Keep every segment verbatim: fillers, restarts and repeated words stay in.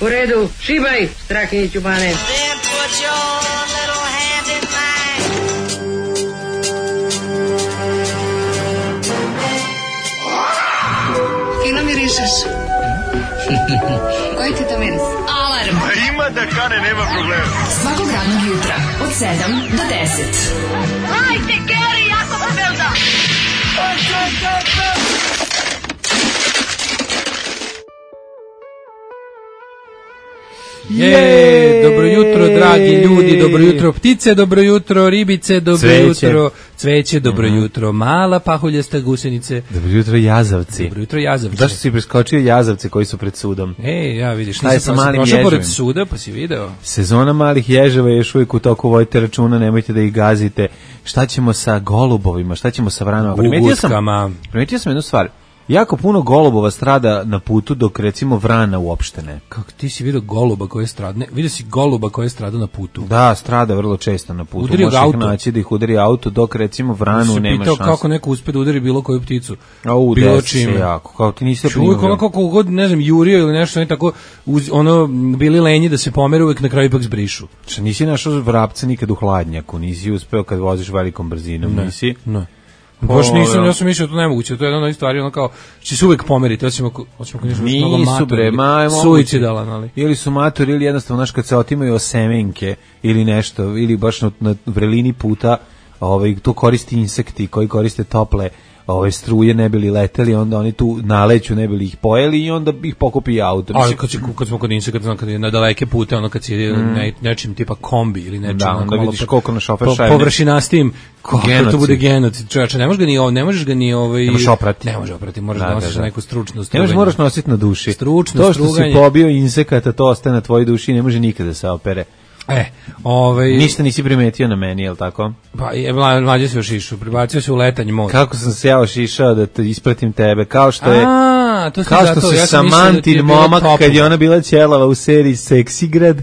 U redu, šibaj, Strahinjiću bane. Fino mirišeš. Koji ti to miris? Alarm. A ima da kane, nema problema. Svakog radnog jutra, od sedam do deset. Hajde, Geri, jako se velda. Je, dobro jutro dragi ljudi, dobro jutro ptice, dobro jutro ribice, dobro Cveće. jutro cveće, dobro mm. jutro mala pahuljasta gusenice. Dobro jutro jazavci. Dobro jutro jazavci. Zašto si preskočio jazavce koji su pred sudom? E, ja vidiš, Šta je sa malim prošao ježevima? pored suda, pa si video. Sezona malih ježeva je još uvijek u toku, vodite računa, nemojte da ih gazite. Šta ćemo sa golubovima, šta ćemo sa vranama? Primetio sam, primetio sam jednu stvar. Jako puno golubova strada na putu, dok recimo vrana uopšte ne. Kako ti si vidio goluba koji je stradne? Vidio si goluba koji je strada na putu? Da, strada vrlo često na putu. Udari Možeš auto. ih naći da ih udari auto, dok recimo vranu nema pitao šanse. kako neko uspe da udari bilo koju pticu. A u, bilo desi se jako. Kao ti nisi primio. Uvijek ono kako god, ne znam, jurio ili nešto, oni tako, uz, ono, bili lenji da se pomere, uvijek na kraju ipak zbrišu. Šta, nisi našao vrapca nikad u hladnjaku, nisi uspeo kad voziš velikom brzinom, ne, nisi? Ne. Baš nisam, ja sam mislio to nemoguće, to je jedna od onih stvari, ono kao, će se uvijek pomeriti, hoćemo hoćemo nešto mnogo matori, suicidalan, ali. Ili su matori, ili jednostavno, znaš, kad se otimaju o semenke, ili nešto, ili baš na, na vrelini puta, ovaj, to koristi insekti koji koriste tople ove struje, ne bili leteli, onda oni tu naleću, ne bili ih pojeli i onda ih pokupi auto. Ali kad, si, kad smo kod insekta, znam, kad je na daleke pute, ono kad si mm. ne, nečim tipa kombi ili nečim, da, onda vidiš po, koliko na šofer po, šajne. Površinastim, kako to bude genocid. Čovječe, ne možeš ga ni, ne možeš ga ni ovaj, ne možeš oprati. Ne možeš oprati, moraš da, da nosiš da, da. neku stručnu struganje. Ne možeš, moraš nositi na duši. Stručno to što struganje. si pobio insekata, to ostaje na tvojoj duši i ne može nikada da se opere. E, ovaj ništa nisi primetio na meni, je l' tako? Pa je mlađe se ošišao, prebacio se u letanji mod. Kako sam se ja ošišao da te ispratim tebe, kao što je A, to kao što se ja Samantin da momak kad je ona bila ćelava u seriji Seksigrad.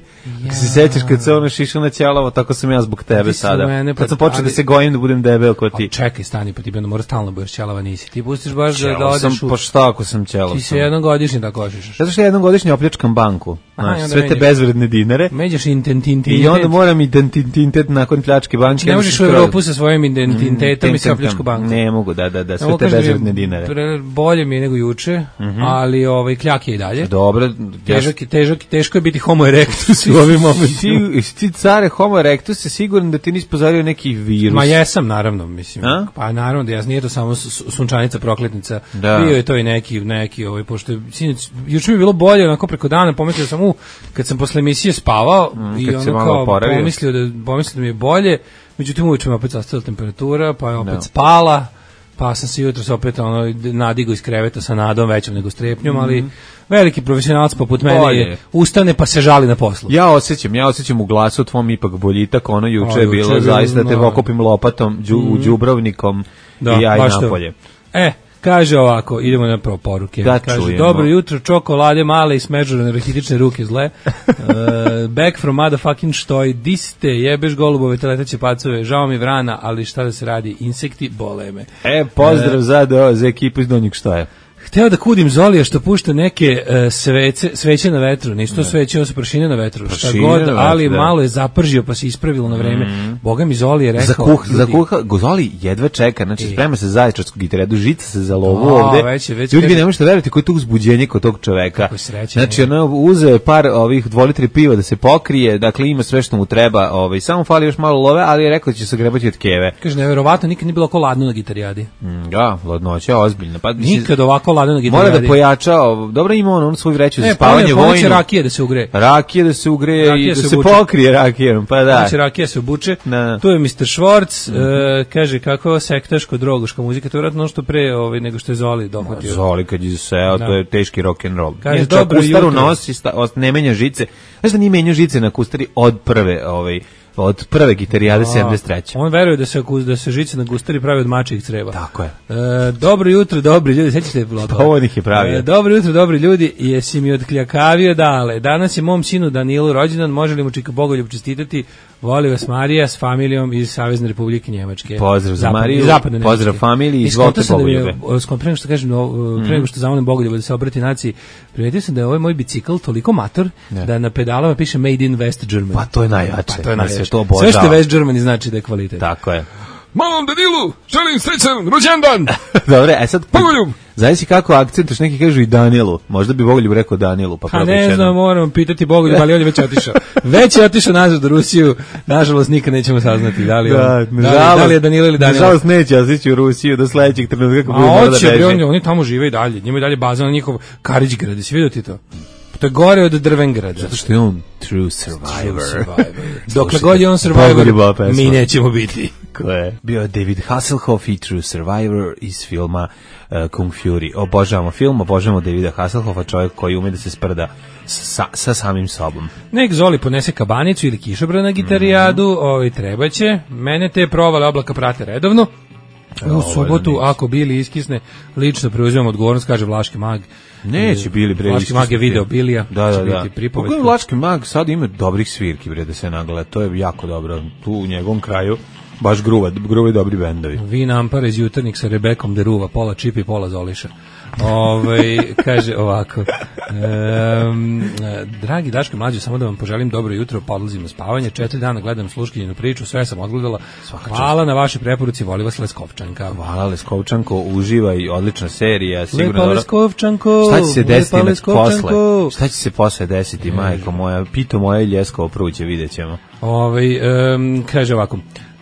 Ja. Se sećaš kad se ona ošišao na ćelavo, tako sam ja zbog tebe sada. Mene, pa, kad sam počeo ali, da se gojim da budem debel kao ti. A čekaj, stani, pa ti bi mora stalno budeš ćelava, nisi. Ti pustiš baš ćelav da odeš sam, u... Pa šta ako sam ćelav? Ti se jednom godišnje tako ošišaš. Zato što ja jednom godišnje opljačkam banku. Aha, sve te bezvredne dinare. Međaš intentintitet. I onda moram intentintitet nakon pljačke banke. Ne možeš u Evropu sa svojim identitetom i sa opljačku banku. Ne mogu, da, da, da, sve te bezvredne dinare. Bolje mi je nego juče, ali ovaj kljak je i dalje. Dobro. Težak je, težak, teško je biti homo erectus u ovim momentima. Ti, ti care homo erectus je siguran da ti nisi pozario neki virus. Ma jesam, naravno, mislim. A? Pa naravno da ja, nije to samo sunčanica prokletnica. Da. Bio je to i neki, neki ovaj, pošto je, sinoć, juče mi je bilo bolje, onako preko dana, pomislio sam u, kad sam posle emisije spavao mm, i ono kao pomislio da, pomislio da mi je bolje, međutim uveče mi opet zastala temperatura, pa je opet no. spala, pa sam se jutros opet ono, nadigo iz kreveta sa nadom većom nego strepnjom, mm. ali veliki profesionalac poput mene bolje. Je ustane pa se žali na poslu. Ja osjećam, ja osjećam u glasu tvom ipak boljitak, ono juče je bilo je zaista no. te okupim lopatom, džu, mm. džubrovnikom da, i ja i napolje. E, kaže ovako, idemo na prvo poruke. Da, kaže, čujemo. Dobro jutro, čokolade male i smeđurane rahitične ruke zle. uh, back from motherfucking štoj, di ste, jebeš golubove, teletaće pacove, žao mi vrana, ali šta da se radi, insekti bole me. E, pozdrav uh, za, do, za ekipu iz Donjeg Štoja. Hteo da kudim Zolija što pušta neke uh, svece, sveće na vetru, nisu to sveće, ovo su prašine na vetru, prašine šta god, vetru, ali da. Malo je zapržio pa se ispravilo na vreme. Mm. Boga mi Zoli je rekao... Za kuh, za kuha, Zoli jedva čeka, znači e. sprema se zaječarskog gitaredu, žica se za lovu o, ovde. Već je, već ljudi, vi ne možete verovati koji je to uzbuđenje kod tog čoveka. Kako sreća. Znači, ono, uzeo je par ovih dvolitri piva da se pokrije, dakle ima sve što mu treba, ovaj, samo fali još malo love, ali je rekao da će se grebati od keve. Kaže, neverovatno, nikad nije bilo ovako ladno na gitarijadi. Mm, da, ladnoća, ozbiljno. Pa, nikad ovako ladno na gitarijadi. Mora da pojača, dobro ima on, on svoju vreću za e, spavanje vojnu. Poneće rakije da se ugre. Rakije da se ugre rakije i da se, se pokrije rakijerom, pa da. Poneće rakije se obuče. Na. Tu je mister Schwartz, mm -hmm. uh, kaže kako sektaško drogoška muzika, to je vratno što pre ovaj, nego što je Zoli dohvatio. Zoli kad je seo, to je teški rock and roll. Kaže, dobro kustaru nosi, sta, ne menja žice. Znaš da nije menjao žice na kustari od prve ovaj, od prve gitarijade sedamdeset treće. On veruje da se da se žice na gustari pravi od mačjih creva. Tako je. E, dobro jutro, dobri ljudi, sećate Vlada? Pa on ih je pravio. E, dobro jutro, dobri ljudi, jesi mi odkljakavio dale. Danas je mom sinu Danilu rođendan, može li mu čika Bogoljub čestitati? Voli vas Marija s familijom iz Savezne Republike Njemačke. Pozdrav za Zapad, Mariju, zapadne pozdrav familiji, izvolite Bogoljube. Da pre nego što kažem, mm. pre nego što zamolim Bogoljuba da se obrati naciji, primetio sam da je ovaj moj bicikl toliko mator ne. da na pedalama piše Made in West Germany. Pa to je najjače. Pa to je najjače. Sve, Sve što je West Germany znači da je kvalitet. Tako je. Malom Danilu, želim srećan rođendan. Dobre, a sad Bogoljub. Zavisi kako akcentuš, neki kažu i Danielu. Možda bi Bogoljub rekao Danielu, pa probaj. A ne znam, moram pitati Bogoljub, ali on je već otišao. Već je otišao nazad u Rusiju. Nažalost nikad nećemo saznati da li on, da, da, li, da li je Danilo ili Danilo. Nažalost neće otići u Rusiju do sledećeg trenutka kako bude da beže. Oni, oni tamo žive i dalje. Njima je dalje baza na njihov Karićgrad. Jesi vidio ti to? To je gore od Drvengrada. Zato što je on true survivor. True survivor. Dokle god je on survivor, mi nećemo biti. Ko je? Bio je David Hasselhoff i True Survivor iz filma uh, Kung Fury. Obožavamo film, obožavamo Davida Hasselhoffa, čovjek koji ume da se sprda sa, sa samim sobom. Nek Zoli ponese kabanicu ili kišobran na gitarijadu, mm. ovaj trebaće. Mene te provale oblaka prate redovno. U subotu, ako Bili iskisne, lično preuzimam odgovornost, kaže Vlaški mag. Neće Bili bre. Vlaški mag je video Bilija. Da, da, da. Kako je Vlaški mag sad ima dobrih svirki bre da se nagleda. To je jako dobro. Tu u njegovom kraju baš gruva, gruvi dobri bendovi. Vina Ampara iz Jutarnik sa Rebekom Deruva, pola Čipi, pola Zoliša. Ove, kaže ovako. Um, dragi Daško Mlađo, samo da vam poželim dobro jutro, pa odlazim na spavanje. Četiri dana gledam Sluškinjinu priču, sve sam odgledala. Hvala na vaše preporuci, voli vas Leskovčanka. Hvala Leskovčanko, uživaj, odlična serija. Lepa Leskovčanko. Šta će se desiti posle? Šta će se posle desiti, majko moja? Pito moja Ljeskovo pruće, vidjet ćemo. Ove, um, kaže ovako.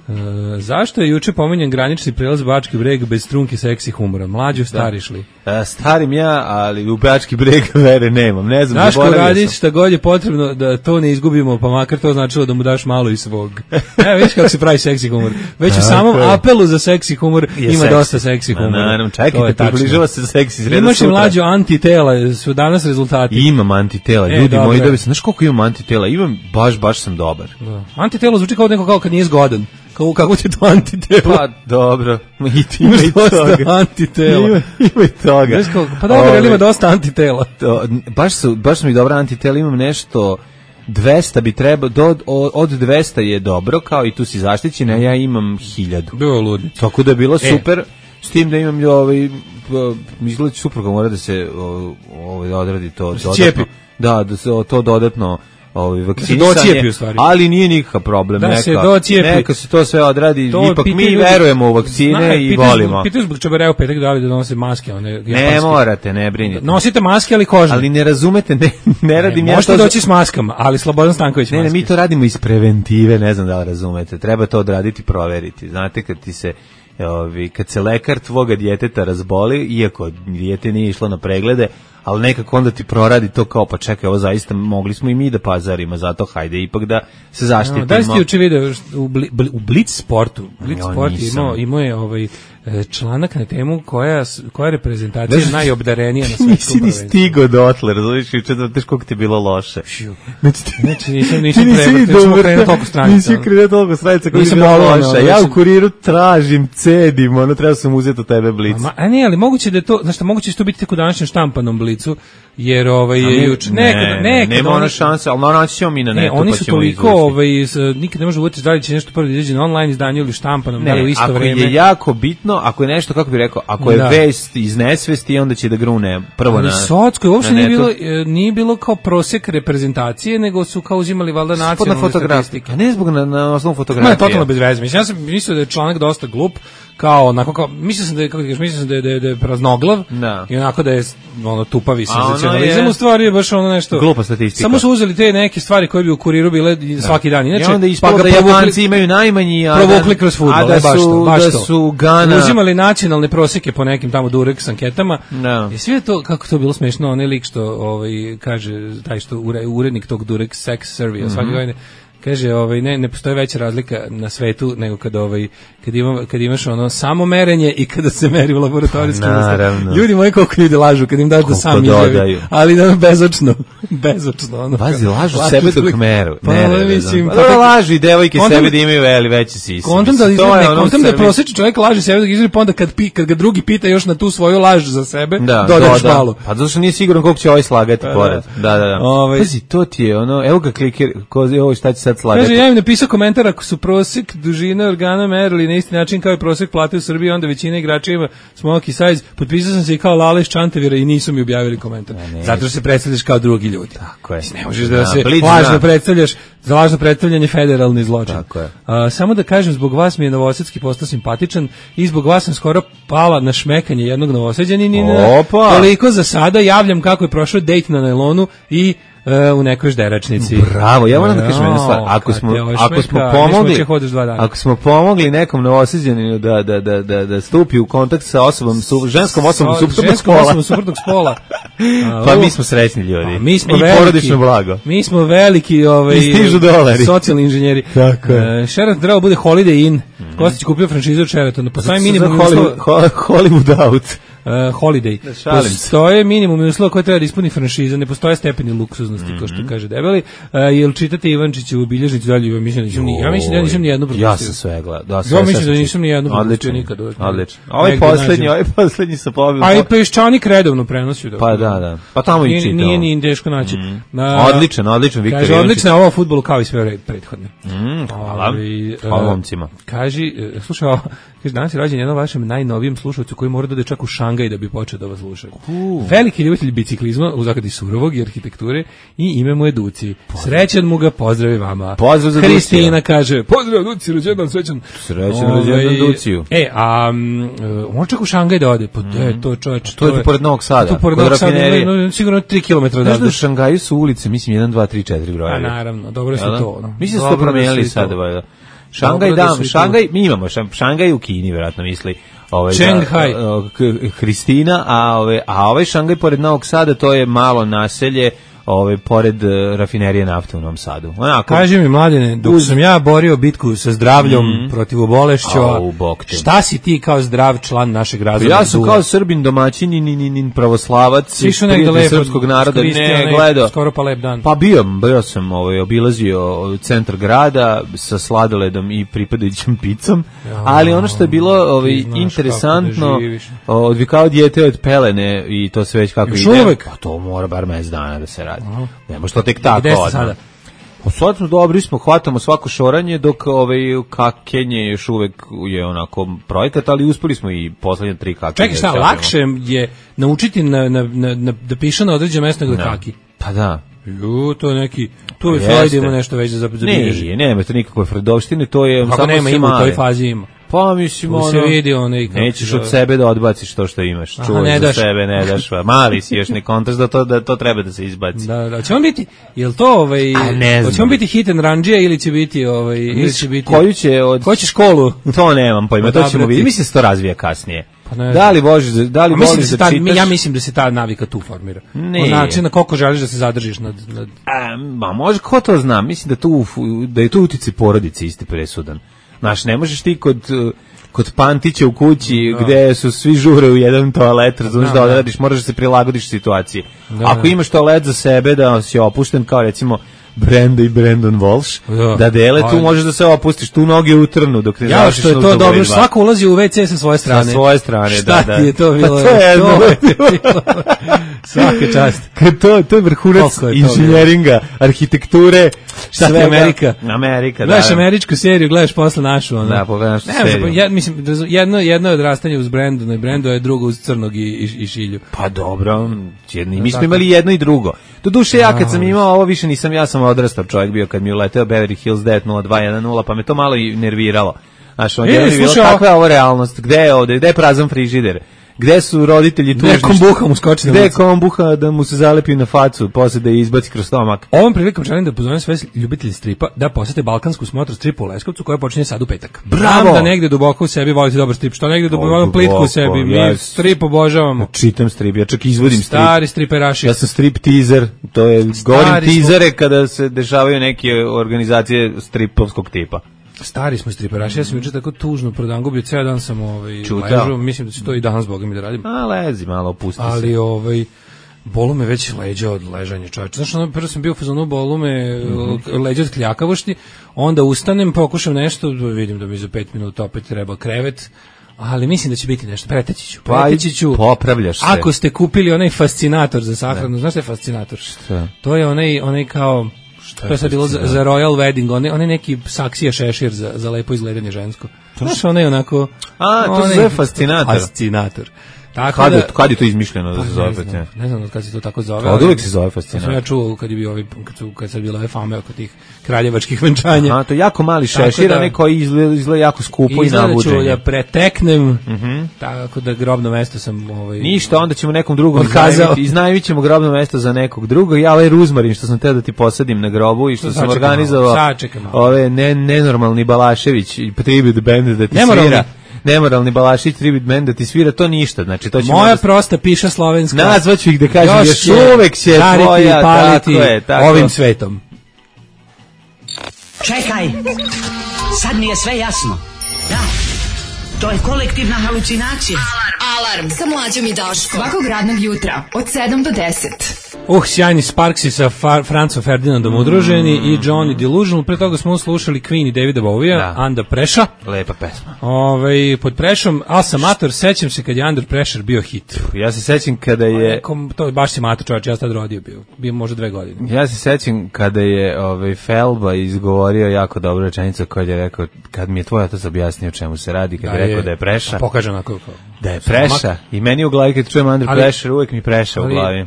Uh, zašto je juče pomenjen granični prelaz Bački Breg bez strunke seksi humora? Mlađo, stariš li? Da. Starim ja, ali u Bački Breg vere nemam. Ne znam, Daško, radi šta god je potrebno da to ne izgubimo, pa makar to značilo da mu daš malo i svog. Ne, vidiš kako se pravi seksi humor. Već u samom apelu za seksi humor je ima seksi. Dosta seksi humora. Naravno, čekajte, približava se seksi sreda. Imaš i Mlađo antitela, su danas rezultati. Imam antitela, ljudi e, moji, da bi se, znaš koliko imam antitela? Imam, baš, baš sam dobar. Da. Antitelo zvuči kao neko kao kad nije zgodan. Kako, kako ti to antitelo? Pa, dobro. I ti ima i toga. Antitela. Ima, ima i toga. Kao, pa dobro, ali ima dosta antitela. To, baš, su, baš su mi dobra antitela. Imam nešto dvesta bi treba, do, od dvesta je dobro, kao i tu si zaštićen, a ja imam hiljadu. Bilo ludno. Tako da je bilo super, e. S tim da imam ovaj, izgleda supruga mora da se ovaj, odradi to da dodatno. Da, da se to dodatno ovaj vakcinisanje, ali nije nikakav problem, da neka, se docijepi. Neka se to sve odradi, to ipak mi ljudi, verujemo u vakcine zna, i pitu, volimo. Pitaju zbog čebereo petak da li da donose maske, one japanske. Ne morate, ne brinite. Nosite maske, ali kožne. Ali ne razumete, ne, ne radim ne, ja možete to. Možete doći s maskama, ali Slobodan Stanković ne, maske. Ne, mi to radimo iz preventive, ne znam da li razumete. Treba to odraditi, proveriti. Znate, kad ti se ovi, kad se lekar tvoga djeteta razboli, iako dijete nije išlo na preglede, ali nekako onda ti proradi to kao, pa čekaj, ovo zaista mogli smo i mi da pazarimo, zato hajde ipak da se zaštitimo. No, da li ste juče video u, bli, u Blitz sportu, Blitz no, sport imao, imao je ovaj članak na temu koja, koja reprezentacija je najobdarenija na svetskom prvenstvu. Nisi ni stigo dotle, razumiješ, juče da teš koliko ti je bilo loše. Znači, nisam, nisam prebao, nisam krenuo toliko stranica. Nisi krenuo toliko stranica koji je bilo loše. Ja u kuriru tražim, cedim, ono treba sam uzeti od tebe Blitz. A, a ne, ali moguće da je to, znaš, moguće će to biti tek u današnjem štampanom Blicu, jer ovaj je juče nekad nekad nema ona šanse, al naći ćemo mi na netu, ne, oni su toliko ovaj nikad ne može uvesti da li će nešto prvo izaći na online izdanju ili štampanom, da li u isto vreme. Ako je jako bitno, ako je nešto, kako bih rekao, ako je da. Vest iz nesvesti, onda će da grune prvo na Socko, uopšte nije bilo nije bilo kao prosek reprezentacije, nego su kao uzimali valjda nacionalne statistike. A ne zbog na, na osnovu fotografije. Ne, totalno bez veze. Mislim, ja sam mislio da je članak dosta glup, kao onako kao mislio sam da je kako ti kažeš, mislio sam da je da je, da je praznoglav da. I onako da je ono tupavi senzacionalizam, u stvari je baš ono nešto glupa statistika. Samo su uzeli te neke stvari koje bi u Kuriru bile da. Svaki dan. Inače, i onda ispalo da Japanci imaju najmanji, a provukli kroz fudbal, a da baš su, to, baš da to. Su Gana uzimali nacionalne prosjeke po nekim tamo Durex anketama. No. I sve to kako to bilo smešno, onaj lik što ovaj kaže taj što urednik tog Durex Sex Survey mm-hmm. svake godine kaže, ovaj, ne, ne postoji veća razlika na svetu nego kad, ovaj, kad, ima, kad imaš ono samo merenje i kada se meri u laboratorijskim Naravno. Ljudi moji, koliko ljudi lažu kad im daš da sam izjavi. Ali da, bezočno. Bezočno. Ono, Vazi, lažu sebe dok meru. Pa, ne, ne, mislim, pa, pa, lažu i devojke kontam, sebe da imaju veli veće sise. Kontam da, izgleda, ono kontam da prosječni čovjek laže sebe dok izjavi, pa onda kad, pi, kad ga drugi pita još na tu svoju laž za sebe, da, dodaš doda. malo. Pa zato što nije siguran koliko će ovaj slagati pa, pored. Da, da, da. Ove, Pazi, to ti je ono, evo ga kliker, ko, evo šta će sad slagati. Kaže, ja im napisao komentar, ako su prosjek dužine organa merili na isti način kao i prosjek plate u Srbiji, onda većina igrača ima smoky size. Potpisao sam se i kao Lale iz Čantavira i nisu mi objavili komentar. Ne, zato što se predstavljaš kao drugi ljudi. Tako je. Ne možeš da, da se lažno predstavljaš, za lažno predstavljanje federalni zločin. Tako je. A, samo da kažem, zbog vas mi je Novosadski postao simpatičan i zbog vas sam skoro pala na šmekanje jednog Novosađanina. Toliko za sada, javljam kako je prošao dejt na nailonu i u nekoj žderačnici. Bravo, ja moram da kažem jednu stvar. Ako smo, ako smo pomogli, ako smo pomogli nekom Novosađaninu da, da, da, da, da stupi u kontakt sa osobom, su, ženskom osobom so, suprotnog ženskom spola, osobom suprotnog spola. pa mi smo srećni ljudi. A, mi smo i veliki, porodično blago. Mi smo veliki ovaj, socijalni inženjeri. Tako je. Uh, Sheraton treba bude Holiday Inn. Mm-hmm. Kostić kupio franšizu od Sheratona. Po samim minimum Hollywood, Hollywood out. Uh, holiday. Postoje minimum uslova koje treba da ispuni franšiza, ne postoje stepeni luksuznosti, mm-hmm. kao što kaže Debeli. Uh, jel čitate Ivančiću u bilježnici dalje? Ja mislim da nisam ni, ja mislim da nisam ni jednu propustio. Ja sam sve gledao. Da, ja mislim da nisam ni jednu propustio nikad. Odlično. Ovaj poslednji, ovaj poslednji sa pobedom. A i Peščanik redovno prenosio. Da. Pa da, da. Pa tamo i čitao. Nije ni teško naći. Mm. Uh, odličan, odličan Viktor. Kaže, odlična je ova fudbalu kao i sve prethodne. Mm, hvala. Hvala momcima. Kaži, slušaj, kaže, danas je rođen jednom vašem najnovijem slušalcu koji mora da ode čak u Šangaj da bi počeo da vas sluša. Uh. Veliki ljubitelj biciklizma, u zagradi surovog i arhitekture, i ime mu je Duci. Srećan mu ga, pozdravi vama. Pozdrav za Kristina Ducija. Kaže, pozdrav Duci, rođendan, srećan. Srećan rođendan Duciju. E, a um, on čak u Šangaj da ode, pa mm. je to čovječ. To je pored Novog Sada, to pored Novog Sada, no, sigurno tri kilometra odavde. Znaš da u Šangaju su ulice, mislim, jedan, dva, tri, četiri broja. A naravno, dobro su to. No. Mislim da su to promenili sad, valjda. Šangaj, da, Šangaj, mi imamo Šangaj u Kini, vjerojatno misli. Ovaj Šenghaj, Hristina, a ove a ovaj Šangaj pored Novog Sada, to je malo naselje, ovaj pored uh, rafinerije nafte u Novom Sadu. Onako. Kaži mi, Mladene, dok uz... sam ja borio bitku sa zdravljom mm. protiv bolešća, šta si ti kao zdrav član našeg razreda? Ja sam kao Srbin domaćin i ni ni ni pravoslavac, prijatelj srpskog naroda, ne gledao. Skoro pa lep dan. Pa bio, bio sam, ovaj obilazio centar grada sa sladoledom i pripadajućim picom, ja, ali ono što je bilo ovaj interesantno, odvikao dijete od pelene i to sve već kako Još ide. Uvek. Pa to mora bar mesec dana da se radi. Aha. Ne može to tek tako. Gde ste sada? Pa sad smo dobri, smo, hvatamo svako šoranje, dok ovaj, kakenje još uvek je onako projekat, ali uspeli smo i poslednje tri kakenje. Čekaj, šta, da lakše je naučiti na, na, na, na, da piše na određenom mjestu nego da kaki? Pa da. Ju, to je neki, tu je Freud ima nešto već za zabilježi. Ne, nema to nikakve Freudovštine, to je Ako samo nema, ima, u toj fazi ima. Pa mislim ono, se vidi onaj nećeš od sebe da odbaciš to što imaš, čuvaj za sebe, ne daš, mali si još ne kontaš da to, da to treba da se izbaci. Da, da, će on biti, jel to ovaj, će on biti hit and ranđija ili će biti, ovaj, ili će biti, koju će od, koju će školu? To nemam pojma, to ćemo vidjeti, mislim da se to razvija kasnije. Pa ne, da li voliš, da li voliš da, da čitaš? Ja mislim da se ta navika tu formira. On način na koliko želiš da se zadržiš nad... nad... A, ma može, ko to zna, mislim da, tu, da je tu utici porodice isti presudan. Znaš, ne možeš ti kod... kod Pantića u kući da. Gde su svi žure u jedan toalet, razumiješ da, da odradiš, moraš da se prilagodiš situaciji. Da, Ako da. imaš toalet za sebe, da si opušten kao recimo Brenda i Brandon Walsh, da, da dele, tu možeš da se opustiš, tu noge utrnu dok ne završiš. Ja, što je to dobro, svako ulazi u ve ce sa svoje strane. Sa svoje strane, Šta da, da. Šta ti je to bilo? Pa to je jedno. Svaka čast. To, to je vrhunac inženjeringa, arhitekture. Šta je Amerika? Amerika, da. Gledaš američku seriju, gledaš posle našu. Ono. Da, pogledaš seriju. Ja, mislim, jedno, jedno je odrastanje uz Brandona i Brando je drugo uz Crnog i, i, i Šilju. Pa dobro, jedni, mi smo imali jedno i drugo. Do duše ja kad sam imao ovo više nisam, ja sam odrastao čovjek bio kad mi je uleteo Beverly Hills devet nula dva jedan nula, pa me to malo i nerviralo. Znaš, on je bilo kakva je ovo realnost, gde je ovde, gde je prazan frižider? Gde su roditelji tužni? Gde kombuha mu skoči na Gde lice? kombuha da mu se zalepi na facu, posle da je izbaci kroz stomak? Ovom prilikom želim da pozovem sve ljubitelji stripa da posete balkansku smotru stripa u Leskovcu koja počinje sad u petak. Bravo! Znam da negde duboko u sebi volite dobar strip, što negde duboko, duboko, plitko u sebi, mi ja- strip obožavamo. Čitam strip, ja čak izvodim strip. Stari striperaši. Ja sam strip teaser, to je, govorim smo- teasere kada se dešavaju neke organizacije stripovskog tipa. Stari smo striperaši, ja sam juče tako tužno prodangubio, ceo dan sam ovaj, Čutao. ležao, mislim da će to i danas, boga mi, da radim. A, lezi malo, pusti se. Ali ovaj bolu me već leđa od ležanja, čoveče. Znaš, ono, prvo sam bio u fazonu, bolu me Mhm. leđa od kljakavošti, onda ustanem, pokušam nešto, vidim da mi za pet minuta opet treba krevet, ali mislim da će biti nešto. Preteći ću. Pa, Preteći ću. popravljaš se. Ako ste kupili onaj fascinator za sahranu, znaš šta je fascinator? Šta? To je onaj, onaj kao, to je sad bilo za, za Royal Wedding, onaj, onaj neki saksija šešir za, za lepo izgledanje žensko. Znaš, onaj onako... A, to se onaj- zove fascinator. Fascinator. Tako Kad, da, je, kad je to izmišljeno da se pa zove ne znam, fascinator? ne znam od kad se to tako zove. To od ali- uvek se zove to sam fascinator. ja čuo kad je bio ovi, kad su kad sad bilo ove fame oko tih kraljevačkih venčanja. A, to je jako mali Tako šešir, da- a neko izgleda, izgleda jako skupo i Izgleda ću nabuđenje. ja preteknem, tako da grobno mesto sam ovaj, Ništa, onda ćemo nekom drugom Otkazao. iznajmiti, iznajmit ćemo grobno mesto za nekog drugog. Ja ovaj ruzmarin što sam teo da ti posadim na grobu i što To sam sačekaj malo, organizovao sačekaj malo. ove ne, nenormalni Balašević i tribute band da ti Nemoralni. svira. Nemoralni Balašević tribute band da ti svira, to ništa. Znači, to ćemo moja onda- prosta piša slovenska. nazvaću ih da kažem još, će uvek će žariti i tvoja, paliti tako je, tako. ovim svetom. Čekaj, sad mi je sve jasno. Da, to je kolektivna halucinacija. Alarm sa mlađom i Daškom. Svakog radnog jutra od sedam do deset. Uh, sjajni Sparksi sa Far Francom Ferdinandom udruženi i Johnny Delusional. Pre toga smo slušali Queen i Davida Bowie-a, Da. Under Pressure. Lepa pesma. Ovaj pod prešom, al sam mator, sećam se kad je Under Pressure bio hit. Ja se sećam kada je Kom, to je baš si mator, čovječ, ja sam tad rodio bio. Bio možda dve godine. Ja se sećam kada je ovaj Felba izgovorio jako dobru rečenicu kad je rekao, kad mi je tvoj otac objasnio čemu se radi, kad je rekao da je preša, Pokaže onako kao. da je preša i meni u glavi kad čujem Under Ali- Pressure uvek mi preša u ali- glavi.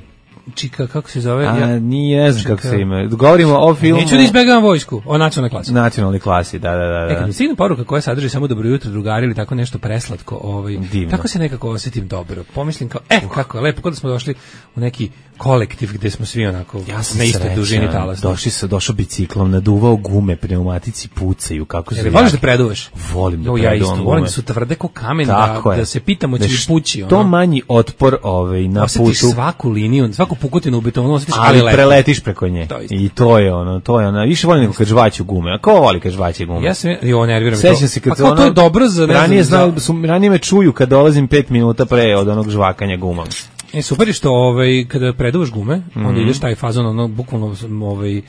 Čika, kako se zove? A Ja, nije, ne znam kako Čekaj. se ima. Govorimo o filmu neću da izbegavam vojsku, o nacionalnoj klasi. nacionalnoj klasi, da, da, da. E, kad da. mi stigne poruka koja sadrži samo dobro jutro drugari ili tako nešto preslatko, ovaj, Divno. tako se nekako osjetim dobro. Pomislim kao, e, kako je lepo, kod da smo došli u neki kolektiv gde smo svi onako Ja sam na istoj srećan. dužini talasa. Došli sa došao biciklom, naduvao gume, pneumatici pucaju, kako se Jel voliš da preduvaš? Volim da Jo, ja preduvam isto, volim gume. da su tvrde ko kamen, da, Tako je. da se pitamo će li š- pući. To ono. manji otpor ovaj, na Osjetiš putu. svaku liniju, svaku pukotinu u betonu, osjetiš, ali, Ali lepo. preletiš preko nje. To je isto. I to je ono, to je ono. Više volim nego kad žvaću gume. A ko voli kad žvaće gume? Ja sam, jo, nerviram me to. Sećam se kad pa kao ono, to je dobro za, ne ranije, znam, znao, su, ranije me čuju kad dolazim pet minuta pre od onog žvakanja gumom. E, super je što ovaj, kada preduvaš gume, Mhm. onda ideš taj fazon, ono, bukvalno, ovaj, e,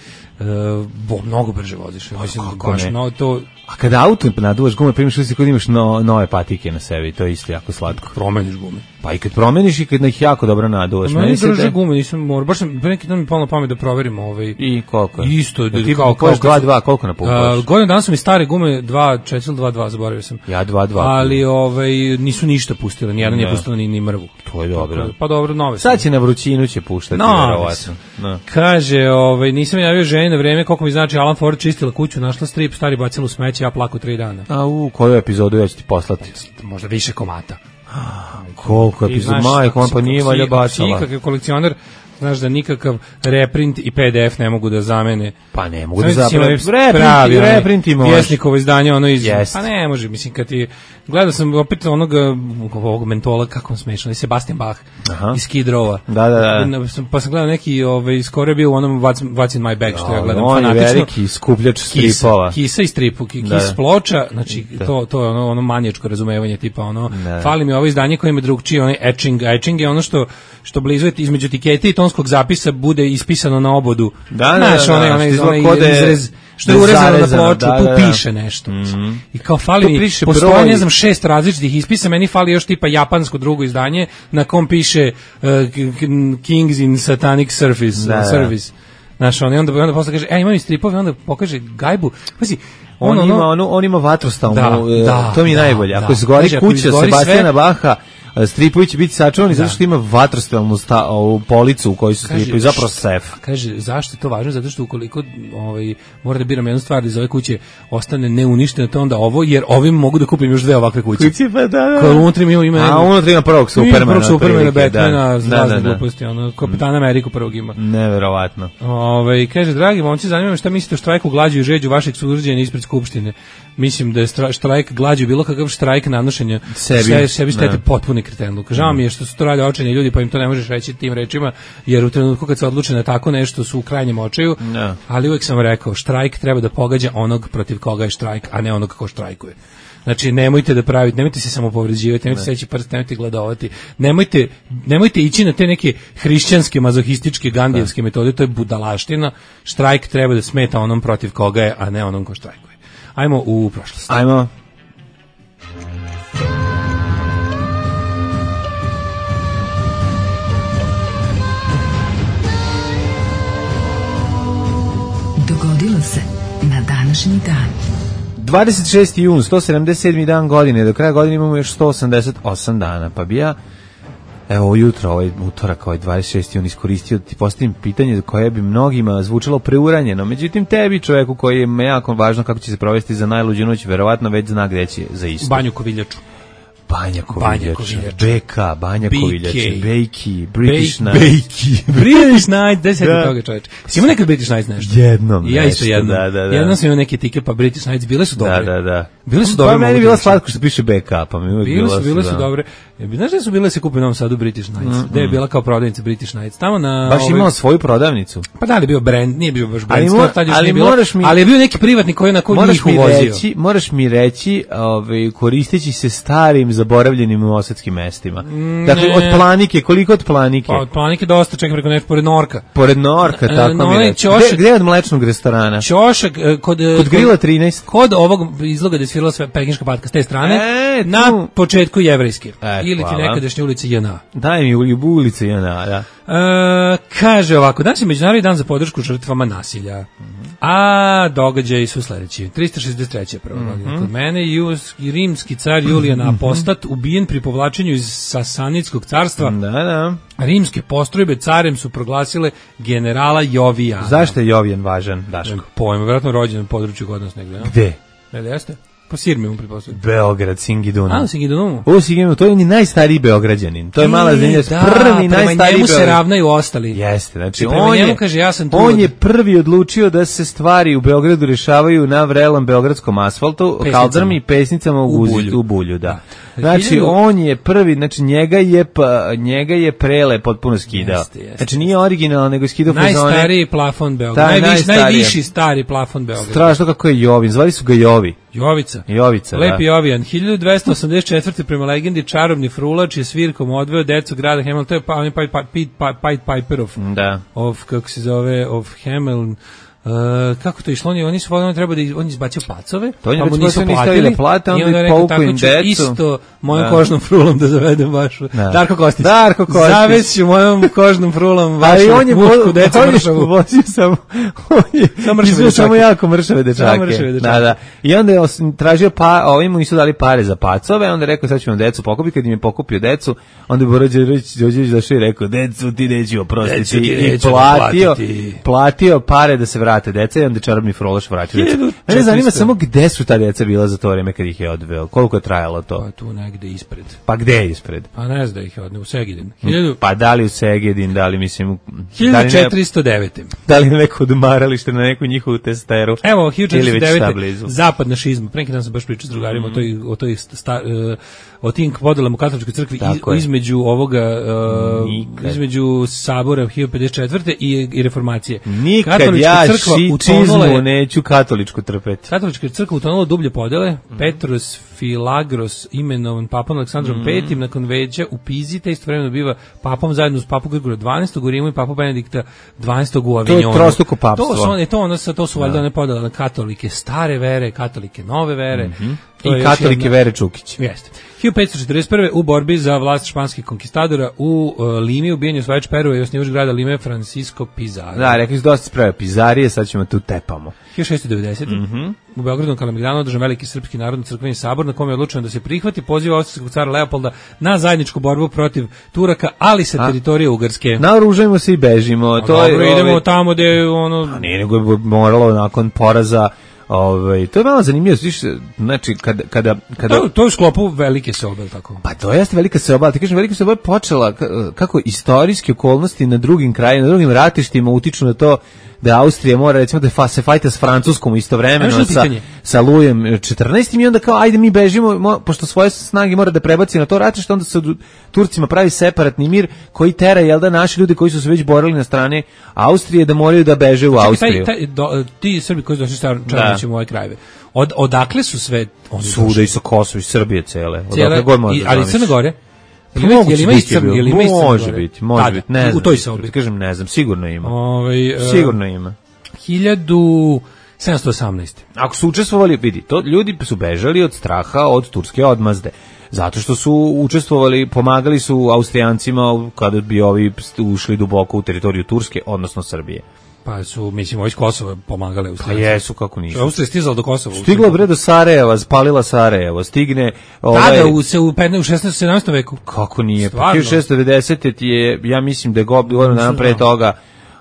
bo, mnogo brže voziš. Mislim, kako baš, ne? no, to A kada auto naduvaš gume, primiš utisak kod imaš no, nove patike na sebi, to je isto jako slatko. promeniš gume. Pa i kad promeniš i kad ih jako dobro naduvaš. Meni se drže te- gume, nisam morao, baš sam, pre neki dan mi palo na pamet da proverim ovaj, I koliko je? isto, Ja ti kao, kao, kupaš dva dva, koliko na Uh, godinu dana su mi stare gume dva četiri ili dva dva, zaboravio sam. Ja dva dva. Ali ovaj nisu ništa pustile, nijedan nije Ne. pustila ni, ni mrvu. To je dobro. Pa dobro, nove su. Sad će na vrućinu će puštati, No, verovatno. No. Kaže, ovaj, nisam javio ženi na vreme, koliko mi znači Alan Ford čistila kuću, našla strip, stari bacila u smeće, ja plaku tri dana. A u koju epizodu ja ću ti poslati? Možda više komata. Koliko Ti epizoda? znaš, Majko, ako on si- pa nije ako si- valjda ako si bacala. ikakav kolekcioner, znaš da nikakav reprint i P D F ne mogu da zamene. Pa ne mogu da Znaš si zapravo. imali pravi, onaj Reprinti možeš. Vjesnikovo izdanje, ono iz... Jest. Pa ne može, mislim, kad ti... Gledao sam opet onog ovog mentola, kako on smešao, Sebastian Bach Aha. iz Skid Rowa. Da, da, da. Pa sam gledao neki, ovaj, skoro je bio u onom What's, What's in my bag, što ja gledam On je fanatično. veliki skupljač Kisa, stripova. kisa i stripu, ki- Da. kis ploča, znači to, to je ono, ono manijačko razumevanje, tipa ono, Da. fali mi ovo izdanje koje ima drugčije, onaj etching, etching je ono što, što blizu je između etikete i tonskog zapisa bude ispisano na obodu. Da, da, Znaš, da, onaj, da, onaj, što izgleda onaj ko da je- izrez, što je da je urezano na zarezano, ploču, da, tu da, da. piše nešto. I kao fali Tu mi, piše postoje, broj. ne znam, šest različitih ispisa, meni fali još tipa japansko drugo izdanje, na kom piše uh, K- K- Kings in Satanic Service, Da, da. service. Znaš, on, i onda, onda posle kaže, e, imam i stripove, onda pokaže gajbu. Pazi, On, ono, ima, ono, ono, on ima vatrostalnu, Da, e, da, to mi je da, najbolje. Ako da. izgori Kaže, ako kuća izgori Sebastijana sve- Baha, stripovi će biti sačuvani zato što ima vatrostalnu sta, ovu policu u kojoj su stripovi, zapravo sef. Kaže, zašto je to važno? Zato što ukoliko ovaj, mora da biram jednu stvar da iz ove kuće ostane neuništeno, to onda ovo, jer ovim mogu da kupim još dve ovakve kuće. Kuće, pa da, da. Koje unutra ima, ima... A unutra ima prvog Supermana. Prvog Supermana, Batmana, da, razne da, da. gluposti, ono, Kapitana Ameriku prvog ima. Neverovatno. Ove, kaže, dragi momci, zanima me šta mislite o štrajku glađu i žeđu vašeg sugrađana ispred Skupštine. Mislim da je štrajk glađu bilo kakav štrajk nanošenja sebi, se, sebi štete potpuni kretenluk. Žao mi je što su to radili očajni ljudi, pa im to ne možeš reći tim rečima, jer u trenutku kad se odluče na tako nešto su u krajnjem očaju, no. Ali uvek sam rekao, štrajk treba da pogađa onog protiv koga je štrajk, a ne onog ko štrajkuje. Znači, nemojte da pravite, nemojte se samo povređivati, nemojte seći prst, nemojte gladovati, nemojte, nemojte ići na te neke hrišćanske, mazohističke, gandijevske metode, to je budalaština. Štrajk treba da smeta onom protiv koga je, a ne onom ko štrajkuje. Ajmo u prošlost. Ajmo. Dogodilo se na današnji dan. dvadeset šesti jun, sto sedamdeset sedmi dan godine, do kraja godine imamo još sto osamdeset osam dana, pa bi ja, evo jutro, ovaj utorak, ovaj dvadeset šesti jun iskoristio da ti postavim pitanje koje bi mnogima zvučalo preuranjeno, međutim tebi, čoveku koji je jako važno kako će se provesti za najluđu noć, verovatno već zna gde će za isto. Banju Koviljaču. Banja Koviljača, B K, Banja Koviljača, Bejki, British Bej, Night. Bejki, British Night, da se da toga čoveče. Si imao nekad British Nights nešto? Jednom ja isto jednom. Da, da, da. Jednom sam imao neke tike, pa British Nights, bile su dobre. Da, da, da. Bile su dobre. Pa meni je bilo slatko što piše B K, pa mi uvijek bile bilo su, bile su da. dobre. Znaš da su bile se kupe u Novom Sadu British Nights? Mm, gde je bila kao prodavnica British Nights? Tamo na... Baš imao ovaj... svoju prodavnicu? Pa da li je bio brand, nije bio baš brand, ali, mo tad još ali, nije bilo, mi... ali je bio neki privatnik koji na koji njih uvozio. Reći, moraš mi reći, ovaj, koristeći se starim, zaboravljenim osadskim mestima. Mm, dakle, ne. Od Planike, koliko od Planike? Pa od Planike dosta, čekaj preko nešto, pored Norka. Pored Norka, tako no, mi reći. Gde, gde od mlečnog restorana? Ćošak, kod... Kod Grila trinaest. Kod ovog izloga gde je svirala sve pekinška patka s te strane, e, na početku jevrejske. E, ili ti nekadašnje ulice J N A. Daj mi ulice J N A, da. E, kaže ovako, danas je Međunarodni dan za podršku žrtvama nasilja. Mm -hmm. A događaji su sledeći. trista šezdeset treća prva godina. Mm -hmm. Kod mene Jus, rimski car Julijan Apostat ubijen pri povlačenju iz Sasanidskog carstva. Da, da. Rimske postrojbe carem su proglasile generala Jovijana. Zašto je Jovijan važan, Daško? Pojma, vjerojatno rođen u području kod nas negde. Ja? Gde? Ne, jeste? Po Sirmi mu pretpostavljam. Beograd, Singidunum. A, Singidunum. O, Singidunum, to je ni najstariji Beograđanin. To je mala zemlja, da, prvi najstariji Beograđanin. Njemu se ravnaju ostali. Jeste, znači prema on njemu je, kaže, ja sam tu on od... je prvi odlučio da se stvari u Beogradu rešavaju na vrelom beogradskom asfaltu, kaldrmi i pesnicama u, u, bulju. u bulju, da. Znači Hiljadu... on je prvi, znači njega je pa, njega je Prele potpuno skidao. Jeste, jeste. Znači nije originalno, nego je skidao fazone. Najstariji plafon Beograda. Najviš, najviši stari plafon Beograda. Strašno kako je Jovin, zvali su ga Jovi. Jovica. Jovica, Lepi da. Jovijan. hiljadu dvesta osamdeset četvrte prema legendi čarobni frulač je svirkom odveo decu grada Hameln. To je pa, on je Pied pa, pa, pa, Piper of, da. of, kako se zove, of Hameln. Uh, kako to išlo, oni, oni su oni treba da iz, on izbacio pacove, to pa mu nisu platili da plate, i onda je rekao tako ću decu. Isto mojom da. kožnom frulom da zavedem vašu da. Darko Kostić, Darko Kostić. Zaveću mojom kožnom frulom vašu mušku decu mršavu. Vozio sam, on je izveo samo jako mršave dečake. Da, da. I onda je tražio, pa, ovim mu nisu dali pare za pacove, onda je rekao sad ćemo decu pokupiti, kad im je pokupio decu, onda je Borađević došao i rekao, decu ti neću oprostiti i platio, platio pare da se vrate deca i onda čarobni frulaš vraća. Mene zanima samo gde su ta deca bila za to vreme kad ih je odveo. Koliko je trajalo to? Pa tu negde ispred. Pa gde je ispred? Pa ne znam da ih je odneo u Segedin. Hiljadu... Pa da li u Segedin, da li mislim... hiljadu četiristo devete. Da li neko odmaralište na neku njihovu testeru? Evo, hiljadu četiristo devete. Zapadna šizma. Pre neki dan sam baš pričao s drugarima mm. o toj, o toj sta, uh, o tim podelama u katoličkoj crkvi i, između ovoga uh, između sabora hiljadu pedeset četvrte i, i reformacije. Nikad katolička ja šičizmu neću katoličku trpeti. Katolička crkva utonula dublje podele. Mm. Petros Filagros imenovan papom Aleksandrom mm. petim nakon veća u Pizi, te istovremeno biva papom zajedno uz papu Grigora dvanaestog u Rimu i papu Benedikta dvanaestog u Avignonu. To je trostruko papstvo. To su one, to ono, to su valjda one podele na katolike stare vere, katolike nove vere. Mm -hmm. To I katolike Vere Čukić. Jeste. hiljadu petsto četrdeset prve u borbi za vlast španskih konkistadora u uh, Limi, ubijen je osvajač Perua i osnivač grada Lime Francisco Pizarro. Da, rekli su dosta sprave Pizarije, sad ćemo tu tepamo. hiljadu šeststo devedesete. Mm-hmm. U Beogradu na Kalemegdanu održan veliki srpski narodni crkveni sabor na kome je odlučeno da se prihvati poziv austrijskog cara Leopolda na zajedničku borbu protiv Turaka, ali sa teritorije Ugarske. Naoružajmo se i bežimo. A, to dobro, je, idemo ove, tamo gde ono... A nije, nego je moralo nakon poraza. Ovaj, to je malo zanimljivo, znači kada kada kada to, to je u sklopu velike seobe, tako. Pa to jeste velika seoba, ali ti kažem velika seoba je počela kako istorijske okolnosti na drugim krajevima, na drugim ratištima utiču na to da Austrija mora recimo da fa, se fajta s Francuskom istovremeno sa sa Lujem četrnaestim i onda kao ajde mi bežimo mo, pošto svoje snage mora da prebaci na to ratište, onda se Turcima pravi separatni mir koji tera jel da naši ljudi koji su se već borili na strane Austrije da moraju da beže u Austriju. Taj, taj, do, ti Srbi koji su došli čarnići u ove krajeve. Od odakle su sve oni svuda i sa Kosova i Srbije cele. Odakle god može. Ali Crna Gore. Ili ima iscrn, ili ima iscrn. Može biti, može Tada, biti, ne znam. U toj sobi. Kažem, ne znam, sigurno ima. Ovaj uh, sigurno ima. hiljadu sedamsto osamnaeste. Ako su učestvovali, vidi, to ljudi su bežali od straha od turske odmazde. Zato što su učestvovali, pomagali su Austrijancima kada bi ovi ušli duboko u teritoriju Turske, odnosno Srbije. Pa su, mislim, ovi iz Kosova pomagali Austrijanci. Pa jesu, kako nisu. Austrija stizala do Kosova. Stigla bre do Sarajeva, spalila Sarajevo, stigne... Ovaj, tada, u, se u, u šesnaestom sedamnaestom veku. Kako nije? Pa hiljadu šessto devedesete ti je, ja mislim da je godinu dana pre toga,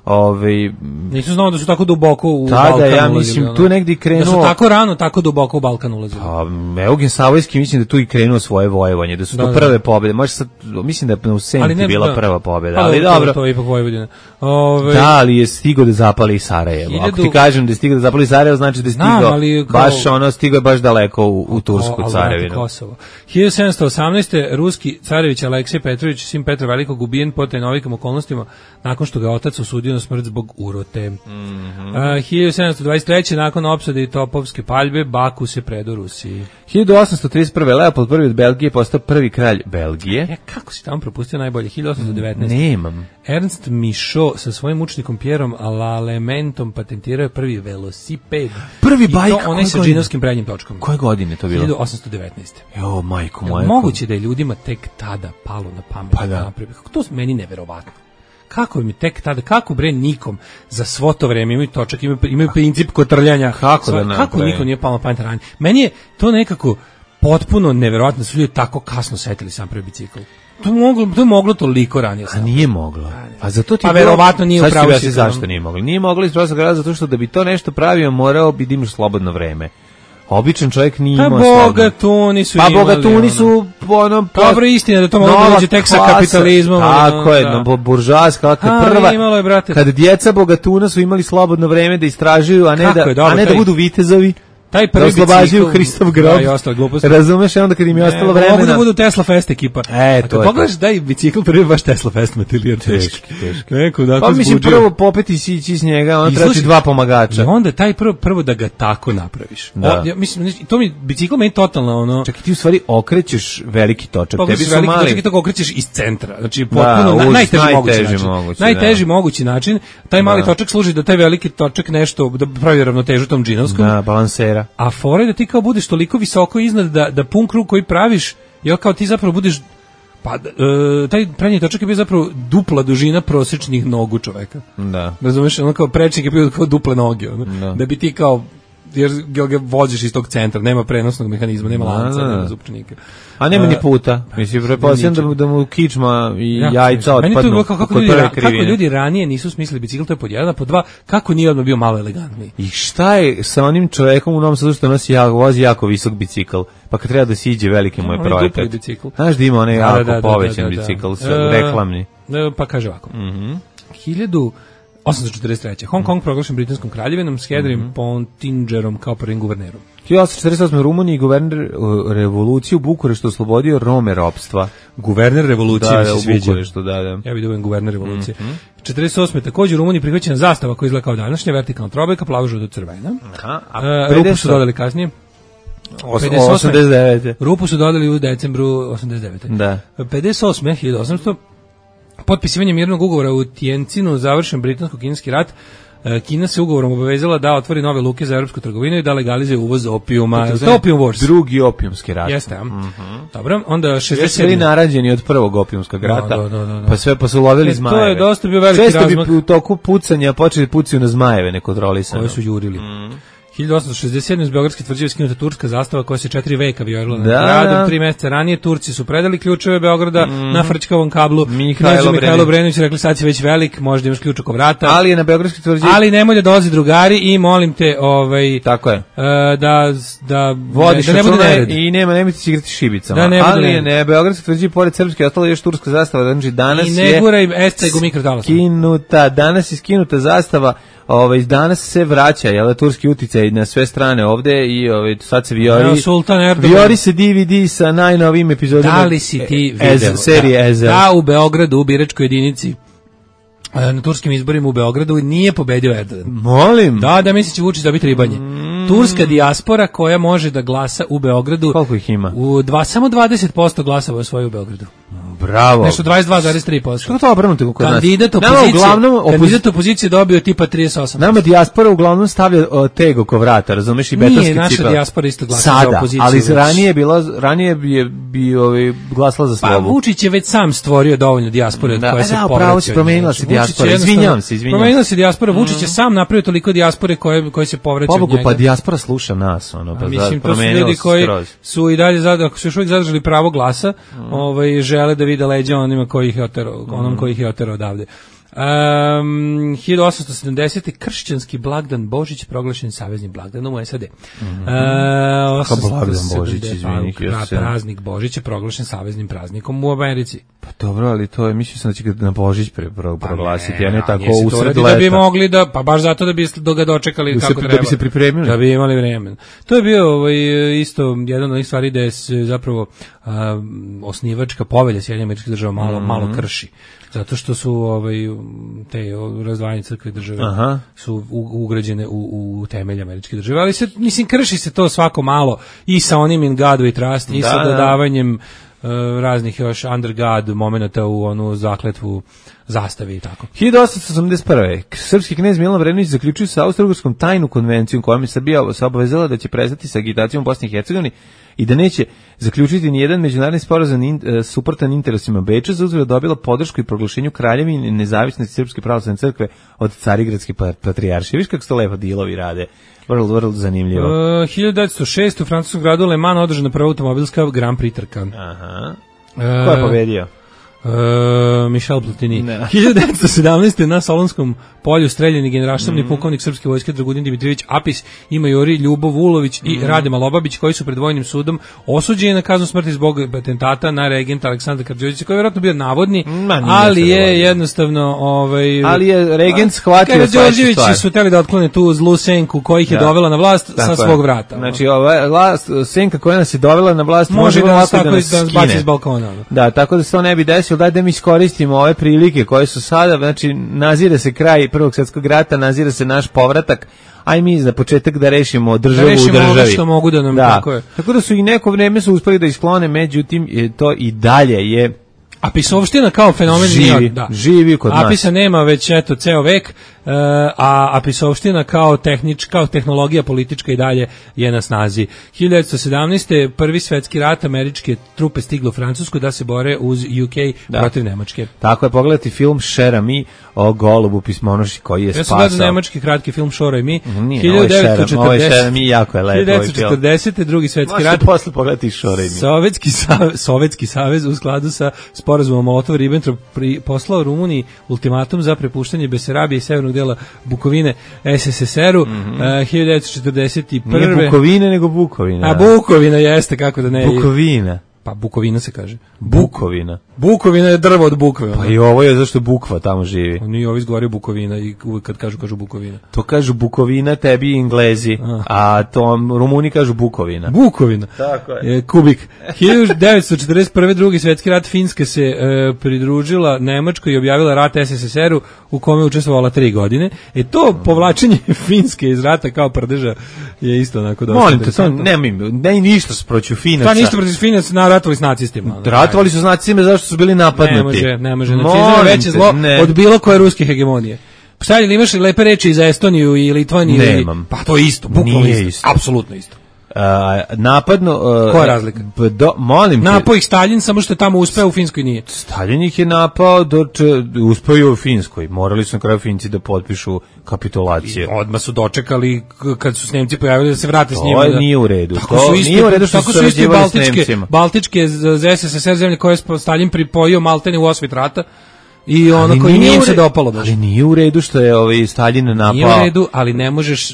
ovaj nisam znao da su tako duboko u tada, Balkan ulazili. Ja mislim ono, tu negdje krenuo. Da su tako rano tako duboko u Balkan ulazili. Pa Eugen Savojski mislim da tu i krenuo svoje vojevanje, da su da, to prve pobjede. Može sad mislim da je u Senti bila da, prva pobjeda, pa, ali dobro. To je ipak Vojvodina. Ove, da, ali je stigao da zapali Sarajevo. Hiljadu... Ako ti kažem da je stigao da zapali Sarajevo, znači da je stigao Znam, kao... baš ono stigao je baš daleko u, u Tursku carevinu. Kosovo. hiljadu sedamsto osamnaeste ruski carević Aleksej Petrović, sin Petra Velikog, ubijen po tajnovitim okolnostima nakon što ga otac osudio na smrt zbog urote. Mm-hmm. Uh, hiljadu sedamsto dvadeset treće nakon opsade i topovske paljbe Baku se predao Rusiji. hiljadu osamsto trideset prve Leopold prvi od Belgije postao prvi kralj Belgije. Ja, kako si tamo propustio najbolje? hiljadu osamsto devetnaeste. Nemam. Ernst Michaud sa svojim učenikom Pierom Lalementom patentirao je prvi velosiped. Prvi bajk. I to onaj sa džinovskim prednjim točkom. Koje godine to bilo? hiljadu osamsto devetnaeste. Jo, majko moja. Moguće da je ljudima tek tada palo na pamet. Pa da. Kako to meni neverovatno. Kako mi tek tada, kako bre nikom za svo to vreme imaju točak, imaju, imaju princip kotrljanja. Kako da Kako nikom nije palo na pamet ranije. Meni je to nekako potpuno neverovatno, su ljudi tako kasno setili sam prvi bicikl. To moglo, to je moglo toliko ranije. A nije moglo. A zato ti pa verovatno nije upravo se zašto nije moglo. Nije moglo iz prostog razloga zato što da bi to nešto pravio morao bi da imaš slobodno vreme. Običan čovjek nije imao slobodno. Pa bogatuni su pa imali. Pa bogatuni su ono pa dobro istina da to moglo doći tek sa kapitalizmom. Tako je, no, buržoaska prva. Imalo je, brate. Kad djeca bogatuna su imali slobodno vreme da istražuju, a ne Kako da je, dobro, a ne taj... da budu vitezovi. Taj prvi da oslobađaju Hristov grob. Da, i ostalo gluposti. Razumeš, onda kad im je ostalo vremena. Mogu da budu Tesla Fest ekipa. E, to je. Pogledaš da je bicikl prvi baš Tesla Fest materijer. Teški, teški. Neko da pa mislim prvo popeti sići iz njega, on treba ti dva pomagača. I onda taj prvo prvo da ga tako napraviš. Da. O, ja mislim to mi bicikl meni totalno ono. Čekaj, ti u stvari okrećeš veliki točak. Pa, tebi su veliki mali. Točak i to okrećeš iz centra. Znači potpuno da, na, najteži, najteži mogući način. Mogući, najteži da. mogući način. Taj mali da. točak služi da taj veliki točak nešto da pravi ravnotežu tom džinovskom. Da, balansera. A fore da ti kao budeš toliko visoko iznad da da pun krug koji praviš, jel kao ti zapravo budeš pa e, taj prednji točak je bio zapravo dupla dužina prosječnih nogu čoveka. Da. Razumeš, ono kao prečnik je bio kao duple noge, ono. Da. da bi ti kao jer ga voziš iz tog centra, nema prenosnog mehanizma, nema da, lanca, da, da. nema zupčnika. A nema ni puta. Mislim, pretpostavljam da, da mu kičma i ja, jajca otpadnu. Meni to kako, kako, ljudi, kako ljudi ranije nisu smislili bicikl, to je pod jedan, a pod dva, kako nije odmah bio malo elegantniji. I šta je sa onim čovekom u Novom Sadu što nosi jako, vozi jako visok bicikl, pa kad treba da siđe veliki mu je projekat. Znaš da ima onaj da, jako da, da, povećan da, da, da, bicikl, da. reklamni. E, pa kaže ovako. Mhm. Hiljadu osamsto četrdeset treće. Hong Kong proglašen britanskom kraljevinom s Henrym mm-hmm. Pontingerom kao prvim guvernerom. hiljadu osamsto četrdeset osme. Rumuniji guverner uh, revoluciju u Bukureštu oslobodio Rome ropstva. Guverner revolucije da, mi se u sviđa. Bukureštu, da, da. Ja bih da guverner revolucije. Mm-hmm. četrdeset osme. također u Rumuniji prihvaćena zastava koja izgleda kao današnja, vertikalna trobojka, plavo žuto crvena. Aha, a uh, rupu su dodali kasnije. osamdeset devete. Rupu su dodali u decembru osamdeset devete. Da. pedeset osme. hiljadu osamsto. Potpisivanje mirnog ugovora u Tientinu završen britansko-kineski rat. Kina se ugovorom obavezala da otvori nove luke za evropsku trgovinu i da legalizuje uvoz opijuma. To, to Opium Wars. Drugi opijumski rat. Jeste, a? Mm-hmm. Dobro, onda šezdeset sedam. Jeste li narađeni od prvog opijumskog rata? Da, da, da, da. Pa sve pa su lovili e, zmajeve. To je dosta bio veliki Često razmak. Često bi u toku pucanja počeli pucaju na zmajeve nekontrolisano. Koje su jurili. Mm. hiljadu osamsto šezdeset sedam iz Beogradske tvrđave skinuta turska zastava koja se četiri veka vijorila nad gradom. Tri meseca ranije Turci su predali ključeve Beograda mm. na Frčkovom kablu. Mihajlo Mihajlo Brenović rekli sad si već velik, možda imaš ključ oko vrata. Ali je na Beogradskoj tvrđavi. Ali nemoj da dolazi drugari i molim te ovaj tako je. Uh, da da vodiš da ne bude nered. I nema nemojte se igrati šibicama. Da ne ali je ne Beogradska tvrđava pored srpske ostala još turska zastava, znači danas I ne guraj esceg u mikrotalas. Skinuta, danas je skinuta zastava. Ovaj danas se vraća, je li turski uticaj na sve strane ovde i ovaj sad se vijori. Ja, Sultan Erdogan. Vijori se D V D sa najnovim epizodama. Da li si ti video? Serije Ezel. Da, u Beogradu u biračkoj jedinici na turskim izborima u Beogradu nije pobedio Erdogan. Molim. Da, da misli će Vučić dobiti ribanje. Mm. Turska dijaspora koja može da glasa u Beogradu. Koliko ih ima? U dva, samo dvadeset posto glasova osvoji u Beogradu. Bravo. Nešto dvadeset dva zarez tri posto. Što to obrnuto kod nas? Kandidat opozicije, uglavnom, opozic... kandidat opozicije dobio tipa trideset osam posto. Nama dijaspora uglavnom stavlja o, teg oko vrata, razumeš, i betonski cipel. Nije naša dijaspora isto glasala sada, za opoziciju. Ali već. ranije je bila, ranije bi, bi ovaj, glasala za slobu. Pa Vučić je već sam stvorio dovoljno dijaspore da, koja se da, povraća. Pravo se promenila se dijaspora, izvinjavam se, izvinjavam se. Promenila se dijaspora, Vučić je sam napravio toliko dijaspore koje, koje se povraća od njega. Pa dijaspora sluša nas, ono, pa mislim, to su ljudi koji su i dalje, ako su još uvijek zadržali pravo glasa, ovaj, žele da vide leđa onima koji ih je oterao, onom koji ih je oterao odavde. Um, hiljadu osamsto sedamdesete kršćanski blagdan Božić proglašen saveznim blagdanom u S A D. Mm-hmm. uh, Kako blagdan Božić, izvini. Praznik Božić je proglašen saveznim praznikom u Americi. Pa dobro, ali to je, mislim sam da će ga na Božić pre, pro, proglasiti, pa ne, a ne tako usred leta. Da bi mogli da, pa baš zato da bi ga dočekali da kako se, treba. Da bi se pripremili. Da bi imali vremena. To je bio ovaj, isto jedan od onih stvari da je zapravo uh, osnivačka povelja Sjedinjenih Američkih Država malo, mm-hmm. malo krši. Zato što su ovaj te razdvajanje crkve i države Aha. su ugrađene u, u temelj američke države, ali se mislim krši se to svako malo i sa onim in God we trust i da, sa dodavanjem uh, raznih još under God momenata u onu zakletvu zastave i tako. hiljadu osamsto osamdeset prve srpski knez Milan Vrenović zaključio sa Austro-Ugarskom tajnu konvenciju kojom je Srbija se obavezala da će prestati sa agitacijom u Bosni i Hercegovini i da neće zaključiti ni jedan međunarodni sporazum in, uh, suprotan interesima Beča, za uzvrat dobila podršku i proglašenju kraljevine i nezavisnosti Srpske pravoslavne crkve od Carigradske patrijaršije. Viš kako se to lepo dilovi rade. Vrlo, vrlo zanimljivo. Uh, hiljadu devetsto šeste u francuskom gradu Le Mans održana prva automobilska Grand Prix trka. Aha. Uh, Ko je pobedio? Uh, Michel Platini. hiljadu devetsto sedamnaeste na Solonskom polju streljeni generalštabni mm. pukovnik srpske vojske Dragutin Dimitrijević Apis i majori Ljubov Vulović i mm. Rade Malobabić koji su pred vojnim sudom osuđeni na kaznu smrti zbog atentata na regenta Aleksandra Karađorđevića koji je vjerojatno bio navodni, Ma, ali je jednostavno ovaj ali je regent shvatio Karađorđevići su hteli da otklone tu zlu senku koja ih je da. dovela na vlast Tako sa svog vrata. Znači ova vlast, senka koja nas je dovela na vlast može, može da nas tako da nas baci iz balkona. Da, tako da se to ne bi desilo. Daj da mi iskoristimo ove prilike koje su sada, znači nazire se kraj Prvog svjetskog rata, nazire se naš povratak, aj mi za početak da rešimo državu da rešimo u državi. Ono što mogu da nam da. tako je. Tako da su i neko vreme su uspeli da isklone, međutim je to i dalje je Apisovština kao fenomen živi, da. živi kod nas. Apisa nema već eto ceo vek, Uh, a apisovština kao tehnička, kao tehnologija politička i dalje je na snazi. hiljadu devetsto sedamnaeste prvi svetski rat, američke trupe stigle u Francusku da se bore uz U K da. protiv Nemačke. Tako je, pogledati film Cher a mi o golubu pismonoši koji je spasao. Ja sam gledao nemački kratki film Cher a mi. Nije, hiljadu devetsto četrdesete Ovo je Cher a mi, jako je lepo. hiljadu devetsto četrdesete drugi svetski rat. Možete posle pogledati Cher a mi. Sovjetski savez, Sovjetski savez u skladu sa sporazumom Molotov-Ribbentrop poslao Rumuniji ultimatum za prepuštanje Besarabije i severnog dela Bukovine S S S R-u mm-hmm. uh, hiljadu devetsto četrdeset prve Nije Bukovine, nego Bukovina. A Bukovina jeste, kako da ne. Bukovina. Pa Bukovina se kaže. Bukovina. Bukovina je drvo od bukve. Pa i ovo je zašto Bukva tamo živi. Oni ovi izgovaraju Bukovina i uvijek kad kažu, kažu Bukovina. To kažu Bukovina, tebi Englezi, a, a to Rumuni kažu Bukovina. Bukovina. Tako je. E, kubik. hiljadu devetsto četrdeset prve drugi svetski rat, Finska se e, pridružila Nemačkoj i objavila rat S S S R-u u kome je učestvovala tri godine. E to povlačenje Finske iz rata kao prdeža je isto onako dosta. Molim te, to nemoj, ne ništa protiv Finaca. Pa ništa protiv Finaca, na ratovali s nacistima. Ratovali su s nacistima zašto su bili napadnuti. Ne može, ne može. Nacizam je veće zlo ne. od bilo koje ruske hegemonije. Sad ili imaš lepe reči za Estoniju i Litvaniju? Nemam. Ili, pa to je isto, bukvalno Nije isto. isto. Apsolutno isto. Uh, napadno... Uh, Koja je razlika? Do, molim te. Napao ih Stalin, samo što je tamo uspeo, u Finskoj nije. Stalin ih je napao, do če, uspeo je u Finskoj. Morali su na kraju Finci da potpišu kapitulacije. I odmah su dočekali k- kad su s Nemci pojavili da se vrate s To njima. je Da, nije u redu. Tako To su isti, nije u redu što tako su su isti sarađivali s baltičke, Nemcima. baltičke z, z S S S R zemlje koje je Stalin pripojio maltene u osvit rata. I ono Ali koji nije im u se re- dopalo baš. Ali nije u redu što je ovaj Stalin napao. Nije u redu, ali ne možeš,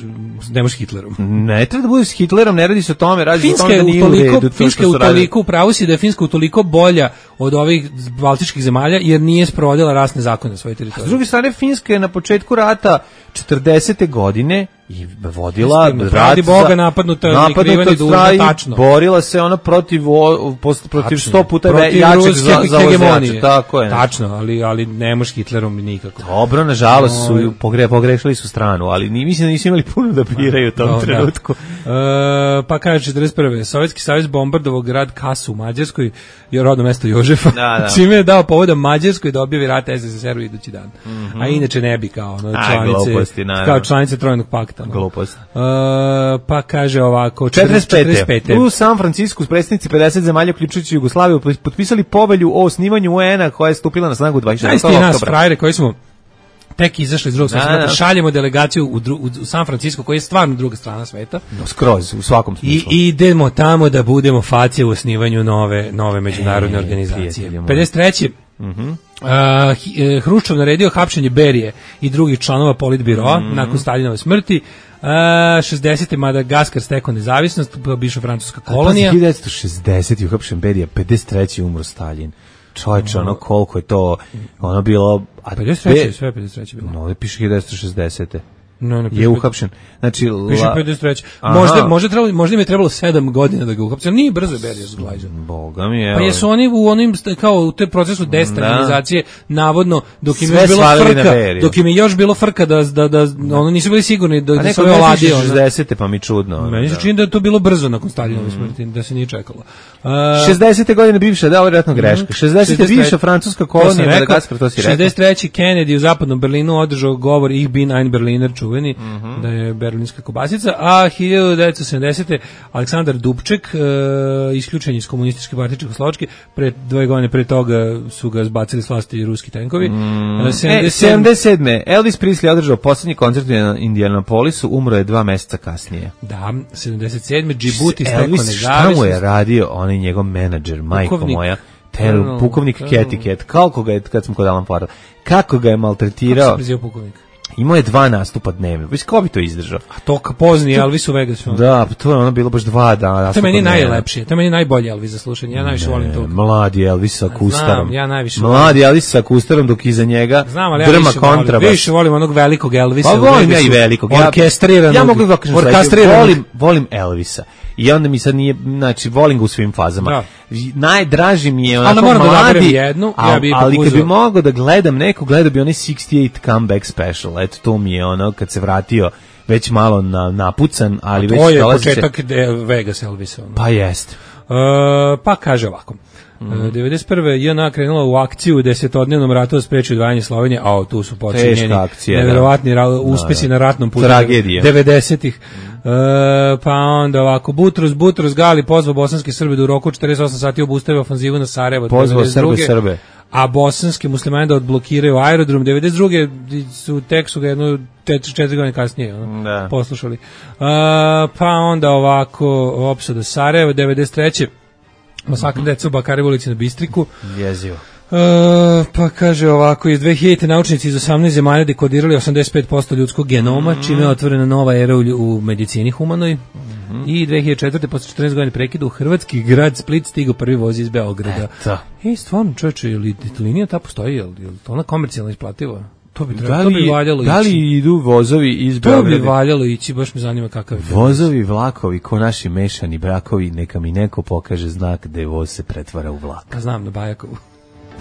ne možeš Hitlerom. Ne treba da bude s Hitlerom, ne radi se o tome, radi se o Finska tome je da nije u utoliko, redu. to Finska što je su radili. utoliko, upravo si da je Finska utoliko bolja od ovih baltičkih zemalja, jer nije sprovodila rasne zakone na svojoj S teritoriji. druge strane, Finska je na početku rata četrdesete godine i vodila Istina, rat radi Boga za- napadnuta, napadnuta prikrivena i dužna, strani, tačno. borila se ona protiv o- post- protiv Tačno. sto puta Protiv jačeg ruske za, za hegemonije. tako je. Tačno, ali, ali ne možeš Hitlerom nikako. Dobro, nažalost Oj. su pogre, pogrešili su stranu, ali ni, mislim da nisu imali puno da biraju u tom No, da. trenutku. E, pa kaže četrdeset prve Sovjetski savez bombardovao grad Kasu u Mađarskoj, je rodno mesto Jožefa, Da, da. čime je dao povoda Mađarskoj da objavi rat S S S R-u idući dan. A inače ne bi kao ono, A, članice, gluposti, naravno. kao članice Trojnog pakta. No. Glupost. E, pa kaže ovako, četrdeset pete. četrdeset pete. U San Francisku predstavnici pedeset zemalja uključujući Jugoslaviju potpisali povelju o osnivanju U N-a koja je stupila na snagu dvadeset šestog Zaista i nas, oktobra. frajere koji smo tek izašli iz drugog Da, sveta, da. šaljemo delegaciju u, dru, u San Francisco, koji je stvarno druga strana sveta. No, skroz, u svakom I smislu. idemo tamo da budemo facije u osnivanju nove nove međunarodne E, organizacije. prijatelji moji. pedeset treće Mhm. Uh, Hi- eh, Hruščov naredio hapšenje Berije i drugih članova politbiroa Mhm. nakon Staljinove smrti. Uh, šezdesete Madagaskar stekao nezavisnost, bivša francuska kolonija. hiljadu devetsto šezdeset je uhapšen Berija, pedeset treće umro Stalin. Čovječe, ono koliko je to, ono bilo... A pedeset treće Be- sve pedeset treće bilo. No, ovdje piše hiljadu devetsto šezdesete. No, no, Je uhapšen. Znači, Piše la- pedeset treće. Aha. Možda, možda, trebalo, možda im je trebalo sedam godina da ga uhapse. Nije brzo je Berija zglajžan. Boga mi, evo. Pa jesu oni u onim st- kao u te procesu destabilizacije navodno dok im je Sve još bilo svalili na frka, Beriju. dok im je još bilo frka da da da ono nisu bili sigurni da, A da neko se ove ne piše oladio. ono. šezdesete, pa mi čudno. ono, Meni se da. čini da je to bilo brzo nakon Staljinove smrti, da se nije čekalo. Uh, šezdesete godine bivša, da, ovo je vjerojatno greška. šezdesete šezdeset treće bivša francuska to sam kolonija, rekao. Madagaskar, to si rekao. šezdeset treće Kennedy u zapadnom Berlinu održao govor Ich bin ein Berliner, čuveni, Mhm. da je berlinska kobasica, a hiljadu devetsto sedamdesete Aleksandar Dubček, uh, isključen iz komunističke partije Čehoslovačke, pre dve godine pre toga su ga zbacili s vlasti ruski tenkovi. Uh, E, sedamdeset sedme sedamdeset sedme Elvis Presley održao posljednji koncert u Indianapolisu, umro je dva meseca kasnije. Da, sedamdeset sedme Džibuti stekao Elvis, šta mu je nezavisnost. radio onaj njegov menadžer, majko Pukovnik. moja, ter, Colonel, pukovnik Colonel. Cathy Cat, kako ga je, kad smo kod Alan Forda, kako ga je Kako maltretirao, se prezivao pukovnik? imao je dva nastupa dnevno, već ko bi to izdržao? A to ka pozni Elvis u Vegasu. Da, pa to je ono bilo baš dva dana. To je nastupa meni dnevno. najlepše, to je meni najbolje Elvis za slušanje, ja najviše volim to. Mladi Elvis sa kustarom. ja najviše Mladi Elvis sa kustarom, dok iza njega Znam, ali ja drma više volim, kontrabas. više volim onog velikog Elvisa. Pa u volim ja Vegasu, i velikog. Ja- Orkestriranog. Ja mogu da kažem sledeće, orkestriranog. volim, volim Elvisa. I onda mi sad nije, znači, volim ga u svim fazama. Da. Najdraži mi je Ali onako moram da mladi, odaberem jednu, a- ja bi ipak ali kad bi uzeo. mogao da gledam neko, gledao bi onaj šezdeset osam comeback special. Eto, to mi je ono, kad se vratio već malo na, napucan, ali već To je dolazi se- početak de- Vegas Elvisa. ono. Pa jeste. E, pa kaže ovako. Mm. devedeset prve J N A krenula u akciju u desetodnevnom ratu da spreči odvajanje Slovenije, a tu su počinjeni Teška akcija, da. neverovatni ra- uspesi Da, da. na ratnom putu Tragedija. devedesetih. E, pa onda ovako, Butros, Butros Gali pozvao bosanske Srbe da u roku četrdeset osam sati obustave ofanzivu na Sarajevo. Pozvao devedeset druge. Srbe, Srbe. A bosanski muslimani da odblokiraju aerodrom. devedeset druge su tek su ga jedno četiri godine kasnije ono, Da. poslušali. E, pa onda ovako opsada Sarajeva. devedeset treće masakr deca u Bakarevu ulici na Bistriku. Jezivo. E, pa kaže ovako, iz dve hiljadite naučnici iz osamnaest zemalja dekodirali osamdeset pet posto ljudskog genoma, Mhm. čime je otvorena nova era u, lju- u medicini humanoj. I dve hiljade četvrte posle četrnaest godina prekida u hrvatski grad Split stigao prvi voz iz Beograda. Eto. Ej, stvarno, čoveče, je li linija ta postoji, je li, je li to ona komercijalno isplativa? To bi, Da trebalo, to bi li, valjalo da ići. li idu vozovi iz To bi Beograda? valjalo ići, baš me zanima kakav je to. Vozovi, vlakovi, ko naši mešani brakovi, neka mi neko pokaže znak da je voz se pretvara u vlak. Pa znam, na Bajakovu.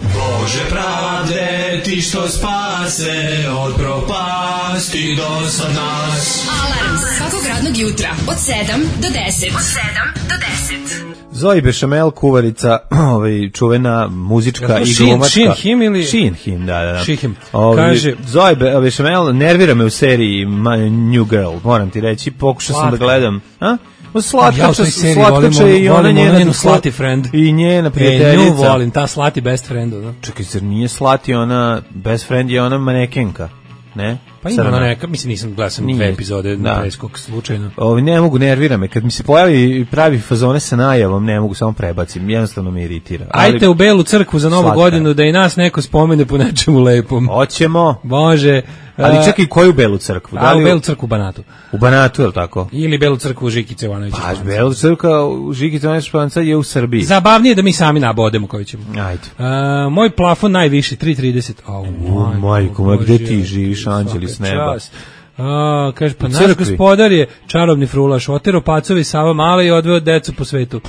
Bože pravde, ti što spase od propasti do sad nas. Alarm svakog radnog radnog jutra od sedam do deset. Od sedam do deset. Zoe Bešamel, kuvarica, ovaj, čuvena muzička i glumačka. Shin Him ili... Shin Him, da, da. da. Shin Him. Ovaj, Kaže... Zoe Bešamel nervira me u seriji New Girl, moram ti reći, pokušao sam da gledam. A? Slatkača, ja slatkača i ona njena, njenu slati friend. I njena prijateljica. E, nju volim, ta slati best friend. Da? Čekaj, zar nije slati ona, best friend je ona manekenka, ne? Pa ima ona neka, mislim nisam gledao sam dve epizode da. Preskog slučajno. Ovi ne mogu, nervira me. Kad mi se pojavi i pravi fazone sa najavom, ne mogu, samo prebacim. Jednostavno me iritira. Ali, ajte u Belu crkvu za Novu slatka. Godinu da i nas neko spomene po nečemu lepom. Hoćemo. Može. Ali čekaj, koju Belu crkvu? Da li u Belu crkvu u Banatu. U Banatu, je li tako? Ili Belu crkvu u Žikice Ivanovića. Pa, Belu crkva u Žikice Ivanovića je u Srbiji. Zabavnije da mi sami nabodemo koji ćemo. Ajde. Uh, moj plafon najviši, tri trideset. Oh, oh, majko, ma gde ti živiš, anđeli s neba? A, kaže, pa naš gospodar je čarobni frulaš, otero pacovi Sava Male i odveo decu po svetu.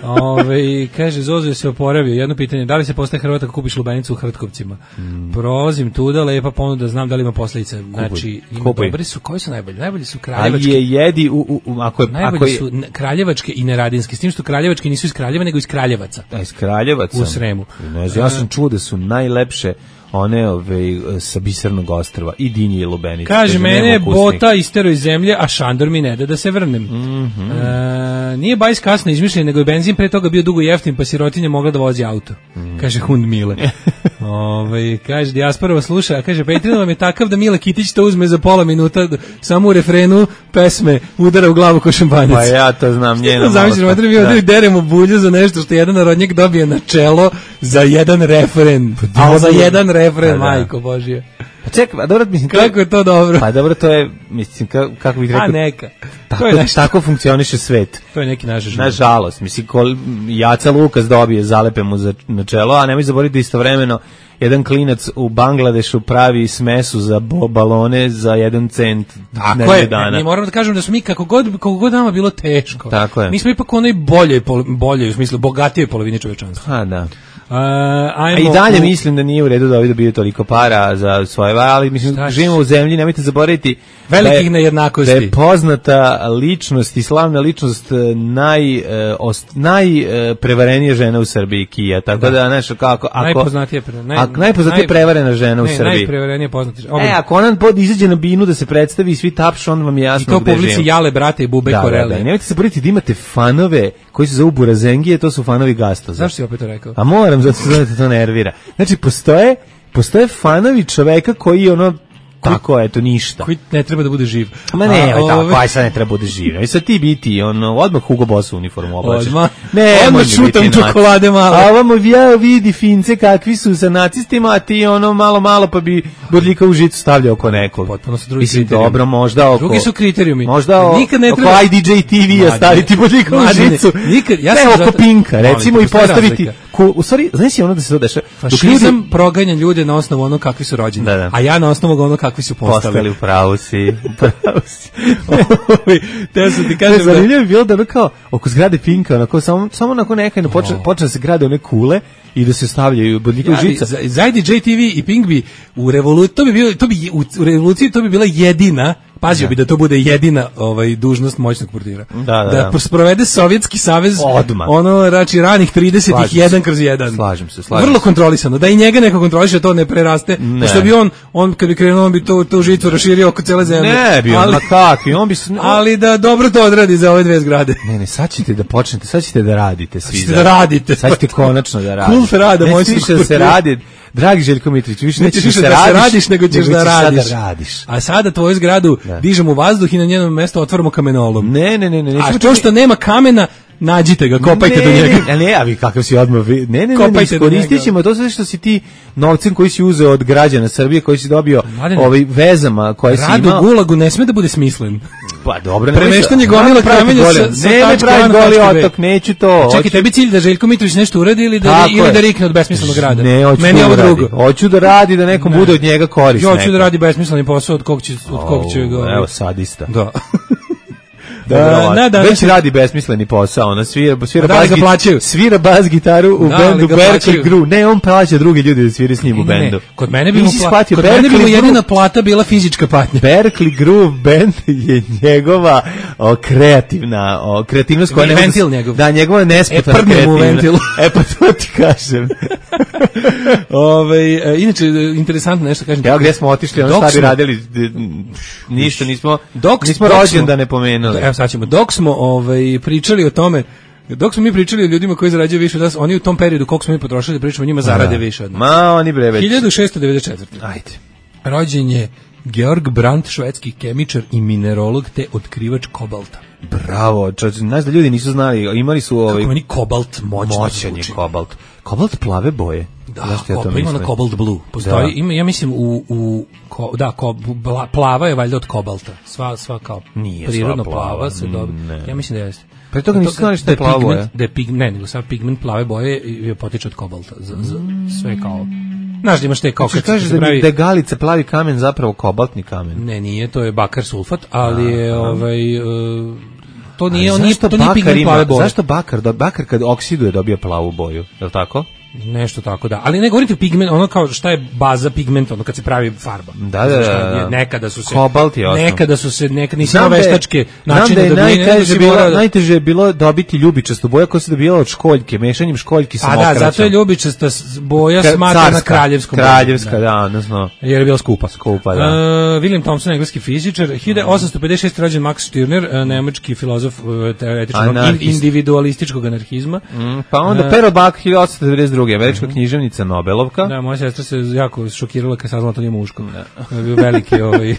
Ove, kaže, Zozo je se oporavio. Jedno pitanje, da li se postaje Hrvat ako kupiš lubenicu u Hrtkovcima? Mm. Prolazim tuda, lepa ponuda, znam da li ima posljedice. Znači, ima dobri su, koji su najbolji? Najbolji su kraljevački. Ali je jedi, u, u, ako je... Najbolji ako je... su kraljevački i neradinski, s tim što kraljevački nisu iz Kraljeva, nego iz Kraljevaca. A, iz Kraljevaca? U Sremu. Ne znam, ja sam čuo da su najlepše one ove sa Bisernog ostrva i dinje i lubenice. Kaže, kaže mene je bota istero iz zemlje, a Šandor mi ne da da se vrnem. Mm-hmm. E, nije bajs kasno izmišljen, nego je benzin pre toga bio dugo jeftin, pa sirotinja mogla da vozi auto. Mm. Kaže Hund Mile. Ove, kaže, dijasporova sluša, a kaže, Patreon vam je takav da Mile Kitić to uzme za pola minuta, samo u refrenu pesme udara u glavu ko šampanjac. Pa ja to znam, njena zamišljamo, da mi ovdje deremo bulju za nešto što jedan narodnjak dobije na čelo za jedan refren. Pa, a za jedan refren, majko Božje. Pa čekaj, a dobro, mislim... Kako je to dobro? Pa dobro, to je, mislim, kako bih rekao... A neka. Tako, to je nešto. Tako funkcioniše svet. To je neki naš život. Nažalost, mislim, kol, Jaca Lukas dobije, zalepe mu za, na čelo, a nemoj zaboraviti da istovremeno jedan klinac u Bangladešu pravi smesu za balone za jedan cent. Tako je, dana. Mi moramo da kažemo da smo mi kako god, kako god nama bilo teško. Tako je. Mi smo ipak onoj boljoj, boljoj, u smislu bogatijoj polovini čovečanstva. A, da. Uh, a i dalje u... mislim da nije u redu da ovi dobiju toliko para za svoje, ali mislim, Šta živimo u zemlji, nemojte zaboraviti velikih da nejednakosti. Da je poznata ličnost i slavna ličnost naj, ost, najprevarenija žena u Srbiji, Kija, tako da, da nešto kako... Ako, najpoznatija, pre, naj, ako, najpoznatija naj, prevarena žena u ne, Srbiji. Najprevarenija poznata žena. E, ako ona pod izađe na binu da se predstavi i svi tapšu, onda vam je jasno gde živimo. I to publici Jale, brate i Bube da, Koreli. Da, da, nemojte zaboraviti da imate fanove koji se zovu Burazengije, to su fanovi Gastoza. Zašto si opet to rekao? A moram, zato se to nervira. Znači, postoje, postoje fanovi čoveka koji ono, tako, eto, ništa. Koji ne treba da bude živ. Ma ne, a, tako, ove... aj sad ne treba bude živ. I sad ti biti, ono, odmah Hugo Boss uniformu oblačeš. Odmah, ne, odmah šutam čokolade malo. A ovamo ja vidi Fince kakvi su sa nacistima, a ti ono malo, malo pa bi bodljika u žicu stavljao oko nekog. Potpuno su drugi Mislim, kriterijumi. dobro, možda oko... Drugi su kriterijumi. Možda o, nikad ne oko treba... I D J T V-a staviti bodljika u žicu. Nikad, ja ne, sam oko zato... Pinka, recimo, i postaviti... Ku, u stvari, znaš si ono da se to dešava? Fašizam ljudi... proganja ljude na osnovu ono kakvi su rođeni, da, da. A ja na osnovu ono kakvi su postali. Pravo si, pravo si. Te su ti kažem da... Zanimljivo je bilo da ono kao, oko zgrade Pinka, onako, samo, samo onako nekajno počne, počne da se grade one kule i da se stavljaju bodljika u žica. Za, za I D J T V i Pink bi u revoluciji, to bi bilo, to bi, u, u revoluciji to bi bila jedina, pazio da. bi da to bude jedina ovaj, dužnost moćnog portira. Da, da, da, da. sprovede Sovjetski savez, odmah. Ono, rači, ranih tridesetih jedan kroz jedan. Slažem se, slažem Vrlo kontrolisano, da i njega neko kontroliše, to ne preraste, ne. Što bi on, on kad bi krenuo, on bi to, tu žicu raširio oko cele zemlje. Ne bi on, ma kakvi, on bi... Ali da dobro to odradi za ove dve zgrade. Ne, ne, sad ćete da počnete, sad ćete da radite svi. Sad ćete da radite. Sad ćete konačno da radite. Kult rada, moj više da se radi. Dragi Željko Mitrović, više nećeš više da, da se radiš, radiš nego ćeš da radiš. Da radiš. A sada tvoju zgradu da. dižemo u vazduh i na njenom mjestu otvaramo kamenolom. Ne, ne, ne, ne. A to što nema kamena, nađite ga, kopajte ne, do njega. Ne, ne, a vi kakav si odmah, ne, ne, ne, ne, iskoristit ćemo to sve što si ti novcem koji si uzeo od građana Srbije, koji si dobio ovaj vezama koje si imao. Rad u Gulagu ne sme da bude smislen. Pa dobro, ne. Premeštanje gomila kamenja sa, sa ne, ne pravi goli otok, neću to. Čekaj, tebi cilj da Željko Mitrović nešto uradi ili da, ili da rikne od besmislenog rada? Ne, hoću Meni da ovo drugo. Hoću da radi, da nekom ne. bude od njega korist. Ja hoću da radi besmisleni posao od kog će, od kog će ga... Evo, sadista. Da. Da, da, već radi besmisleni posao, ona svira, svira, da, bas, git, svira bas gitaru u da, bendu Berkeley Groove. Ne, on plaća druge ljude da svira s njim u bendu. Ne, ne. Kod mene bi mu, pla... Kod mene bi mu jedina plata bila fizička patnja. Berkeley Groove band je njegova o, kreativna, o, kreativnost koja ne... Ventil njegov. Da, njegova nespotana e, kreativna. E, pa to ti kažem. Ove, inače, interesantno nešto kažem. Evo gdje smo otišli, ono šta bi radili, ništa, nismo, dok, nismo rođen da ne pomenuli. Evo sad ćemo, dok smo ovaj, pričali o tome, dok smo mi pričali o ljudima koji zarađuju više od nas, oni u tom periodu koliko smo mi potrošili da pričamo o njima zarade više od nas. Ma, oni bre već. hiljadu šessto devedeset četvrte. Ajde. Rođen je Georg Brandt, švedski kemičar i minerolog te otkrivač kobalta. Bravo, čovječ, znaš da ljudi nisu znali, imali su ovaj... Kako meni kobalt moćno moćan je kobalt. Kobalt plave boje. Da, ja to ima na cobalt blue. Postoji, ima, ja mislim, u, u ko, da, ko, plava je valjda od kobalta. Sva, sva kao nije prirodno sva plava, plava se dobije. Ja mislim da jeste. Pre toga nisu znali što je plava boja. Da je pigment, ne, nego sad pigment plave boje je potiče od kobalta. Z, z, sve kao... Znaš da imaš te kao... Znači, kažeš da, pravi... da je galica plavi kamen zapravo kobaltni kamen? Ne, nije, to je bakar sulfat, ali je a, ovaj... Uh, to nije, on nije, to nije pigment ima, plave boje. Zašto bakar, da, bakar kad oksiduje dobije plavu boju, je li tako? Nešto tako, da. Ali ne govorite pigment, ono kao šta je baza pigmenta, ono kad se pravi farba. Da, da, da. Nekada su se... Kobalt je osnov. Nekada su se, nekada nisi imao veštačke načine da dobije. Najteže, bilo, najteže je bilo dobiti ljubičastu boju koja se dobijala od školjke, mešanjem školjki sa mokraćom. A da, zato je ljubičasta boja smatrana kraljevskom. Kraljevska, da, odnosno. Jer je bila skupa. Skupa, da. Uh, William Thomson, engleski fizičar, hiljadu osamsto pedeset šeste rođen Max Stirner, uh, nemački filozof uh, teoretičnog individualističkog anarhizma. Mm, pa onda uh, Pero Bak, hiljadu osamsto devedeset druge američka književnica Nobelovka. Da, moja sestra se jako šokirala kad saznala to nije muško. Da. To je bio veliki, ovaj,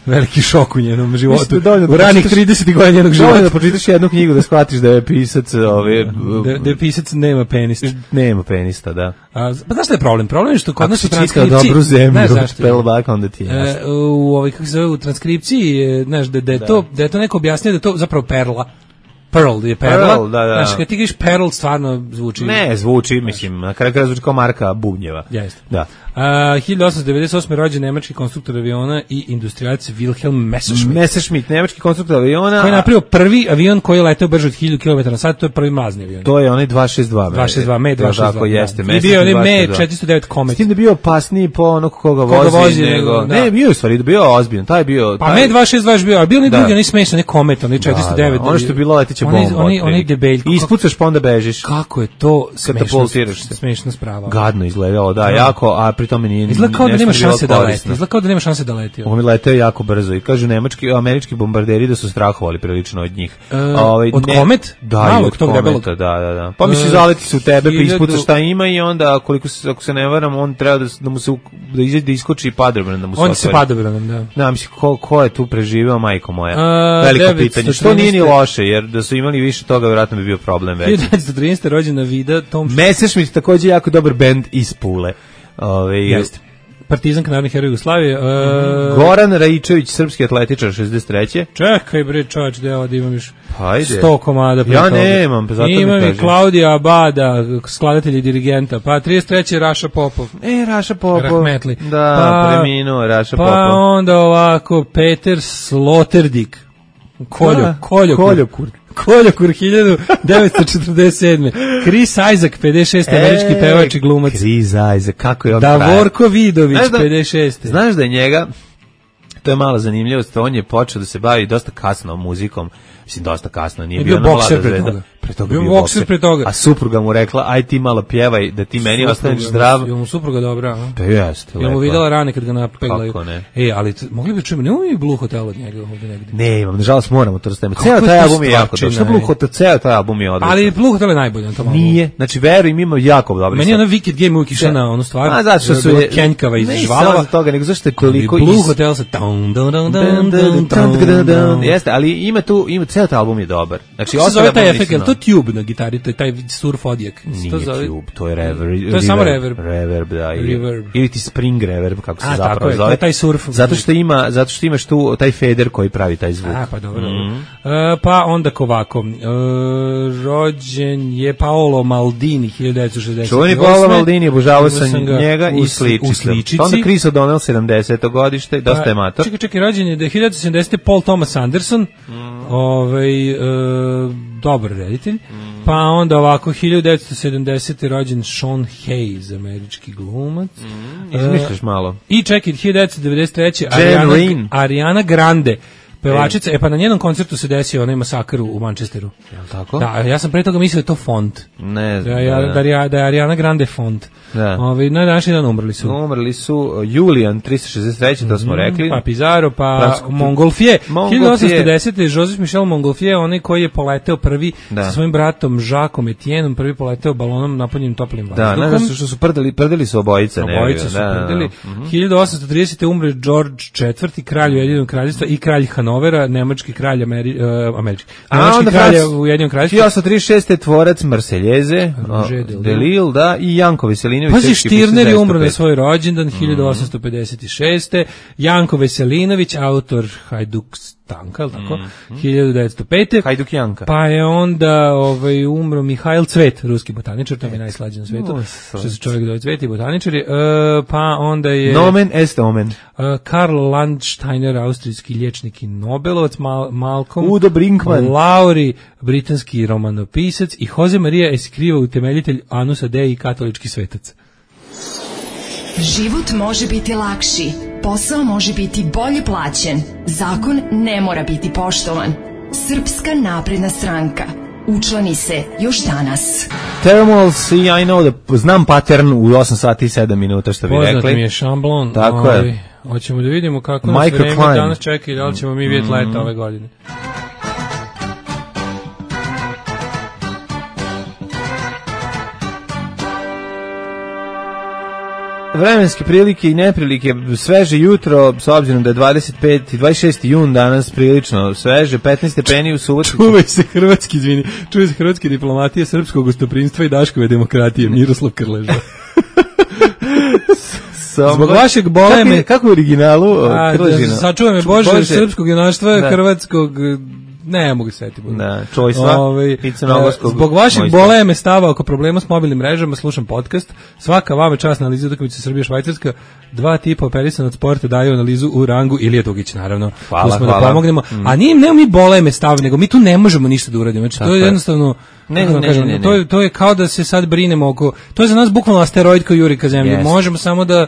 veliki šok u njenom životu. Da u ranih tridesetih godina njenog života. Da pročitaš jednu knjigu da shvatiš da je pisac... Ovaj, da, da je pisac nema penista. Nema penista, da. A, pa znaš šta je problem? Problem je što kod nas u transkripciji... Ako si dobru zemlju, Pel Bak, onda ti je e, u, ovaj, kako se zove, u transkripciji, znaš, da, da, je to, da je to neko objasnio da je to zapravo perla. Pearl je perla. Pearl, da, da. Znaš, kad ti kažeš Pearl, stvarno zvuči... Ne, zvuči, mislim, na kraju kraja zvuči kao marka bubnjeva. Jeste. Da. Uh, hiljadu osamsto devedeset osme rođen nemački konstruktor aviona i industrijalac Wilhelm Messerschmitt. Messerschmitt, nemački konstruktor aviona. Koji je napravio prvi avion koji je leteo brže od hiljadu kilometara na sat, to je prvi mlazni avion. To je onaj dvesta šezdeset dva. dvesta šezdeset dva, Me dvesta šezdeset dva. Tako jeste, Messerschmitt. I bio je Me četiristo devet Comet. S tim da bio opasniji po onog koga vozi, koga vozi nego... Da. Ne, bio je u stvari, bio ozbiljan, taj je bio... Pa taj... Me dvesta šezdeset dva je bio, ali bio ni drugi, oni smešni, ne Comet, oni četiristo devet. Da, da. Ono što je bilo leteća bomba. Oni, oni debeljko. I ispucaš pa onda bežiš. Kako je to smešno, smešna sprava. Gadno izgledalo, da, jako, a pri tome nije... Izgleda kao da nema šanse da leti. Izgleda kao da nema šanse da leti. On je leteo jako brzo i kažu nemački, američki bombarderi da su strahovali prilično od njih. E, ovaj, od ne, Komet? Da, Malog, od tog Kometa, da, da, da. Pa misli, zaleti se u tebe, pa ispucaš šta ima i onda, koliko se, ako se ne varam, on treba da, da mu se, da izađe da iskoči i padobran, da mu se on se padobran, da. Da, misli, ko, ko je tu preživeo, majko moja? A, veliko pitanje. Što nije ni loše, jer da su imali više toga, vjerojatno bi bio problem već. hiljadu devetsto trinaeste rođena Vida Tom Messerschmitt, takođe jako dobar bend iz Pule. Ove, jeste. Partizanka, narodni heroj Jugoslavije. Uh, Goran Raičević, srpski atletičar, šezdeset treće. Čekaj bre, čovječ, da ovdje imam još Hajde. sto komada. Ja nemam, pa zato mi kažem. Imam i Klaudija Abada, skladatelj i dirigenta, pa trideset treće Raša Popov. E, Raša Popov. Rahmetli. Da, pa, preminuo Raša pa Popov. Pa onda ovako, Peter Sloterdijk. Koljo, Koljokur. Koljokur. Koljokur, hiljadu devetsto četrdeset sedme. Chris Isaac, pedeset šeste. E, američki pevač i glumac. Chris Isaac, kako je on Davorko Vidović, da, pedeset šeste. Znaš da je njega, to je malo zanimljivost, on je počeo da se bavi dosta kasno muzikom, mislim dosta kasno, nije je bio, bio bokser pre toga. Pre toga bio, bio bokser pre toga. A supruga mu rekla, aj ti malo pjevaj, da ti meni ostaneš zdrav. Je mu supruga dobra, a? Pa jeste, lepo. Je mu videla rane kad ga napeglaju. Kako ne? E, ali t, mogli bi čujemo, nemamo mi Blue Hotel od njega ovdje negdje. Ne, imam, nažalost moramo to rastaviti. Ceo taj album je jako dobar. Što Blue Hotel, ceo taj album je odličan. Ali Blue Hotel je najbolji na tom albumu. Nije, znači veruj, ima jako dobri. Meni je ona Wicked Game uvijek išla na onu stvar. A zato što su je kenjkava iz žvalova. Ne samo toga, nego zašto je toliko iz... Blue Hotel sa down, down, down, down, down, down. Jeste, ali ima tu, ima, ceo taj album je dobar. Znači, kako se zove taj efekt, je to tube na gitari, to je taj surf odjek. Nije to zove... tube, to je reverb. To je samo reverb. Reverb, da. Reverb. Ili ti spring reverb, kako se a, zapravo tako je, zove. to je taj surf. Zato što ima, zato što imaš tu taj fader koji pravi taj zvuk. A, pa dobro. Mm. Uh, pa onda ovako, uh, rođen je Paolo Maldini, hiljadu devetsto šezdeset osme. Čuveni Paolo Maldini, obožavao sam njega u, i sličice. U sličici. Onda Chris O'Donnell, sedamdeseto godište, dosta je mator. Čekaj, čekaj, rođen je da je hiljadu devetsto sedamdesete. Paul Thomas Anderson, mm. ovaj, e, dobar reditelj. Mm. Pa onda ovako, hiljadu devetsto sedamdesete rođen Sean Hayes, američki glumac. Mm. Izmišljaš malo. I čekaj, hiljadu devetsto devedeset treće Ariana, Ariana Grande, pevačica, e. e pa na njenom koncertu se desio onaj masakr u Manchesteru. Jel tako? Da, ja sam pre toga mislio da je to font. Ne znam. Da, ja, da, da, da je Ariana Grande font. Da. Ovi, na današnji dan umrli su. Umrli su Julian tristo šezdeset treće to smo rekli. Pa Pizarro, pa Fransko, Montgolfier. hiljadu osamsto desete Joseph Michel Montgolfier, onaj koji je poleteo prvi da. sa svojim bratom Jacques Etienneom, prvi poleteo balonom napunjenim toplim vazduhom. Da, ne znam što su prdeli, prdeli su obojice. Obojice su da, prdeli. Da, da. hiljadu osamsto tridesete umre George četvrti, kralj Ujedinjenog kraljevstva i kralj Hanovera, nemački kralj Ameri, uh, američki. Nemački kralj u Ujedinjenom kraljevstvu. hiljadu osamsto trideset šeste tvorac Marseljeze, Delille, da, i Janko Veselinović. Pazi, Štirner je umro na svoj rođendan hiljadu osamsto pedeset šeste. Janko Veselinović, autor Hajduk Stanka, ili tako, mm-hmm. hiljadu devetsto pete. Hajduk Janka. Pa je onda ovaj, umro Mihajl Cvet, ruski botaničar, to mi je najslađe na svetu, no, što se čovjek dove Cvet i botaničari. Uh, pa onda je... Nomen est omen. Uh, Karl Landsteiner, austrijski liječnik i Nobelovac, Mal, Malcolm Udo Brinkman, Lauri, britanski romanopisac i Jose Maria Escriva, utemeljitelj Anusa Dei i katolički svetac. Život može biti lakši, posao može biti bolje plaćen, zakon ne mora biti poštovan. Srpska napredna stranka. Učlani se još danas. Thermals i I know da znam pattern u osam sati i sedam minuta, što bi poznat rekli. Poznat mi je šamblon. Tako ovaj, je. Hoćemo da vidimo kako nas vreme danas čeka i da li ćemo mi vidjeti leta mm. ove godine. Vremenske prilike i neprilike, sveže jutro, s obzirom da je dvadeset peti, dvadeset šesti jun danas prilično sveže, petnaest stepeni u Subotici. Čuvaj se hrvatski, izvini, čuvaj se hrvatske diplomatije, srpskog gostoprinstva i Daškove demokratije, Miroslav Krleža. Zbog vašeg boleme... Kako, kako u originalu Krležina? Sačuvaj me Bože, Bože. Srpskog junaštva, da. Hrvatskog... Ne, mogu se setiti. Da, čojstva Ove, i crnogorskog. Zbog vašeg boleme stava oko problema s mobilnim mrežama, slušam podcast. Svaka vama čast na analizu utakmice Srbija Švajcarska. Dva tipa operisan od sporta daju analizu u rangu Ilija Dugić, naravno. Hvala, smo hvala. Da pomognemo. Mm. A nije, nema mi boleme stav, nego mi tu ne možemo ništa da uradimo. Znači, to je jednostavno... Ne, ne, kažem, ne, ne, ne. To, je, to je kao da se sad brinemo oko... To je za nas bukvalno asteroid koji juri ka zemlji. Yes. Možemo samo da...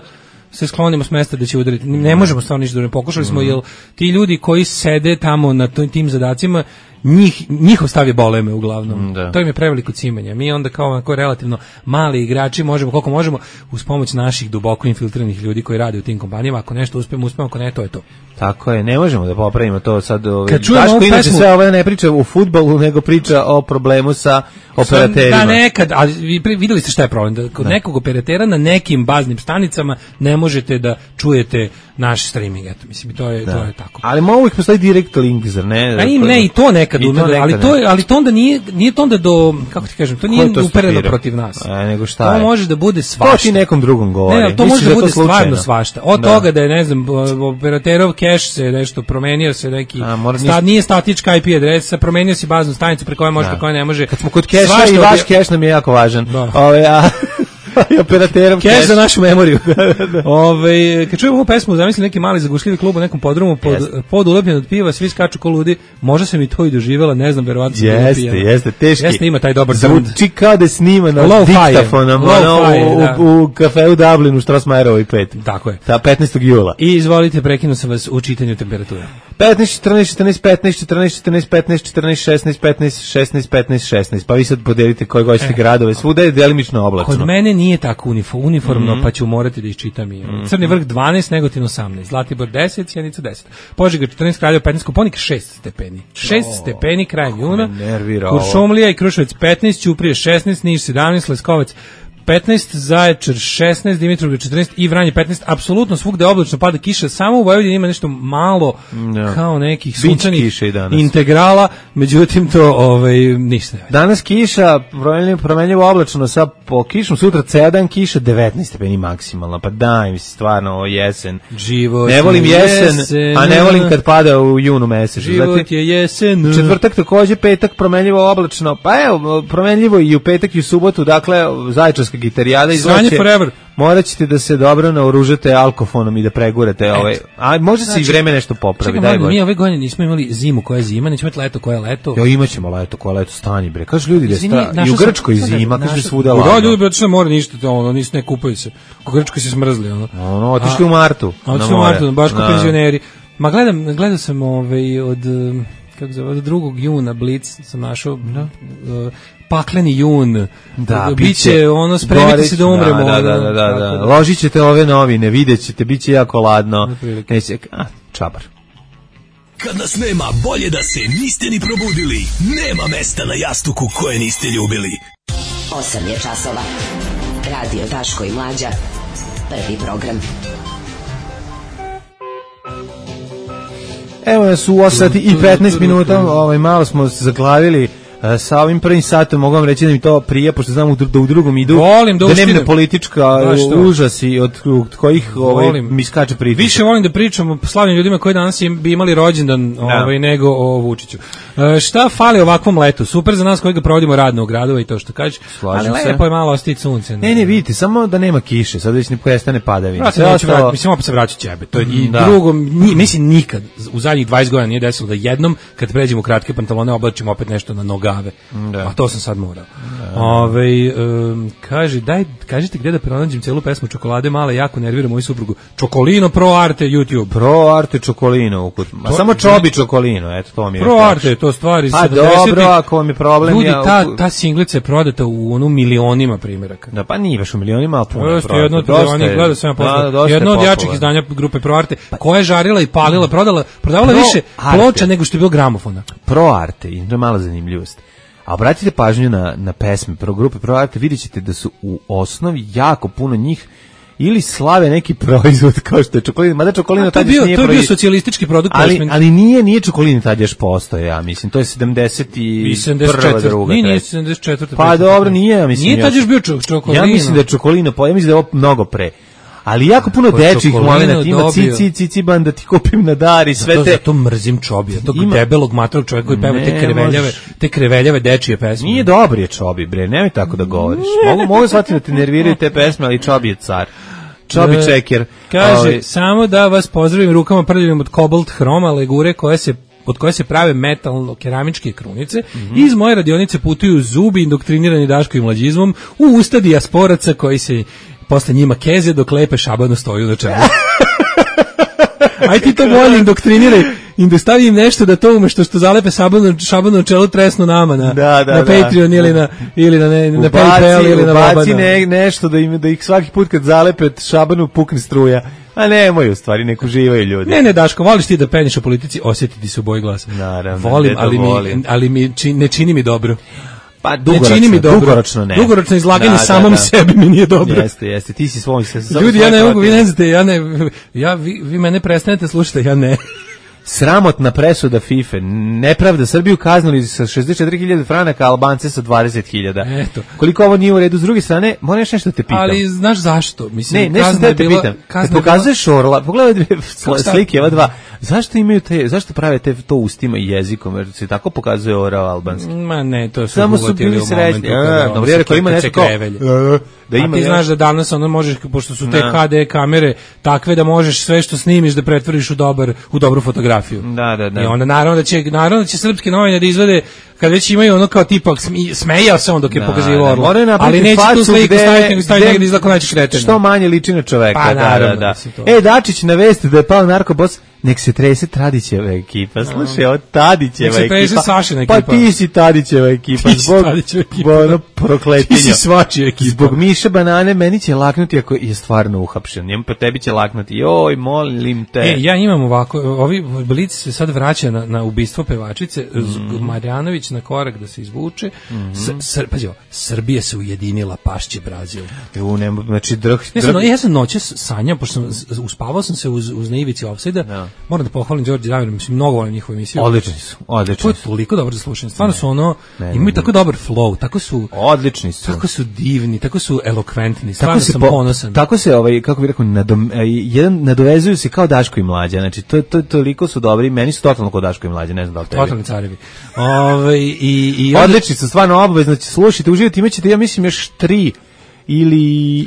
se sklonimo s mesta da će udariti. Ne možemo stvarno ništa da ne pokušali smo, jer ti ljudi koji sede tamo na tim zadacima, njih, njihov stav je boleme uglavnom. Da. To im je preveliko cimanje. Mi onda kao onako relativno mali igrači možemo, koliko možemo, uz pomoć naših duboko infiltriranih ljudi koji rade u tim kompanijama, ako nešto uspemo, uspemo, ako ne, to je to. Tako je, ne možemo da popravimo to sad. Ovaj, Daško inače pesmu, sve ovo ne priča u fudbalu, nego priča o problemu sa operaterima. Da, nekad, ali vi videli ste šta je problem, da kod da. nekog operatera na nekim baznim stanicama ne možete da čujete naš streaming, eto, mislim, to je, da. to je tako. Ali mogu ih postoji direct link, zar ne? A im ne, i to nekad, I to nekad ali, to, ali to onda nije, nije to onda do, kako ti kažem, to nije to upereno stupira? Protiv nas. A, nego šta to je? može da bude svašta. To ti nekom drugom govori. Ne, ne, to može da, da bude stvarno svašta. Od da. toga da je, ne znam, operaterov cache se nešto promenio se neki, A, sta, nije statička I P adresa, promenio si baznu stanicu preko koje može, preko koje ne može. Kad smo kod cache i vaš cache nam je jako važan. Da. Ove, a... i operaterom cache za našu memoriju. Ove, kad čujemo ovu pesmu, zamislim neki mali zagušljivi klub u nekom podrumu, pod, yes. pod ulepljen od piva, svi skaču ko ludi, možda sam i to i doživjela, ne znam, verovatno sam jeste, jeste, jeste, teški. Jeste, ima taj dobar zvuči kao da je snimano diktafonom u, u, u kafeu Dublinu, Strasmajerovoj pet. Tako je. Ta petnaestog jula. I izvolite, prekinu sam vas u čitanju temperatura. petnaest, četrnaest, četrnaest, petnaest, četrnaest, četrnaest, petnaest, četrnaest, šesnaest, petnaest, šesnaest, petnaest, šesnaest. Pa vi sad podelite koje hoćete gradove. Svuda je delimično oblačno. Kod mene nije tako uniformno, mm-hmm. pa ću morati da iščitam i mm-hmm. Crni vrh dvanaest, Negotin osamnaest, Zlatibor deset, Sjenica deset, Požega četrnaest, Kraljevo petnaest, Koponik šest stepeni. šest oh, stepeni krajem juna. Kuršumlija i Kruševac petnaest, Ćuprije šesnaest, Niš sedamnaest, Leskovac petnaest, Zaječar šesnaest, Dimitrovgrad četrnaest i Vranje petnaest. Apsolutno svugde oblačno, pada kiša, samo u Vojvodini ima nešto malo no. kao nekih sunčanih integrala, međutim to ovaj ništa ne. Danas kiša, promenljivo oblačno sa po kišom, sutra cedan kiša devetnaest stepeni maksimalno. Pa daj mi se stvarno ovo jesen. Život ne volim jesen, jesen, a ne volim kad pada u junu mesecu. Život Zatim, je jesen. Četvrtak takođe, petak promenljivo oblačno. Pa evo, promenljivo i u petak i u subotu, dakle Zaječarska gitarijada izlače. morat ćete da se dobro naoružate alkofonom i da pregurate ovaj. A može se znači, i vreme nešto popravi, daj bože. Mi ove godine nismo imali zimu koja je zima, nećemo imati leto koja je leto. Jo, imaćemo leto koja je leto, stani bre. Kažu ljudi da sta i u Grčkoj zima, kaže svuda ladno. Da, ljudi otišli na more, ništa, ono, nisu ne kupaju se. U Grčkoj se smrzli, ono. Ono, otišli u martu. Otišli u martu, baš kao penzioneri. Ma gledam, gledao sam ovaj od kako zove, od drugog juna Blic sam našao no. uh, pakleni jun. Da, biće ono spremite se da umremo. Da, da, da, da, da. Ložit ćete ove novine, videćete, biće jako ladno. Neće, a, čabar. Kad nas nema, bolje da se niste ni probudili. Nema mesta na jastuku koje niste ljubili. osam je časova. Radio Daško i Mlađa. Prvi program. Evo nas u osam sati i petnaest minuta, ovaj, malo smo se zaglavili uh, sa ovim prvim satom, mogu vam reći da mi to prije, pošto znam da u drugom idu, volim da, da nemne politička užasi od, od kojih ovaj, mi skače priča. Više volim da pričam o slavnim ljudima koji danas im, bi imali rođendan ovaj, nego o Vučiću. Uh, šta fali ovakvom letu? Super za nas koji ga provodimo radno u gradova i to što kažeš, ali lepo je malo ostiti sunce. Ne, ne, vidite, samo da nema kiše, sad već ne prestane padavina. Sve ostalo... Mislim, opet se vraću ćebe. To je i da. Drugo, ni, mislim, nikad u zadnjih dvadeset godina nije desilo da jednom, kad pređemo u kratke pantalone, oblačimo opet nešto na nogave. Da. A to sam sad morao. Da. Ove, um, kaže, daj, kažite gdje da pronađem celu pesmu Čokolade male, jako nervira moju suprugu. Čokolino Pro Arte YouTube. Pro Arte Čokolino. A to, samo Čobi Čokolino, eto to mi je. Pro Arte, to stvari pa dobro, ako vam je problem... Ljudi, ja, ta, ta singlica je prodata u onu milionima primjeraka. Da, pa nije baš u milionima, ali puno je prodata. Jedno od milionih, gledao sam ja posle. Jedno od jačih izdanja grupe Pro Arte, koja je žarila i palila, prodala, prodavala Pro više Arte. Ploča nego što je bilo gramofona. Pro Arte, i to je mala zanimljivost. A obratite pažnju na, na pesme Pro grupe Pro Arte, vidjet ćete da su u osnovi jako puno njih ili slave neki proizvod kao što je Čokolina, mada Čokolina tad još nije to je bio socijalistički produkt, ali, ali nije nije Čokolina tad još postoje, ja mislim, to je sedamdeset i prva druga. Nije, nije sedamdeset četvrta Pa dobro, nije, ja mislim. Nije tad još bio Čokolina. Ja mislim da je Čokolina, ja mislim da je ovo mnogo pre. Ali jako puno dečih momenata ima cici, cici ban da ti kupim na dar i sve zato, te... Zato mrzim Čobija, tog ima... debelog matrog čovjeka koji peva te kreveljave, mož... te kreveljave dečije pesme. Nije dobar je Čobi, bre, nemoj tako da govoriš. Mogu, mogu shvatiti da te nerviraju te pesme, ali Čobi je car. Čobi e, čeker. Kaže, ovaj... samo da vas pozdravim rukama prljavim od Cobalt Hroma, legure koje se od koje se prave metalno-keramičke krunice. Mm-hmm. Iz moje radionice putuju zubi indoktrinirani Daško i mlađizmom u usta dijasporaca koji se posle njima keze dok lepe šabano stoju na čelu. Aj ti to bolje indoktriniraj i da stavim nešto da to umešto što zalepe šabano, šabano na čelu tresnu nama na, da, da, na Patreon da. ili na, ili na, ne, na PayPal ili na Vabana. Ubaci ne, nešto da, im, da ih svaki put kad zalepe šabanu pukne struja. A nemoj u stvari, nek uživaju ljudi. Ne, ne, Daško, voliš ti da peniš o politici, osjetiti se u boji glasa. Naravno. Volim, ali, volim. Mi, ali mi čini, ne čini mi dobro. Pa dugoročno, ne mi dobro. dugoročno ne. Dugoročno izlaganje da, samom da, da. sebi mi nije dobro. Jeste, jeste, ti si svoj se. Ljudi, ja ne mogu, vi ne znate, ja ne, ja, vi, vi mene prestanete slušati, ja ne. Sramotna presuda FIFA, nepravda, Srbiju kaznili sa šezdeset četiri hiljade franaka, Albance sa dvadeset hiljada. Eto. Koliko ovo nije u redu, s druge strane, moram još nešto da te pitam. Ali znaš zašto? Mislim, ne, nešto da te pitam. Kad pokazuješ Orla, pogledaj dve slike, ova dva, zašto imaju te, zašto prave te to ustima i jezikom, jer se tako pokazuje Orao albanski? Ma ne, to su samo su bili srećni. Dobro, jer ako ima nešto kao, da ima, a ti znaš da danas ono možeš, pošto su te ha de kamere takve da možeš sve što snimiš da pretvoriš u dobar, u dobru fotografiju. Da, da, da. I onda naravno da će, naravno da će srpske novine da izvede kad već imaju ono kao tipa smejao se on dok je da, pokazivao Orla, ali neće tu sliku staviti nego staviti negdje izlako naći kreten. Što manje liči na čoveka. Pa, da, naravno, da, da. E, Dačić na vesti da je pao narkobos, nek se trese Tadićeva ekipa. Slušaj, ovo Tadićeva ekipa. Nek se trese Sašina ekipa. Pa ti si Tadićeva ekipa. Ti zbog ono prokletinja. Ti si svačija ekipa. Zbog Miše Banane meni će laknuti ako je stvarno uhapšen. Njemu po tebi će laknuti. Joj, molim te. E, ja imam ovako, ovi Blic se sad vraća na, na ubistvo pevačice, mm. Marjanović na korak da se izvuče. Mm-hmm. S, sr, pazi, Srbija se ujedinila, pašće Brazil. U, ne, znači drh, drh. Ja sam, ja sam noćas sanjao, pošto sam, uspavao sam se uz, uz naivici Offside-a. No. Moram da pohvalim Đorđe Davira, mislim, mnogo volim njihovu emisiju. Odlični su, odlični su. To je toliko dobro za slušanje. Stvarno ne, su ono, ne, imaju ne, tako dobar flow, tako su... Odlični su. Tako su divni, tako su elokventni, stvarno sam po, ponosan. Tako se, ovaj, kako bih rekao, nadom, jedan, nadovezuju se kao Daško i Mlađa, znači, to, to, toliko su dobri, meni su totalno kao Daško i Mlađa, ne znam da li tebi. Totalni carevi. Ove, i, i onda... Odlični su, stvarno obavezno, slušajte, uživajte, imat ćete, ja mislim, još tri ili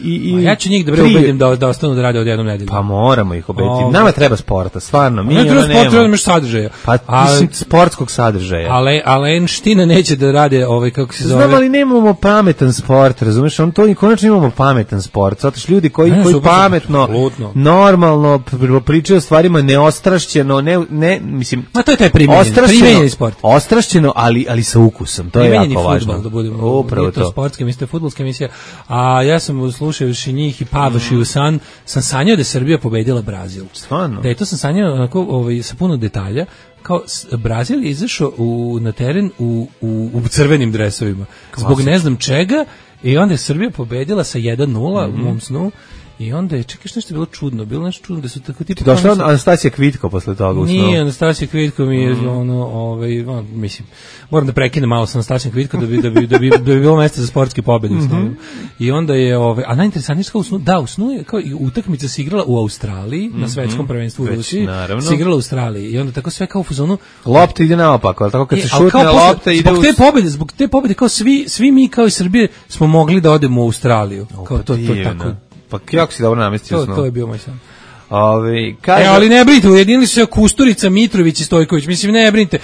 i, i ja ću njih da bre ubedim da da ostanu da rade od jednom nedelju. Pa moramo ih ubediti. Nama treba sporta, stvarno. Mi ne treba sporta, treba sadržaja. Pa mislim sportskog sadržaja. Ale Alenština neće da rade ovaj kako se zove. Znam, ali nemamo pametan sport, razumeš? On to i konačno imamo pametan sport. Zato što ljudi koji ne, koji super, pametno, absolutno. normalno pričaju o stvarima neostrašćeno, ne ne mislim. A to je taj primenjeni sport. Ostrašćeno, ali ali sa ukusom. To je jako važno. Da budemo. Upravo to. Sportska, mislim, fudbalska emisija. A ja sam slušajući njih i pavaši mm. u san, sam sanjao da je Srbija pobedila Brazil. Stvarno? Da je to sam sanjao onako, ovaj, sa puno detalja. Kao Brazil je izašao u, na teren u, u, u crvenim dresovima. Klasič. Zbog ne znam čega. I onda je Srbija pobedila sa jedan nula mm-hmm. u mom snu. I onda je, čekaj, što je bilo čudno, bilo nešto čudno da su tako tipa... Došla je Anastasija Kvitko posle toga u snu? Nije, Anastasija Kvitko mi je, mm. ono, ovaj, on, mislim, moram da prekinem malo sa Anastasijom Kvitko da bi, da bi, da bi, da bi bilo mesta za sportske pobjede u snu. Mm-hmm. I onda je, ovaj, a najinteresantnije što u snu, da, u snu je, kao i utakmica se igrala u Australiji, mm-hmm. na svetskom prvenstvu u Rusiji, se igrala u Australiji. I onda tako sve kao u fazonu... Lopta ide naopako, ali tako kad e, se šutne lopta ide zbog te pobjede, zbog te pobjede, kao svi, svi mi kao iz Srbije smo mogli da odemo u Australiju. Kao to, to tako... Pa kako si dobro namestio snu? To je bio moj san. Ove, kaže... E, ali ne brinite, ujedinili su se Kusturica, Mitrović i Stojković. Mislim, ne brinite.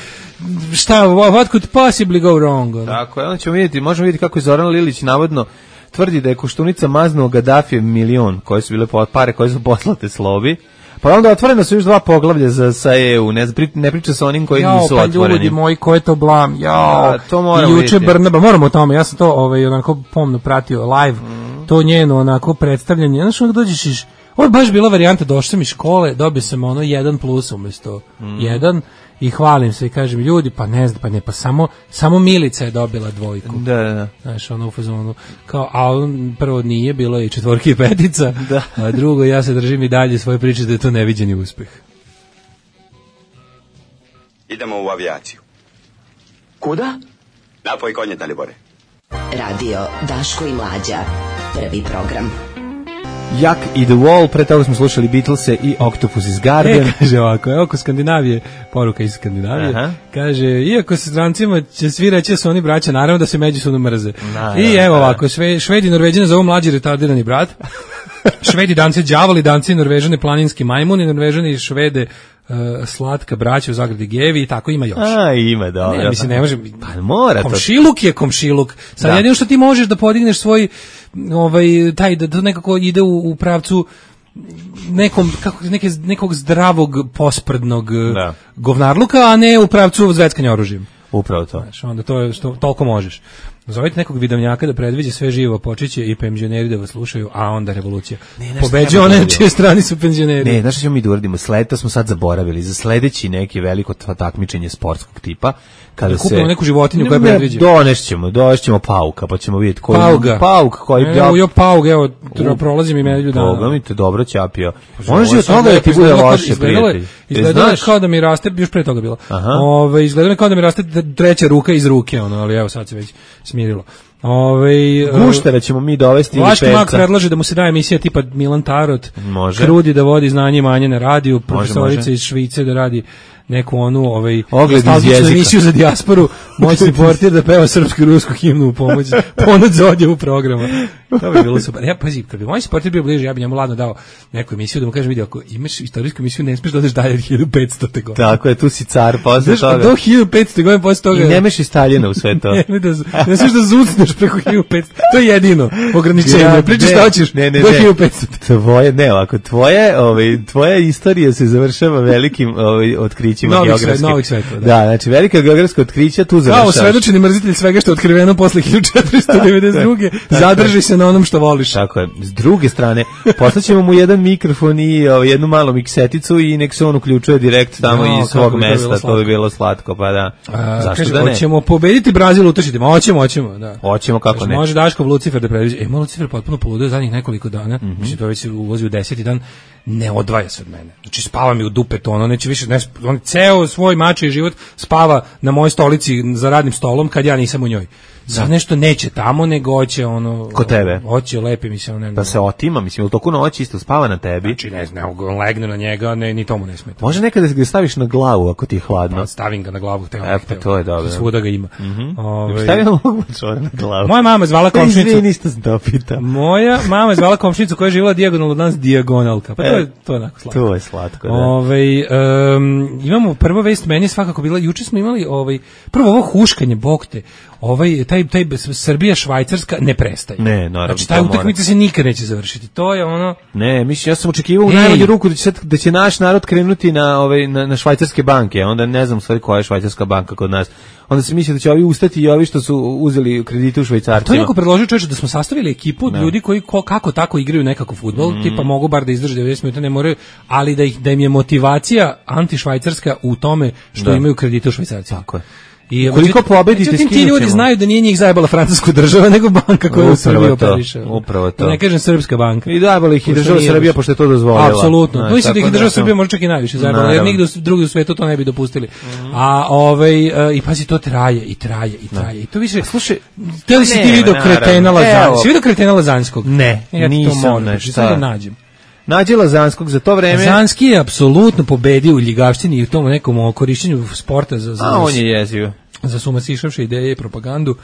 Šta, what could possibly go wrong? Tako, onda ćemo vidjeti, možemo vidjeti kako je Zoran Lilić navodno tvrdi da je Koštunica maznuo Gaddafijev milion, koje su bile pare koje su poslate Slobi. Pa onda otvoreno su još dva poglavlja za sa E U, ne, ne priča sa onim koji jao, nisu pa otvoreni. Ljudi moji, ko je to blam? Jao, ja, to moramo i juče vidjeti. Brnaba, moramo o tome, ja sam to ovaj, onako pomno pratio live, mm. to njeno onako predstavljanje, znaš onda dođeš iš, ovo je baš bila varijanta, došao sam iz škole, dobio sam ono jedan plus umjesto mm. jedan, i hvalim se i kažem, ljudi, pa ne znam, pa ne, pa samo, samo Milica je dobila dvojku. Da, da. Znaš, ono u fazonu, kao, a on prvo nije, bilo je i četvorki i petica, da. A drugo, ja se držim i dalje svoje priče da je to neviđeni uspeh. Idemo u avijaciju. Kuda? Napoj konje, Dalibore. Radio Daško i Mlađa, prvi program. Jak i The Wall, pre toga smo slušali Beatlese i Octopus is Garden. E, kaže ovako, evo oko Skandinavije, poruka iz Skandinavije, aha. Kaže, iako se strancima će svi reći da su oni braća, naravno da se međusobno mrze. Na, I evo ovako, sve, Švedi i Norveđane zovu mlađi retardirani brat, Švedi Danci đavoli, Danci i Norvežani planinski majmuni, Norvežani i Švede uh, slatka braća u zagradi gevi i tako ima još. A, ima, dobro. Ne, mislim, ne može... Pa mora to. Komšiluk je komšiluk. Sad jedino što ti možeš da podigneš svoj, ovaj, taj, da, da nekako ide u, u pravcu nekom, kako, neke, nekog zdravog posprdnog da. govnarluka, a ne u pravcu zveckanja oružjem. Upravo to. Znaš, onda to je što toliko možeš. Zovite nekog vidovnjaka da predviđe sve živo, počeće i penzioneri da vas slušaju, a onda revolucija. Pobeđuje one čije strani su penzioneri. Ne, znaš što ćemo mi da uradimo? Sled, to smo sad zaboravili. Za sledeći neki veliko takmičenje sportskog tipa, kada se kupimo neku životinju koja predviđa. Donešćemo, donešćemo pauka, pa ćemo vidjeti koji pauga. Pauk koji ne, ja paug, evo, prolazim i medlju dana. Boga mi te dobro ćapio. Može od toga da ti bude loše, prijatelj. Izgledalo je kao da mi raste, još pre toga bilo. Ove, izgledalo je kao da mi raste treća ruka iz ruke, ono, ali evo sad se već smirilo. Ove, Guštera ćemo mi dovesti ili Vlaški mak predlaže da mu se daje emisija tipa Milan Tarot, može. Krudi da vodi znanje i manje na radiju, profesorica iz Švice da radi neku onu ovaj nostalgičnu emisiju za dijasporu, moćni portir da peva srpsku i rusku himnu u pomoć, ponud za odjevu programa. To bi bilo super. Ja, pazi, kad bi moj portir bio bliže, ja bi njemu ladno dao neku emisiju da mu kažem, vidi, ako imaš istorijsku emisiju, ne smiješ da odeš dalje od hiljadu petstote godine. Tako je, tu si car posle toga. Do hiljadu petstote godine posle toga. I nemaš i Staljina u sve to. ne, ne, da, ne smiješ da zucneš preko hiljadu petsto. To je jedino ograničenje. Ja, Pričaš šta hoćeš ne, ne, do ne. hiljadu petstote. Tvoje, ne, ovako, tvoje, ovaj, tvoja istorija se završava velikim ovaj, otkrićima geografskim. Novih svetova, da. Da, znači velika geografska otkrića tu završavaš. Kao svedočeni mrzitelj svega što je otkriveno posle hiljadu četiristo devedeset druge zadrži se na onom što voliš. Tako je. S druge strane, poslaćemo mu jedan mikrofon i o, jednu malu mikseticu i nek se on uključuje direkt tamo no, iz svog mesta, to bi bilo slatko, pa da. A, zašto kaže, da ne? Hoćemo pobediti Brazil, utržiti, ma hoćemo, hoćemo, da. Hoćemo, kako kaže, ne. Može Daškov Lucifer da predviđe. E, moj Lucifer potpuno poludio zadnjih nekoliko dana, mm -hmm. Mislim, to već uvozi u deseti dan, ne odvaja se od mene. Znači, spava mi u dupetu, ono neće više, ne, on ceo svoj mačiji život spava na mojoj stolici za radnim stolom kad ja nisam u njoj. sad nešto neće tamo, nego hoće ono... Ko tebe? Hoće lepi mi se, ono... Da se otima, mislim, ili toku noć isto spava na tebi? Znači, ne znam, on legne na njega, ne, ni tomu ne smeta. Može nekada da ga staviš na glavu, ako ti je hladno. Pa, stavim ga na glavu, hteo. E, pa to je dobro. Svuda ga ima. Mm-hmm. Ove... Stavim ga na glavu. Moja mama je zvala komšnicu... Izvini, ništa sam to pitao. Moja mama je zvala komšnicu koja je živjela dijagonalno od nas, dijagonalka. Pa to je, to je onako slatko. To je slatko, da. Ove, um, imamo prva vest, meni je svakako bila, juče smo imali ovaj, prvo ovo huškanje, bokte, ovaj, taj, taj Srbija, Švajcarska ne prestaje. Ne, naravno. Znači, taj utakmica se nikad neće završiti. To je ono... Ne, mislim, ja sam očekivao u najmanju ruku da će, sad, da će naš narod krenuti na, ovaj, na, na švajcarske banke, onda ne znam u stvari koja je švajcarska banka kod nas. Onda se misli da će ovi ustati i ovi što su uzeli kredite u Švajcarcima. To je neko predložio, čovječe, da smo sastavili ekipu od ljudi koji ko, kako tako igraju nekako fudbal, mm. tipa mogu bar da izdrže devedeset minuta, ne moraju, ali da, ih, da im je motivacija antišvajcarska u tome što da. imaju kredite u Švajcarcima. Tako je. I koliko pobedite, međutim, ti ljudi znaju da nije njih zajebala francuska država, nego banka koja u Srbiji operiše. Upravo to. Da ne kažem srpska banka. I zajebala ih i država Srbija, pošto je to dozvolila. Apsolutno. No, mislim da ih država Srbija može čak i najviše zajebala, jer nigde drugi u svetu to ne bi dopustili. Mm. A ovaj, i pazi, to traje, i traje, i traje. No. I to više, slušaj, te li si ti vidio kretena Lazanskog? Si vidio kretena Lazanskog? Ne, ja nisam nešto. Sad da nađem. Nađe Lazanskog za to vreme. Lazanski je apsolutno pobedio u ljigavštini i u tom nekom korišćenju sporta za, za, A on je jezio. za sumasišavše ideje i propagandu.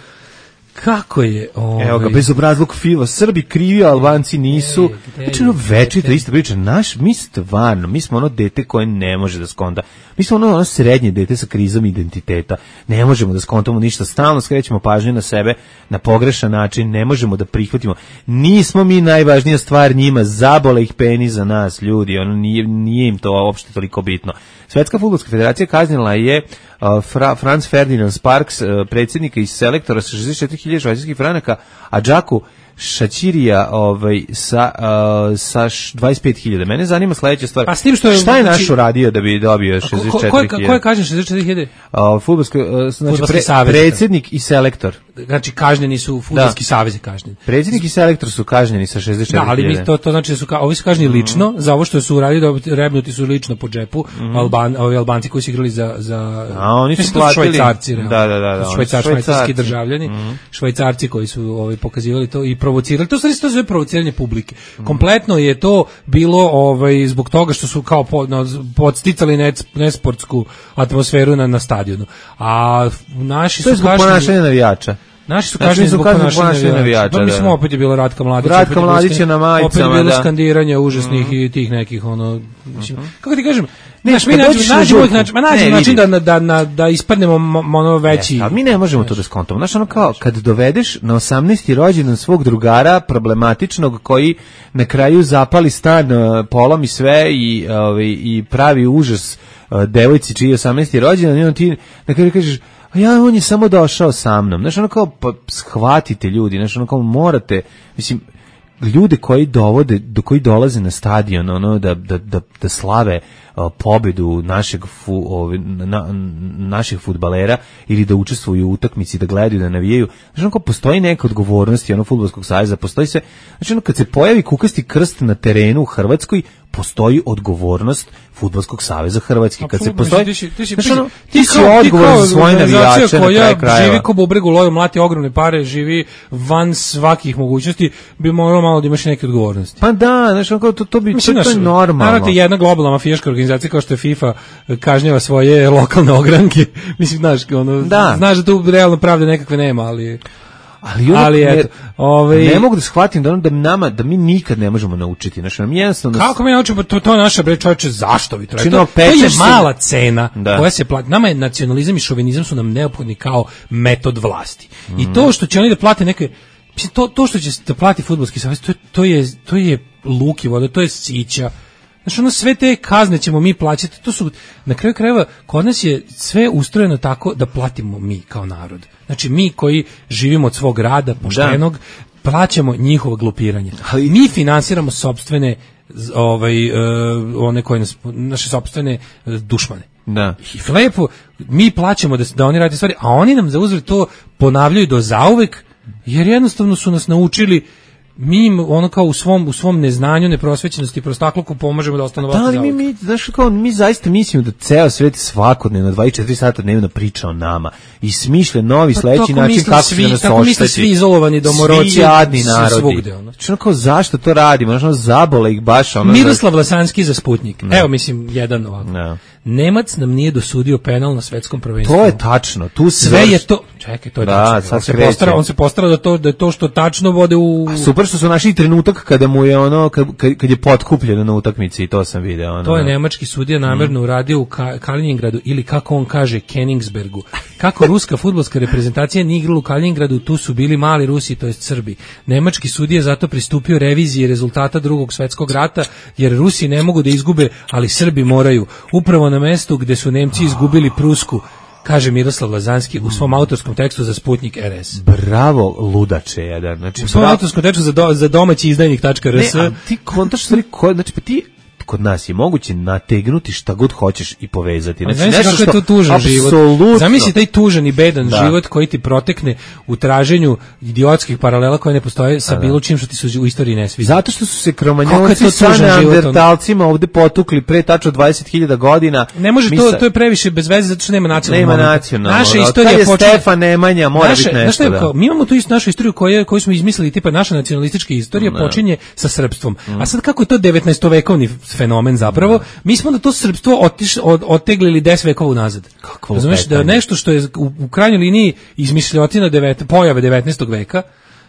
Kako je... Ovaj... Evo ga, bezobrazluk Fiva, Srbi krivi, Albanci nisu. Znači, ono večito isto priča. Naš, mi stvarno, mi smo ono dete koje ne može da skonta. Mi smo ono, ono srednje dete sa krizom identiteta. Ne možemo da skontamo ništa. Stalno skrećemo pažnju na sebe na pogrešan način. Ne možemo da prihvatimo. Nismo mi najvažnija stvar njima. Zabole ih peni za nas, ljudi. Ono, nije, nije im to uopšte toliko bitno. Svetska fudbalska federacija kaznila je uh, Fra, Franz Ferdinand Sparks, uh, predsjednika i selektora sa šezdeset četiri hiljade švajcarskih franaka, a Džaku Šačirija ovaj, sa, uh, sa dvadeset pet hiljada. Mene zanima sledeća stvar. Pa s tim što je, šta je naš uradio da bi dobio šezdeset četiri hiljade? Ko je kažnjen šezdeset četiri hiljade? Uh, Fudbalski uh, znači pre, predsjednik i selektor. Znači kažnjeni su fudbalski savez je kažnjen. Predsjednik i selektor su kažnjeni sa šezdeset četiri hiljade. Da, ali to to znači da su ka, ovi su kažnjeni mm. lično za ovo što su uradili, da rebnuti su lično po džepu. Mm. Alban, ovi Albanci koji su igrali za za A oni su platili Švajcarci, da, da, da, da, Švajcar, švajcarski državljani, mm. Švajcarci koji su ovaj pokazivali to i provocirali. To se to zove provociranje publike. Mm. Kompletno je to bilo ovaj zbog toga što su kao po, no, podsticali ne, nesportsku atmosferu na na stadionu. A naši to su zbog ponašanja navijača. Naši su kažnjeni zbog ponašanja navijača. Mi smo opet je bila Ratka Mladić. Ratka Mladić je na majicama, opet je bilo da. skandiranje užasnih mm. i tih nekih, ono, mislim, mm-hmm. kako ti kažem, ne, znaš, mi nađemo uvijek način, nađemo način da, da, da, da ispadnemo ono veći. Ali mi ne možemo to da skontamo. Znaš, ono kao, kad dovedeš na osamnaesti rođendan svog drugara, problematičnog, koji na kraju zapali stan, polomi sve i, ovaj, i pravi užas devojci čiji je osamnaesti rođendan, i on ti na kraju kažeš, a ja, on je samo došao sa mnom. Znaš, ono kao, pa shvatite ljudi, znaš, ono kao, morate, mislim, ljude koji dovode, do koji dolaze na stadion, ono, da, da, da, da slave uh, pobedu našeg, fu, ove, na, naših fudbalera ili da učestvuju u utakmici, da gledaju, da navijaju. Znaš, ono kao, postoji neka odgovornost, ono, fudbalskog saveza, postoji se, znači, ono, kad se pojavi kukasti krst na terenu u Hrvatskoj, postoji odgovornost Fudbalskog saveza Hrvatske. Kad se postoji, ti si, ti si, znači, ono, ti si odgovoran za svoje navijače na kraju krajeva. Živi ko bubreg u loju, mlati ogromne pare, živi van svakih mogućnosti, bi moralo malo da imaš neke odgovornosti. Pa da, znači, ono, to, to bi, mislim, to, to je normalno. Naravno, jedna globalna mafijaška organizacija kao što je FIFA kažnjava svoje lokalne ogranke. Mislim, znaš, ono, da. znaš da tu realno pravde nekakve nema, ali... Ali, ali eto, ovaj ne mogu da shvatim da, da nama da mi nikad ne možemo naučiti, znači nam jednostavno. Kako mi naučimo to to naša bre čoveče, zašto vi to? To, to je mala cena da. koja se plati. Nama je nacionalizam i šovinizam su nam neophodni kao metod vlasti. Mm. I to što će oni da plate neke to to što će da plati fudbalski savez, to je to je to je luki voda, to je sića. Znači, ono, sve te kazne ćemo mi plaćati, to su, na kraju krajeva, kod nas je sve ustrojeno tako da platimo mi kao narod. Znači, mi koji živimo od svog rada, poštenog, da. plaćamo njihovo glupiranje. Ali mi finansiramo sopstvene, ovaj, uh, one koje nas, naše sopstvene uh, dušmane. Da. I lepo, mi plaćamo da, da oni rade stvari, a oni nam za uzvrat to ponavljaju do zauvek, jer jednostavno su nas naučili mi im ono kao u svom u svom neznanju, neprosvećenosti, prostakluku pomažemo da ostanu ovako. Da li mi, mi, znaš, kao, mi zaista mislimo da ceo svet svakodnevno dvadeset četiri sata dnevno priča o nama i smišlja novi pa sledeći način kako svi, će nas tako ošteti. Misle svi izolovani domoroci, svi jadni narodi. Svugde, ono. Znači, kao, zašto to radimo? Znači, ono, zabole ih baš. Ono, Miroslav Lasanski za Sputnik. No. Evo, mislim, jedan ovako. No. Nemac nam nije dosudio penal na svetskom prvenstvu. To je tačno. Tu sve je to. Čekaj, to je da, tačno. On se postara, on se postara da to da je to što tačno vode u. A super što su našli trenutak kada mu je ono kad, kad je potkupljeno na utakmici i to sam video. Ono, to je nemački sudija namerno mm. uradio u Ka- Kaliningradu ili kako on kaže Königsbergu. Kako ruska fudbalska reprezentacija nije igrala u Kaliningradu, tu su bili mali Rusi, to jest Srbi. Nemački sudija zato pristupio reviziji rezultata Drugog svetskog rata, jer Rusi ne mogu da izgube, ali Srbi moraju. Upravo na mestu gde su Nemci izgubili Prusku, kaže Miroslav Lazanski u svom autorskom tekstu za Sputnik R S. Bravo, ludače jedan. Znači, u svom bravo. autorskom tekstu za, do, za domaći izdajnik tačka r s. Ne, ti kontaš stvari koje, znači pa ti kod nas je moguće nategnuti šta god hoćeš i povezati. Znači, znači nešto što je to tužan život. Zamisli taj tužan i bedan da. život koji ti protekne u traženju idiotskih paralela koje ne postoje sa bilo čim što ti se u istoriji ne sviđa. Zato što su se kromanjonci sa neandertalcima ovde potukli pre tačno dvadeset hiljada godina. Ne može to, to je previše bez veze zato što nema nacionalnog. Nema nacionalnog. Naša istorija počinje Stefan Nemanja mora biti nešto. Da. Kao, mi imamo tu istu našu istoriju koju koju smo izmislili, tipa naša nacionalistička istorija no. počinje sa srpstvom. Mm. A sad kako je to devetnaestovekovni fenomen zapravo, mi smo da to srpstvo otiš, od, oteglili deset vekova unazad. Razumeš da nešto što je u, u krajnjoj liniji izmišljotina devet, pojave devetnaestog veka,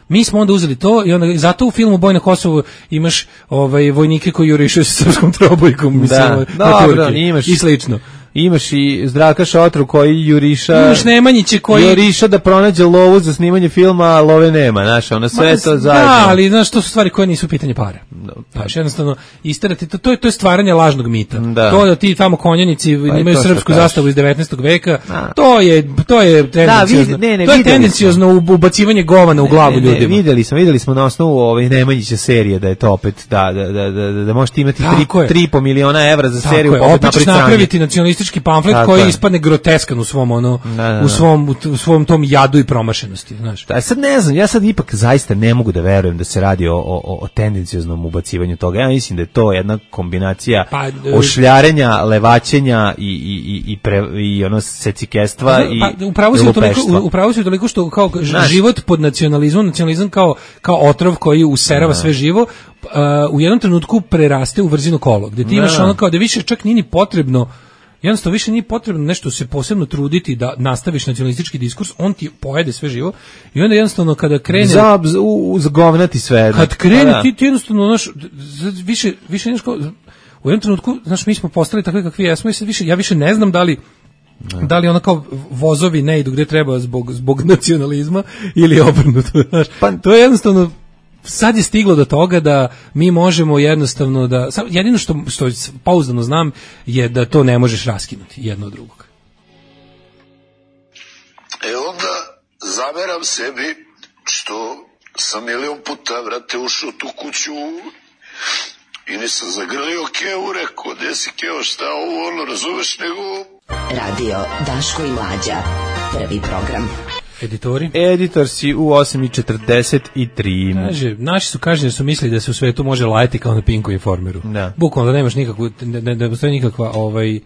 mi smo onda uzeli to i onda zato u filmu Boj na Kosovu imaš ovaj vojnike koji jurišaju sa srpskom trobojkom, mislim, da, dobro, imaš i slično. Imaš i Zdravka Šotru koji juriša. Imaš Nemanjiće koji juriša da pronađe lovu za snimanje filma, a love nema, znaš, ona sve Ma, to zajedno. Da, ali znaš, to su stvari koje nisu pitanje para. No, znaš, jednostavno, isterati, to, to, je, to je stvaranje lažnog mita. Da. To da ti tamo konjanici imaju srpsku zastavu iz devetnaestog veka, da. to je to je tendenciozno. Da, vid, ne, ne, to je tendenciozno ubacivanje govana u glavu ne, ne, ljudima. Videli smo, videli smo na osnovu ovaj Nemanjića serije da je to opet da da da da, da, da možete imati tri i po miliona evra za seriju, opet napraviti nacionalistički pamflet tako koji je. Ispadne groteskan u svom ono da, da, da. u svom u svom tom jadu i promašenosti, znaš. Da, sad ne znam, ja sad ipak zaista ne mogu da verujem da se radi o o o tendencioznom ubacivanju toga. Ja mislim da je to jedna kombinacija pa, ošljarenja, levaćenja i i i pre, i ono secikestva pa, i pa upravo se toliko upravo se toliko što kao znaš, život pod nacionalizmom, nacionalizam kao kao otrov koji userava sve živo, uh, u jednom trenutku preraste u vrzino kolo, gde ti imaš ono kao da više čak nije ni potrebno. Jednostavno više nije potrebno nešto se posebno truditi da nastaviš nacionalistički diskurs, on ti pojede sve živo i onda jednostavno kada krene za uzgovnati sve. Kad krene da. ti, ti jednostavno znaš, više više nešto u jednom trenutku, znaš, mi smo postali takvi kakvi jesmo i sad više ja više ne znam da li Ne. Da li ono kao vozovi ne idu gde treba zbog zbog nacionalizma ili obrnuto, znaš. Pa to je jednostavno sad je stiglo do toga da mi možemo jednostavno da jedino što što pouzdano znam je da to ne možeš raskinuti jedno od drugog. E onda zameram sebi što sam milion puta vrate ušao tu kuću i nisam zagrlio Keo, rekao, gde si Keo, šta ovo, ono, razumeš, nego... Radio Daško i Mlađa, prvi program. Editori? Editor si u osam i četrdeset tri. Kaže, naši su kažnjeni su mislili da se u svetu može lajati kao na Pinku Informeru. Da. Bukvalno da nemaš nikakvu, ne, ne, ne postoji nikakva ovaj,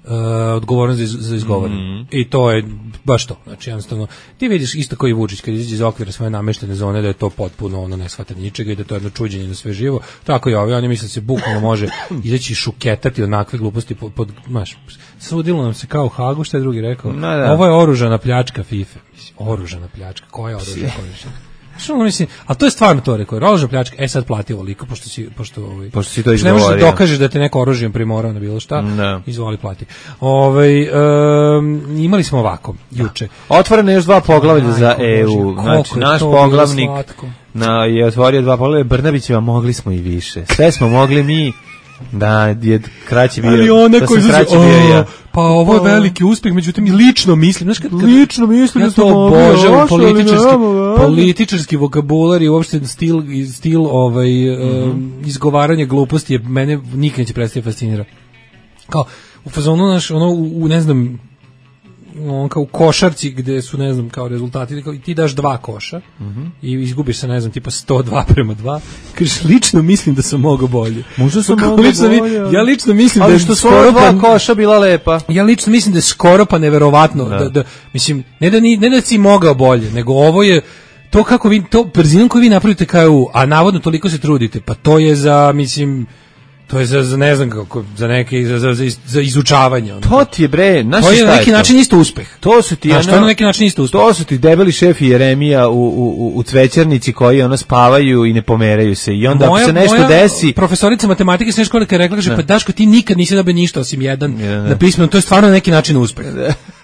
Uh, odgovornost za, za izgovoreno. Mm. I to je baš to. Znači, jednostavno, ti vidiš isto kao i Vučić, kad izađe iz okvira svoje nameštene zone, da je to potpuno ono ne shvata ničega i da to je jedno čuđenje na sve živo. Tako i ovi, oni misle da se bukvalno može izaći i šuketati onakve gluposti pod, pod maš, sudilo nam se kao u Hagu, što je drugi rekao. No, da. Ovo je oružana pljačka FIFA. Mislim, oružana pljačka. Koja je oružana pljačka? Što mislim, a to je stvarno to rekao, oružana pljačka, e sad plati ovoliko, pošto si, pošto, ovaj, pošto si to izgovorio. Ne možeš da dokažeš da te neko oružjem primorao na bilo šta, no. Izvoli plati. Ovaj, um, imali smo ovako, juče. Otvoreno još dva poglavlja za E U, znači naš poglavnik na, je otvorio dva poglavlja, Brnabićeva mogli smo i više, sve smo mogli mi. Da, je kraći bio. Ali ona da koji kraći bio ja. Pa ovo je veliki uspjeh, međutim lično mislim, znaš kad, kad lično mislim ja da to obožavam političarski političarski vokabular i uopšte stil stil ovaj mm-hmm. um, izgovaranje gluposti je mene nikad neće prestati fascinira. Kao u fazonu naš ono u, u ne znam on kao u košarci gde su, ne znam, kao rezultati, kao, ti daš dva koša mm-hmm. i izgubiš se, ne znam, tipa sto dva prema dva, kažeš, lično mislim da sam mogao bolje. Možda sam pa, mogao bolje. Ja lično mislim ali da je što skoro dva pa, koša bila lepa. Ja lično mislim da je skoro pa neverovatno, da, da, da mislim, ne da, ni, ne da si mogao bolje, nego ovo je to kako vi, to brzinom koju vi napravite K U, a navodno toliko se trudite, pa to je za, mislim, to je za, za ne znam kako, za neke, za, za, za izučavanje. Ono. To ti je, bre, znaš to je na neki je način isto uspeh. To su ti, znaš, ono, to je na neki način isto uspeh. To su ti debeli šef i Jeremija u, u, u cvećarnici koji ono spavaju i ne pomeraju se. I onda moja, ako se nešto moja desi... profesorica matematike srednje škole kad je rekla, kaže, pa Daško, ti nikad nisi dobio ništa osim jedan ne, ne. na pismenu, to je stvarno na neki način uspeh.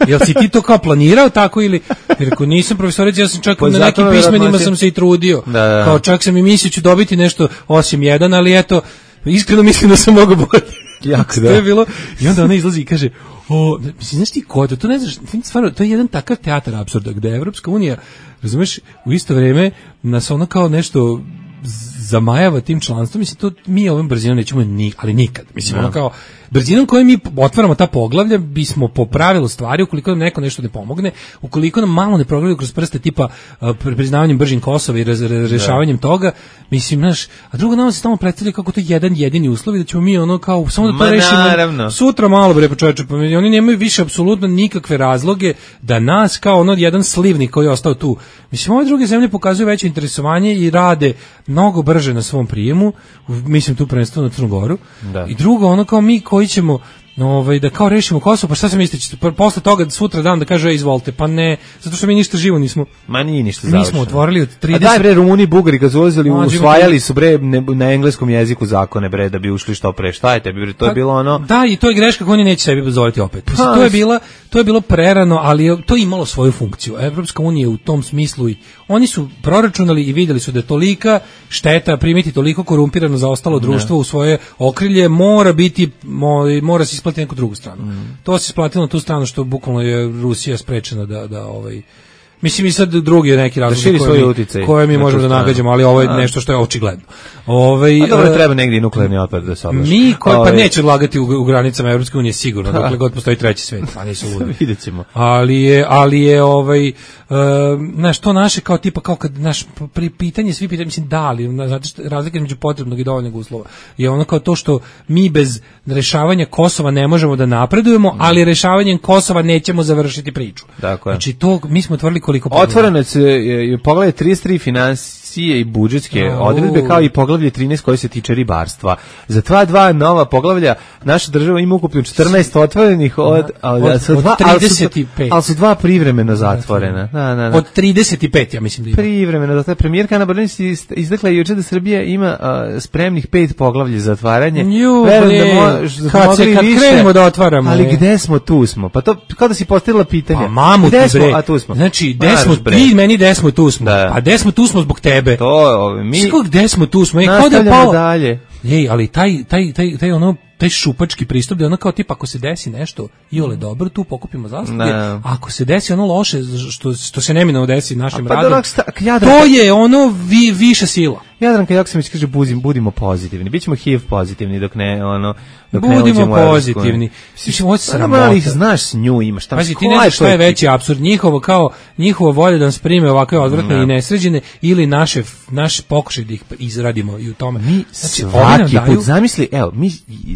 Jel si ti to kao planirao tako ili... Jer ako nisam profesorica, ja sam čak pa na nekim pismenima sam se i trudio. Da, da. Kao čak sam i mislio ću dobiti nešto osim jedan, ali eto, iskreno mislim da sam mogao bolje. Jako da. To je bilo, i onda ona izlazi i kaže, o, mislim, znaš ti ko to, to ne znaš, stvarno, to je jedan takav teatar apsurda, gde je Evropska unija, razumeš, u isto vreme nas ono kao nešto zamajava tim članstvom, mislim, to mi ovom brzinom nećemo ni, ali nikad, mislim, ono kao, brzinom kojom mi otvaramo ta poglavlja, bismo po pravilu stvari, ukoliko nam neko nešto ne pomogne, ukoliko nam malo ne progledaju kroz prste, tipa uh, priznavanjem bržim Kosova i raz, rešavanjem da. toga, mislim, znaš, a drugo nama se tamo predstavlja kako to je jedan jedini uslov i da ćemo mi ono kao, samo da to Ma, rešimo naravno. sutra malo, bre, počoveče, pa oni nemaju više apsolutno nikakve razloge da nas, kao ono jedan slivnik koji je ostao tu, mislim, ove druge zemlje pokazuju veće interesovanje i rade mnogo brže na svom prijemu, mislim tu prvenstveno na Crnu Goru, da. I drugo, ono kao mi koji ćemo ovaj, da kao rešimo Kosovo, pa šta se mislite, posle toga sutra dan da kaže, e, izvolite, pa ne, zato što mi ništa živo nismo. Ma nije ništa završeno. Mi smo otvorili od trideset... A daj bre, Rumuni, Bugari, kad su ulazili, usvajali su bre ne, na engleskom jeziku zakone bre, da bi ušli što pre, šta je tebi bre, to je bilo ono... Da, i to je greška koju oni neće sebi dozvoliti opet. Mislim, to je bila, to je bilo prerano, ali je, to je imalo svoju funkciju. Evropska unija u tom smislu, i oni su proračunali i vidjeli su da je tolika šteta primiti toliko korumpirano za ostalo društvo ne. u svoje okrilje, mora biti, mora se isplatiti neku drugu stranu. Mm. To se isplatilo na tu stranu što bukvalno je Rusija sprečena da, da ovaj... Mislim i sad drugi je neki razlog da koje, mi, koje mi možemo da nagađamo, ali ovo je a. nešto što je očigledno. Ovaj, a dobro, treba negdje nuklearni otpad da se odlaže. Mi koji pa neće odlagati u, u granicama Evropske unije sigurno, dokle god postoji treći svet, a nisu ludi. Videćemo. Ali je, ali je ovaj, uh, znaš, to naše kao tipa, kao kad, naš, pri pitanje, svi pitanje, mislim, da, ali, znate što, razlika između potrebnog i dovoljnog uslova je ono kao to što mi bez rešavanja Kosova ne možemo da napredujemo, ali rešavanjem Kosova nećemo završiti priču. Dakle. Znači, to, mi smo otvorili koliko otvoreno se je poglavlje trideset tri finansije i budžetske oh. odredbe, kao i poglavlje trinaest koje se tiče ribarstva. Za dva dva nova poglavlja naša država ima ukupno četrnaest otvorenih od, od, od, od, od trideset pet. Ali su dva privremeno zatvorena. Da, da, da. Od trideset pet, ja mislim da ima. Privremeno, da ta premijerka Ana Brnabić izdekla juče da Srbija ima uh, spremnih pet poglavlja za zatvaranje. Verujem da možemo kad, se, kad krenemo da otvaramo. Ali gde smo, tu smo. Pa to kao da si postavila pitanje. Pa mamu gde ti smo, bre. A tu smo. Znači, gde smo, ti meni gde smo, tu smo. Da. Pa gde smo, tu smo zbog tebe. To, mi... Skog gde smo, tu smo. E, nastavljamo dalje. Ej, ali taj, taj, taj, taj ono, taj šupački pristup da ono kao tipa ako se desi nešto iole dobro, tu pokupimo zasluge, a ako se desi ono loše što, što se neminovno desi našim pa radom, Jadranka, to je ono vi, više sila. Jadranka Joksimović kaže buzim, budimo pozitivni, bićemo H I V pozitivni dok ne ono dok budimo ne pozitivni. Mislim hoće se ali znaš s nju imaš tamo. Pazi, ti ne znaš šta je veći apsurd, njihovo kao njihova volja da nas prime ovakve odvratne ne. i nesređene ili naše naš pokušaj da ih izradimo i u tome. Mi znači, svaki put daju... zamisli, evo, mi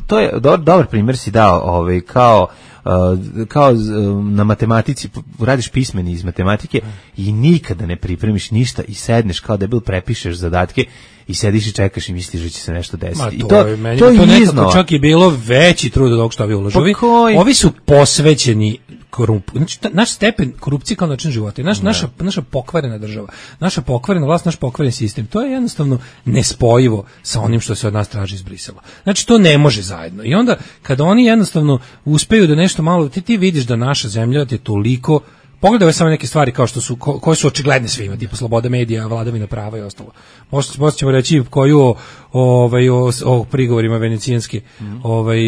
to je dobar, dobar primjer si dao, ovaj kao Uh, kao uh, na matematici radiš pismeni iz matematike i nikada ne pripremiš ništa i sedneš kao debil, prepišeš zadatke i sediš i čekaš i misliš da će se nešto desiti. Ma, to, I to, je, meni, to, to nekako čak je bilo veći trud od ovog što ovi ulažu. Pa ovi su posvećeni korumpu. Znači, naš stepen korupcije kao način života, naš, naša, naša pokvarena država, naša pokvarena vlast, naš pokvaren sistem, to je jednostavno nespojivo sa onim što se od nas traži iz Brisela. Znači, to ne može zajedno. I onda, kada oni jednostavno uspeju da nešto malo, ti, ti vidiš da naša zemlja je toliko, pogledaj samo neke stvari kao što su, ko, koje su očigledne svima, tipa sloboda medija, vladavina prava i ostalo. Možda, možda ćemo reći koju o, ovaj, o, o prigovorima venecijanske mm. ovaj,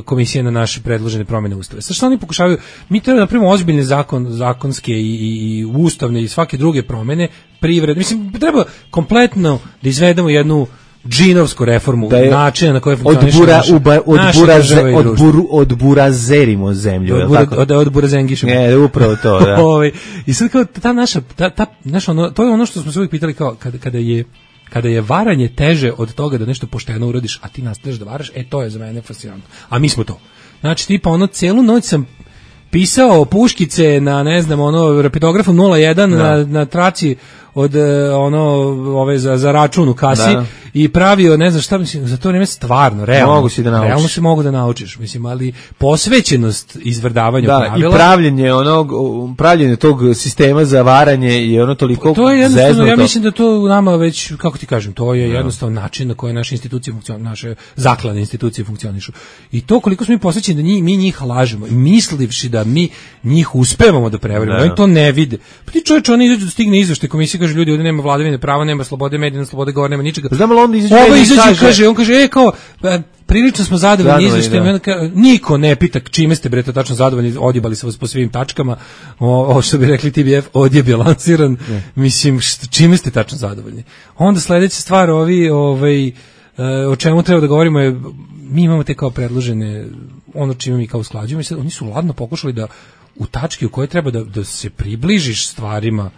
komisije na naše predložene promjene ustave. Sad što oni pokušavaju, mi treba da napravimo ozbiljne zakon, zakonske i, i, i ustavne i svake druge promjene, privred, mislim, treba kompletno da izvedemo jednu džinovsku reformu, da je načina na koje funkcioniše odbura, naša, uba, odbura, odbura, odburazerimo zemlju. Odbura, od, odburazengišemo. Ne, upravo to, da. I sad kao ta naša, ta, ta, naša ono, to je ono što smo se uvijek pitali kao kada, kada je kada je varanje teže od toga da nešto pošteno uradiš, a ti nastaviš da varaš, e to je za mene fascinantno. A mi smo to. Znači tipa ono celu noć sam pisao puškice na ne znam ono rapidografom nula jedan na, na traci od ono ove za za račun u kasi da. I pravio ne znam šta mislim za to vreme stvarno realno mogu si da naučiš. Realno se mogu da naučiš mislim ali posvećenost izvrdavanju da, pravila i pravljenje onog pravljenje tog sistema za varanje je ono toliko to je jednostavno zeznuto. Ja mislim da to u nama već kako ti kažem to je jednostavno način na koji naše institucije funkcionišu naše zakladne institucije funkcionišu i to koliko smo mi posvećeni da njih, mi njih lažemo mislivši da mi njih uspevamo da prevarimo oni to ne vide pa ti čovječ oni izađu da stigne izveštaj komisije kaže ljudi ovdje nema vladavine prava nema slobode medija slobode govora nema ničega znamo onda izađe ovo izađe kaže, kaže on kaže e kao prilično smo zadovoljni izveštajem niko ne pita čime ste bre tačno zadovoljni odjebali se vas po svim tačkama o, o što bi rekli T B F odjeb je lansiran ne. Mislim št, čime ste tačno zadovoljni onda sledeća stvar ovi ovaj o čemu treba da govorimo je mi imamo te kao predložene ono čime mi kao usklađujemo i sad oni su ladno pokušali da u tački u kojoj treba da, da se približiš stvarima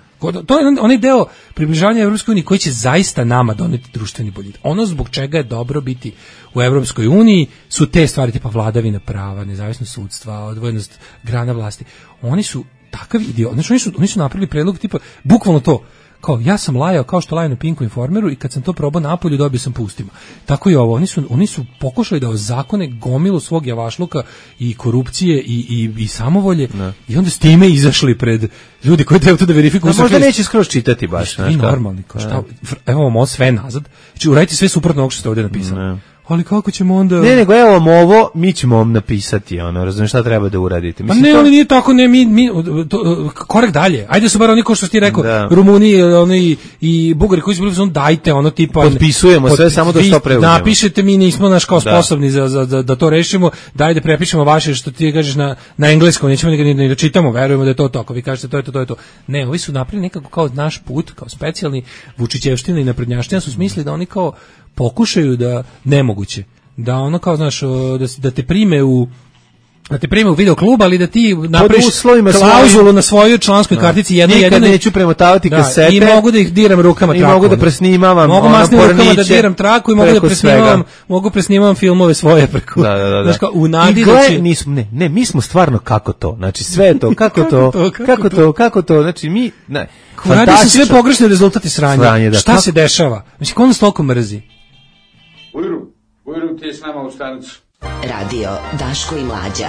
to je onaj deo približavanja Evropskoj uniji koji će zaista nama doneti društveni boljitak. Ono zbog čega je dobro biti u Evropskoj uniji su te stvari tipa vladavina prava, nezavisnost sudstva, odvojenost grana vlasti. Oni su takav idiot. Znači oni su, oni su napravili predlog tipa bukvalno to. Kao ja sam lajao kao što laju na Pinku Informeru i kad sam to probao napolju dobio sam pustima. Tako i ovo, oni su, oni su pokušali da ozakone gomilu svog javašluka i korupcije i, i, i samovolje ne. I onda s time izašli pred ljudi koji treba to da verifikuju. No, možda neće skroz čitati baš. I normalni, kao šta, evo vam ovo sve nazad, znači uradite sve suprotno ovog što ste ovdje napisali. Ne. Ali kako ćemo onda... Ne, nego evo vam ovo, mi ćemo vam napisati, ono, razumiješ šta treba da uradite. Mislim, pa ne, to... ali nije tako, ne, mi, mi to, korek dalje. Ajde su bar oni ko što ti rekao, da. Rumuni oni i Bugari koji su bili, on dajte, ono tipa... Potpisujemo pod, sve, samo da što preuzmemo. Napišete, mi nismo naš kao sposobni da. Za, za, da to rešimo, daj da prepišemo vaše što ti kažeš na, na engleskom, nećemo ni, ni da čitamo, verujemo da je to to, ako vi kažete to je to, to je to. Ne, ovi su napravili nekako kao naš put, kao specijalni Vučićevština i naprednjaština su smislili da oni kao pokušaju da nemoguće da ono kao znaš da, da te prime u da te prime u video klub, ali da ti napraviš klauzulu na svojoj članskoj kartici jedno jedno. Nikad neću premotavati da, kasete. I mogu da ih diram rukama traku. I mogu da presnimavam. Mogu masnim rukama da diram traku i mogu da presnimavam, mogu presnimavam filmove svoje preko. Da, da, da. Znaš kao u nadi da će... nismo, ne, ne, mi smo stvarno kako to. Znači sve to, kako to, kako to, kako to, znači mi, ne. Radi se sve pogrešne rezultati sranja. Šta se dešava? Znači ko nas toliko mrzi? Ujru, ujru ti je s nama u stanicu. Radio Daško i Mlađa,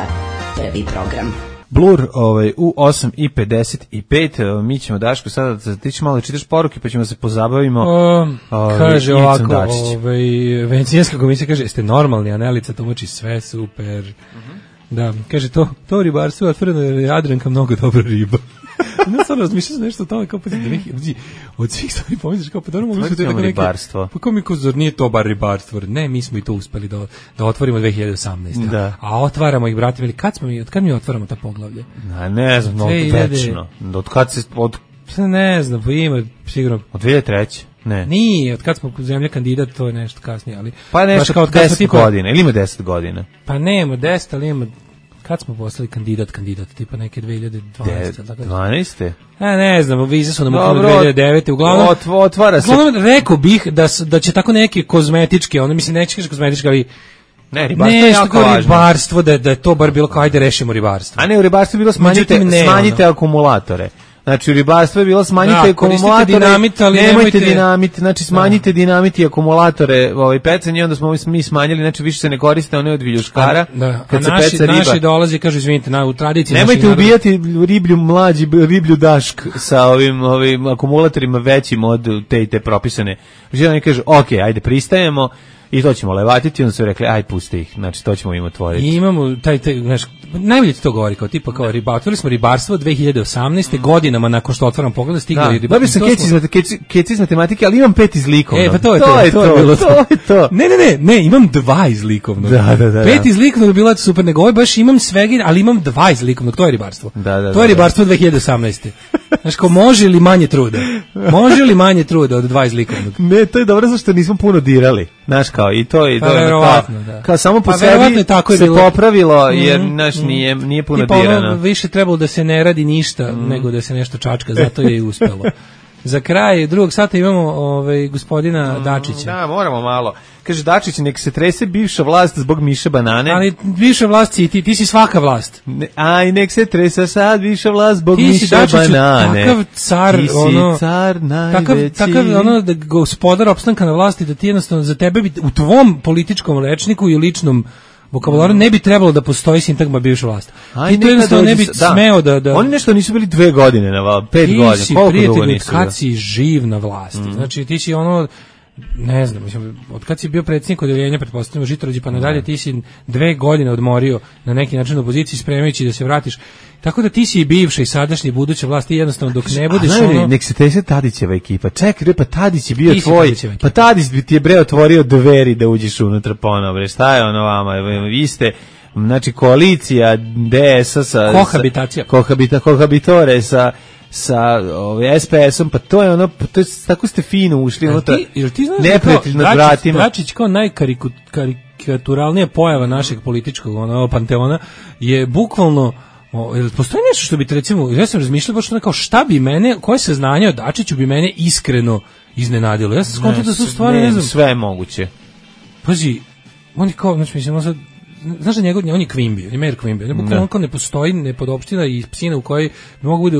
prvi program. Blur ovaj, u osam i pedeset pet, mi ćemo Daško sada, ti ćeš malo čitaš poruke pa ćemo se pozabavimo. O, ovaj, kaže ovako, ovaj, Venecijanska komisija kaže, jeste normalni, Anelica tumači sve, super. Uh-huh. Da, kaže, to, to ribarstvo je otvoreno jer je Jadranka mnogo dobra riba. Ne sad razmišljaš nešto o tome kao pa da neki od svih stvari pomisliš kao pa dobro mogli su to tako ribarstvo. Pa kao mi ko zar nije to bar ribarstvo? Ne, mi smo i to uspeli da da otvorimo dve hiljade osamnaeste. Da. A otvaramo ih brate, veli kad smo mi od kad mi otvaramo ta poglavlje? Na, ne znam, no, večno. Od kad se od ne znam, pa ima sigurno od dve hiljade treće. Ne. Nije, od kad smo zemlja kandidat, to je nešto kasnije, ali pa nešto kao od deset tipa, godina, ili ima deset godina? Pa nema deset, ali ima kad smo postali kandidat, kandidat, tipa neke dve hiljade dvanaeste. dvanaeste? A ne znam, vize su nam ukupno dve hiljade devete. Uglavnom, ot, otvara se. Uglavnom, rekao bih da, da će tako neke kozmetičke, ono mislim, neće kaže kozmetičke, ali ne, ribarstvo je jako važno. Ribarstvo, da, da je to bar bilo kao, ajde rešimo ribarstvo. A ne, u ribarstvu je bilo smanjite, ne, smanjite ono. Akumulatore. Znači u ribarstvu je bilo smanjite da, akumulatore, dinamit, ali nemojte, nemojte dinamit, znači smanjite da. Dinamit i akumulatore, ovaj pecanje, onda smo mi smanjili, znači više se ne koriste one od viljuškara. A, da. Kad a se naši, peca riba. Naši dolazi, kažu izvinite, na u tradiciji nemojte ubijati riblju mlađi, riblju dašk sa ovim ovim akumulatorima većim od te i te propisane. Znači oni kažu, ok, ajde pristajemo. I to ćemo levatiti, onda su rekli, aj pusti ih, znači to ćemo im otvoriti. I imamo taj, taj znaš, najbolje ti to govori, kao tipa kao riba, otvorili smo ribarstvo dve hiljade osamnaeste. godinama nakon što otvaram pogled, stiglo da, je ribarstvo. Dobio sam keci, keci, keci iz matematike, ali imam pet iz likovnog. E, pa to je to, to, je to, to, je bilo to, to. je to. Ne, ne, ne, ne, imam dva iz likovnog. Da, da, da. Pet da. iz likovnog bilo je super, nego ovo baš imam svega, ali imam dva iz likovnog, to je ribarstvo. Da, da, to je da, ribarstvo dve hiljade osamnaeste. Znaš, kao može li manje truda? Može li manje truda od dva iz likovnog? Ne, to je dobro zašto nismo puno dirali. Znaš, kao, i to je... Pa to je verovatno, kao, da. kao samo po pa sebi tako je se bilo. popravilo, jer, mm, znaš, nije, nije puno tipa dirano. Ono, više trebalo da se ne radi ništa, mm. nego da se nešto čačka, zato je i uspelo. Za kraj drugog sata imamo ovaj, gospodina mm, Dačića. Da, moramo malo. Kaže, Dačić, nek se trese bivša vlast zbog Miše Banane. Ali bivša vlast si ti, ti si svaka vlast. Ne, aj, nek se trese sad bivša vlast zbog ti Miše si, Dačiću, Banane. Takav car, ti si ono, car najveći. Takav, takav ono, da gospodar opstanka na vlasti, da ti jednostavno za tebe bi, u tvom političkom rečniku i ličnom vokabularu ne bi trebalo da postoji sintagma bivša vlast. Aj, ti to jednostavno ne bi da. smeo da, da... Oni nešto nisu bili dve godine na vlasti, pet ti godina. si prijatelj od kad si živ na vlasti. Mm. Znači ti si ono, ne znam, mislim, od kad si bio predsjednik odeljenja, pretpostavljamo Žitorođi pa nadalje, ti si dve godine odmorio na neki način u opoziciji spremajući da se vratiš. Tako da ti si i bivša i sadašnja i buduća vlast, ti jednostavno dok ne budeš a, ono... Nek se trese Tadićeva ekipa. Čekaj, pa Tadić je bio ti tvoj, pa Tadić bi ti je bre otvorio dveri da uđeš unutra ponovo, bre, šta je ono vama, vi ste... Znači, koalicija D S-a sa... Kohabitacija. Sa, kohabita, kohabitore sa... sa ovaj es pe esom, pa to je ono, pa to je, tako ste fino ušli unutra, neprijatelj nad vratima. Dačić kao najkarikaturalnija pojava našeg političkog ono, panteona je bukvalno, o, postoji nešto što bi te recimo, ja sam razmišljao baš ono kao šta bi mene, koje saznanje o Dačiću bi mene iskreno iznenadilo. Ja sam skontao da su stvari, ne, ne znam. Sve je moguće. Pazi, on je kao, znači mislim, on sad, znaš da njegov, on je Quimby, on je mayor Quimby, on je bukvalno kao ne postoji nepodopština i psina u kojoj bi mogu bude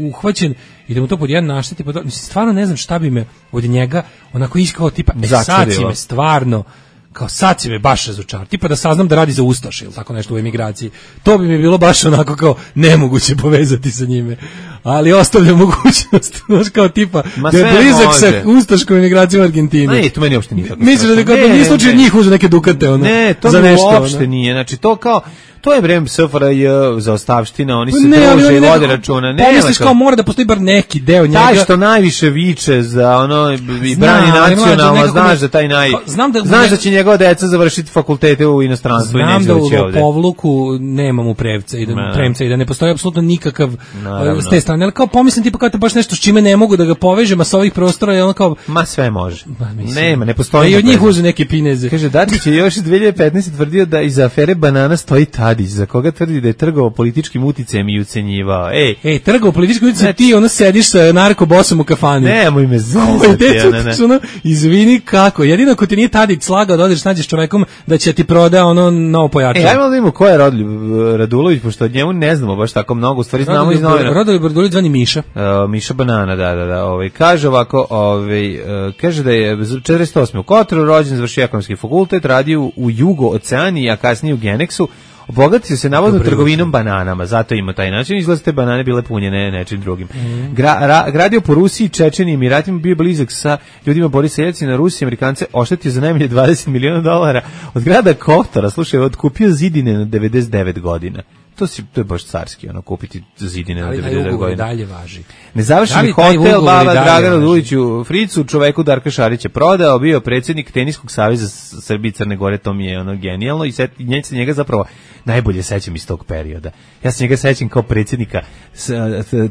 uhvaćen i da mu to pod jedan našteti, pod... mislim, stvarno ne znam šta bi me od njega onako iskao tipa, e sad si me stvarno, kao sad si me baš razočar, tipa da saznam da radi za Ustaše ili tako nešto u emigraciji, to bi mi bilo baš onako kao nemoguće povezati sa njime, ali ostavljam mogućnost, znaš kao tipa ma da je blizak sa Ustaškom emigracijom u Argentinu. Ne, to meni uopšte nije tako. Misliš da nije slučaj njih uze neke dukate ono, ne, to za nešto, uopšte ono. Nije, znači to kao to je vreme S F R J za ostavština, oni se ne, druže i ne, vode računa. Ne, pomisliš kao mora da postoji bar neki deo njega. Taj što najviše viče za ono i brani nacionalno, znaš da taj naj... Znam da, znaš da će njegova deca završiti fakultete u inostranstvu i neće doći ovde. Znam da u povluku nema mu prevca i da, ne, premca i da ne postoji apsolutno nikakav naravno. S te strane. Ali kao pomislim tipa kao to baš nešto s čime ne mogu da ga povežem, a sa ovih prostora je ono kao... Ma sve može. Ma, nema, ne postoji. I od njih uze neke pineze. Kaže, Dačić je još dve hiljade petnaeste tvrdio da iza afere banana stoji Tadić, za koga tvrdi da je trgovao političkim uticajem i ucenjivao. Ej, ej, trgovao političkim uticajem, znači, ti ono sediš sa narkobosom u kafani. Nemoj me zezati, ne, ne. Ono, izvini kako, jedino ako ti nije Tadić slagao da odeš nađeš čovekom da će ti proda ono novo pojačalo. Ej, ajmo da vidimo ko je Rodoljub Radulović, pošto od njemu ne znamo baš tako mnogo, u stvari znamo iz novina. Rodoljub Radulović zvani Miša. Uh, Miša Banana, da, da, da. Ovaj, kaže ovako, ovaj, uh, kaže da je četrdeset osme u Kotoru, rođen, završio ekonomski fakultet, radio u Jugo-Oceaniji, a kasnije u Genexu. Obogatio se navodno Dobre trgovinom uče. bananama, zato ima taj način. Izgleda te banane bile punjene nečim drugim. Mm. Gra, ra, gradio po Rusiji, Čečeni, Emiratima, bio blizak sa ljudima Borisa Jeljcina, Rusije, Amerikance, oštetio za najmanje dvadeset miliona dolara. Od grada Kotora, slušaj, otkupio zidine na devedeset devet godina. To, si, to je baš carski, ono, kupiti zidine na devedeset devet godina. Dalje važi. Nezavršeni hotel Bala Dragana Duliću Fricu, čoveku Darka Šarića prodao, bio predsjednik Teniskog saveza Srbije i Crne Gore, to mi je ono genijalno i set, nje se njega zapravo najbolje sećam iz tog perioda. Ja se njega sećam kao predsjednika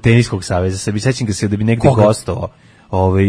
Teniskog saveza Srbije, sećam ga se da bi negde gostovao. Ovaj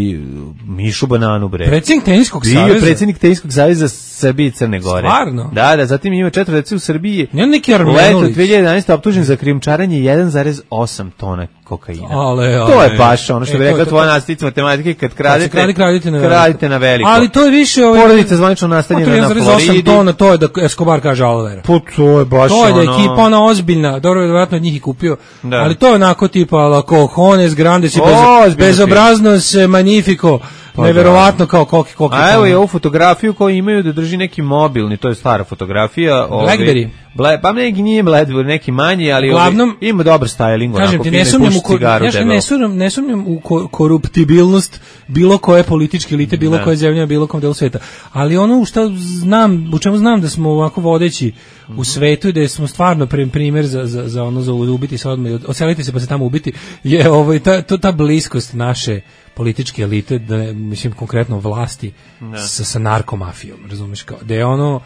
Mišu Bananu bre. Predsjednik Teniskog saveza. Bio predsjednik Teniskog saveza Srbije i Crne Gore. Stvarno? Da, da, zatim ima četiri dece u Srbiji. Ne neki Armenulić. Leto dve hiljade jedanaeste optužen za krijumčarenje jedan zarez osam tona kokaina. Ale, ale. To je baš ono što e, bi rekla tvoja nastavnica matematike, kad kradete, kradi, kradite, na kradite na veliko. Ali to je više ovaj porodica zvanično nastanjena na Floridi. osam tona, to je da Escobar kaže Alvera. Pa to je baš to je da ono... ekipa ona ozbiljna, dobro verovatno od njih i kupio. Da. Ali to je onako tipa la cojones grandes i bez, bezobraznos se magnifico, pa neverovatno kao koki koki. A evo je ovu fotografiju koju imaju da drži neki mobilni, to je stara fotografija. Blackberry. Ble, pa neki nije Blackberry, neki manji, ali Uglavnom, ovi, ima dobar styling. Kažem ti, ne sumnjam u, ja ne sumnjam, ne sumnjam u ko, koruptibilnost bilo koje političke elite, bilo ne. koje zemlje, bilo kom delu sveta. Ali ono u što znam, u čemu znam da smo ovako vodeći mm-hmm. u svetu i da smo stvarno primjer za, za, za ono za ubiti se odmah, odseliti se pa se tamo ubiti, je ovaj, ta, to, ta bliskost naše političke elite, da, mislim konkretno vlasti sa, sa narkomafijom, razumiješ, kao, da je ono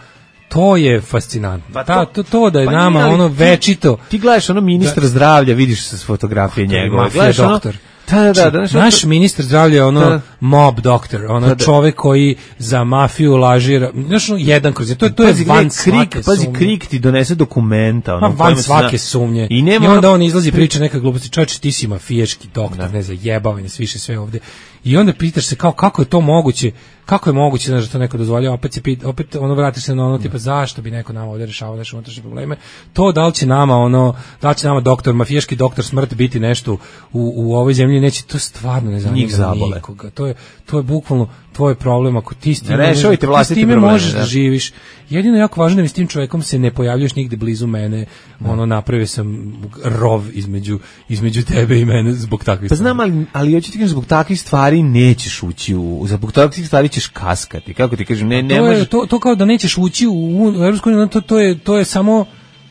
to je fascinantno. Pa to, to, to da je pa nama nije, ono večito. Ti, ti gledaš ono ministra da, zdravlja, vidiš se s fotografije njegove. Gledaš doktor. Da, da, da, da, naš to... ministar zdravlja je ono da. mob doktor, ono da, da. čovek koji za mafiju lažira, znaš, ono jedan kroz, to, to je pazi, van svake krik, pazi, krik ti donese dokumenta. Ono, van svake sumnje. I, nema, I onda on izlazi priča neka gluposti, čovječe, ti si mafijaški doktor, da. ne zajebavanje, sviše sve ovde. I onda pitaš se kao kako je to moguće, kako je moguće znaš, da to neko dozvoljava, opet se pita, opet ono vratiš se na ono tipa zašto bi neko nama ovdje rešavao naše unutrašnje probleme. To da li će nama ono, da li će nama doktor, mafijaški doktor smrt biti nešto u, u ovoj zemlji, neće, to stvarno ne zanima nikoga. To je to je bukvalno tvoj problem ako ti s time, rešavajte vlastite probleme, probleme, možeš da. da živiš. Jedino jako važno da s tim čovjekom se ne pojavljaš nigde blizu mene, da. ono napravio sam rov između između tebe i mene zbog takvih stvari. Pa znam, ali, ali hoću ti kažem, zbog takvih stvari nećeš ući u, zbog takvih stvari ćeš kaskati. Kako ti kažem, ne, ne to, možeš... je, to, to kao da nećeš ući u, u Evropsku uniju, to, to, je, to je samo,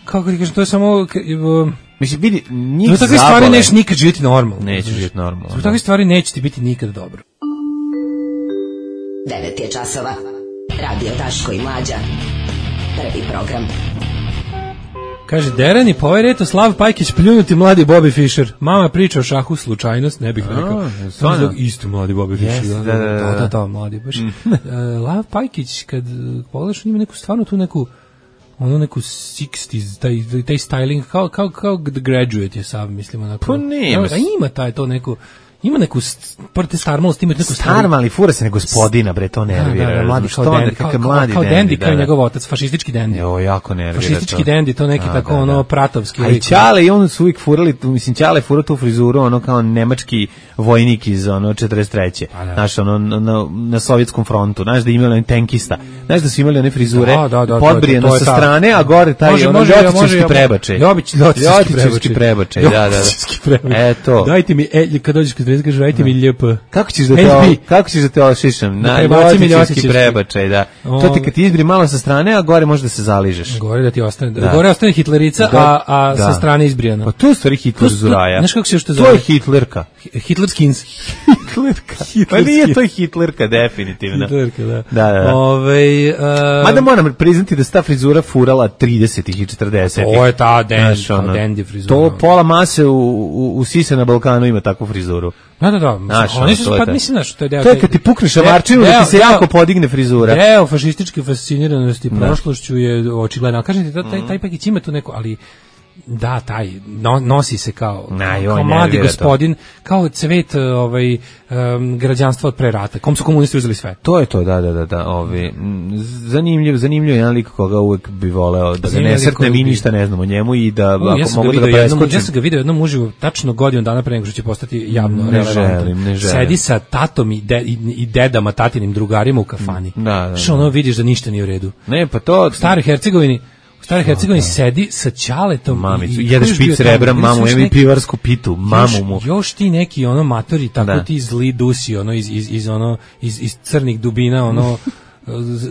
kako ti kažem, to je samo... Uh, Mislim, vidi, njih zbog takvih stvari nećeš nikad živjeti normalno. Nećeš živjeti normalno. Zbog takvih stvari neće ti biti nikad dobro. devet je časova. Radio Daško i Mlađa. Prvi program. Kaže, Derani, pa ovaj reto Slav Pajkić pljunuti mladi Bobby Fischer. Mama priča o šahu, slučajnost, ne bih rekao. Stvarno? Isto mladi Bobby Fischer. Yes, da, da, da, da, da, da, mladi baš. Lav Pajkić, kad pogledaš, on ima neku, stvarno tu neku, ono neku šezdesetih, taj, taj styling, kao, kao, kao The Graduate je sav, mislim, onako. Pa nema. Da, ima taj, to neku, ima neku prte starmalost, ima neku starma, ali fura se ne gospodina, bre, to nervira. Da, da, mladi kao dendi, kao, mladi kao dendi, kao njegov otac, fašistički dendi. Jo, jako nervira. Fašistički dendi, to neki a, tako da, ono da. pratovski. A i Ćale i on su uvijek furali, mislim Ćale fura tu frizuru, ono kao nemački vojnik iz ono četrdeset treće. Znaš, ono na, na sovjetskom frontu, znaš da imali on tenkista. Znaš da su imali one frizure da, da, da, podbrijeno sa strane, a gore taj može, ono ljotićevski prebačaj. Ljotićevski prebačaj, da, da, da. Eto. Dajte mi, e, kad dođeš kod Drezga, dajte mi ljepo. Kako ćeš da te kako ćeš da te ošišam? Na ljotićevski prebačaj, da. To ti kad ti izbri malo sa strane, a gore može da se zaližeš. Gore da ti ostane, gore ostane Hitlerica, a a sa strane izbrijano. Pa to je stvari Hitler zuraja. Znaš kako se što zove? To je Hitlerka. Hitlerskins. Hitlerka. Pa nije to Hitlerka, definitivno. Hitlerka, da. Da, da. Ove, uh, mada moram priznati da se ta frizura furala tridesetih i četrdesetih. To je ta dendi, ta dendi frizura. To pola mase u, u, u Sise na Balkanu ima takvu frizuru. Da, da, da. Znaš, oni su, pa mislim, znaš, to je deo... To je kad ti pukneš šamarčinu da ti se jako podigne frizura. Deo fašističke fasciniranosti prošlošću je očigledno. Kažete, taj, taj Pakić ima tu neko, ali... Da, taj no, nosi se kao, Na, kao, kao mladi gospodin, to. Kao cvet ovaj, um, građanstva od pre rata. Kom su komunisti uzeli sve. To je to, da, da, da. da ovi, zanimljiv, zanimljiv jedan lik koga uvek bi voleo da ga ne srtne, mi ništa ne znamo o njemu i da U, ako ja mogu da ga preskočim. Ja sam ga vidio jednom uživo tačno godinu dana pre nego što će postati javno ne relevantan. Želim, ne želim. Sedi sa tatom i, de, i, i dedama, tatinim drugarima u kafani. Da, da, da. Što ono vidiš da ništa nije u redu. Ne, pa to... U Staroj Hercegovini U Staroj Hercegovini sedi sa ćaletom mamicu, jedan špic rebra, mamu, evo i pivarsku pitu, mamu mu. Još, još ti neki ono matori, tako da. Ti zli dusi, ono iz, iz, iz, ono, iz, iz crnih dubina, ono,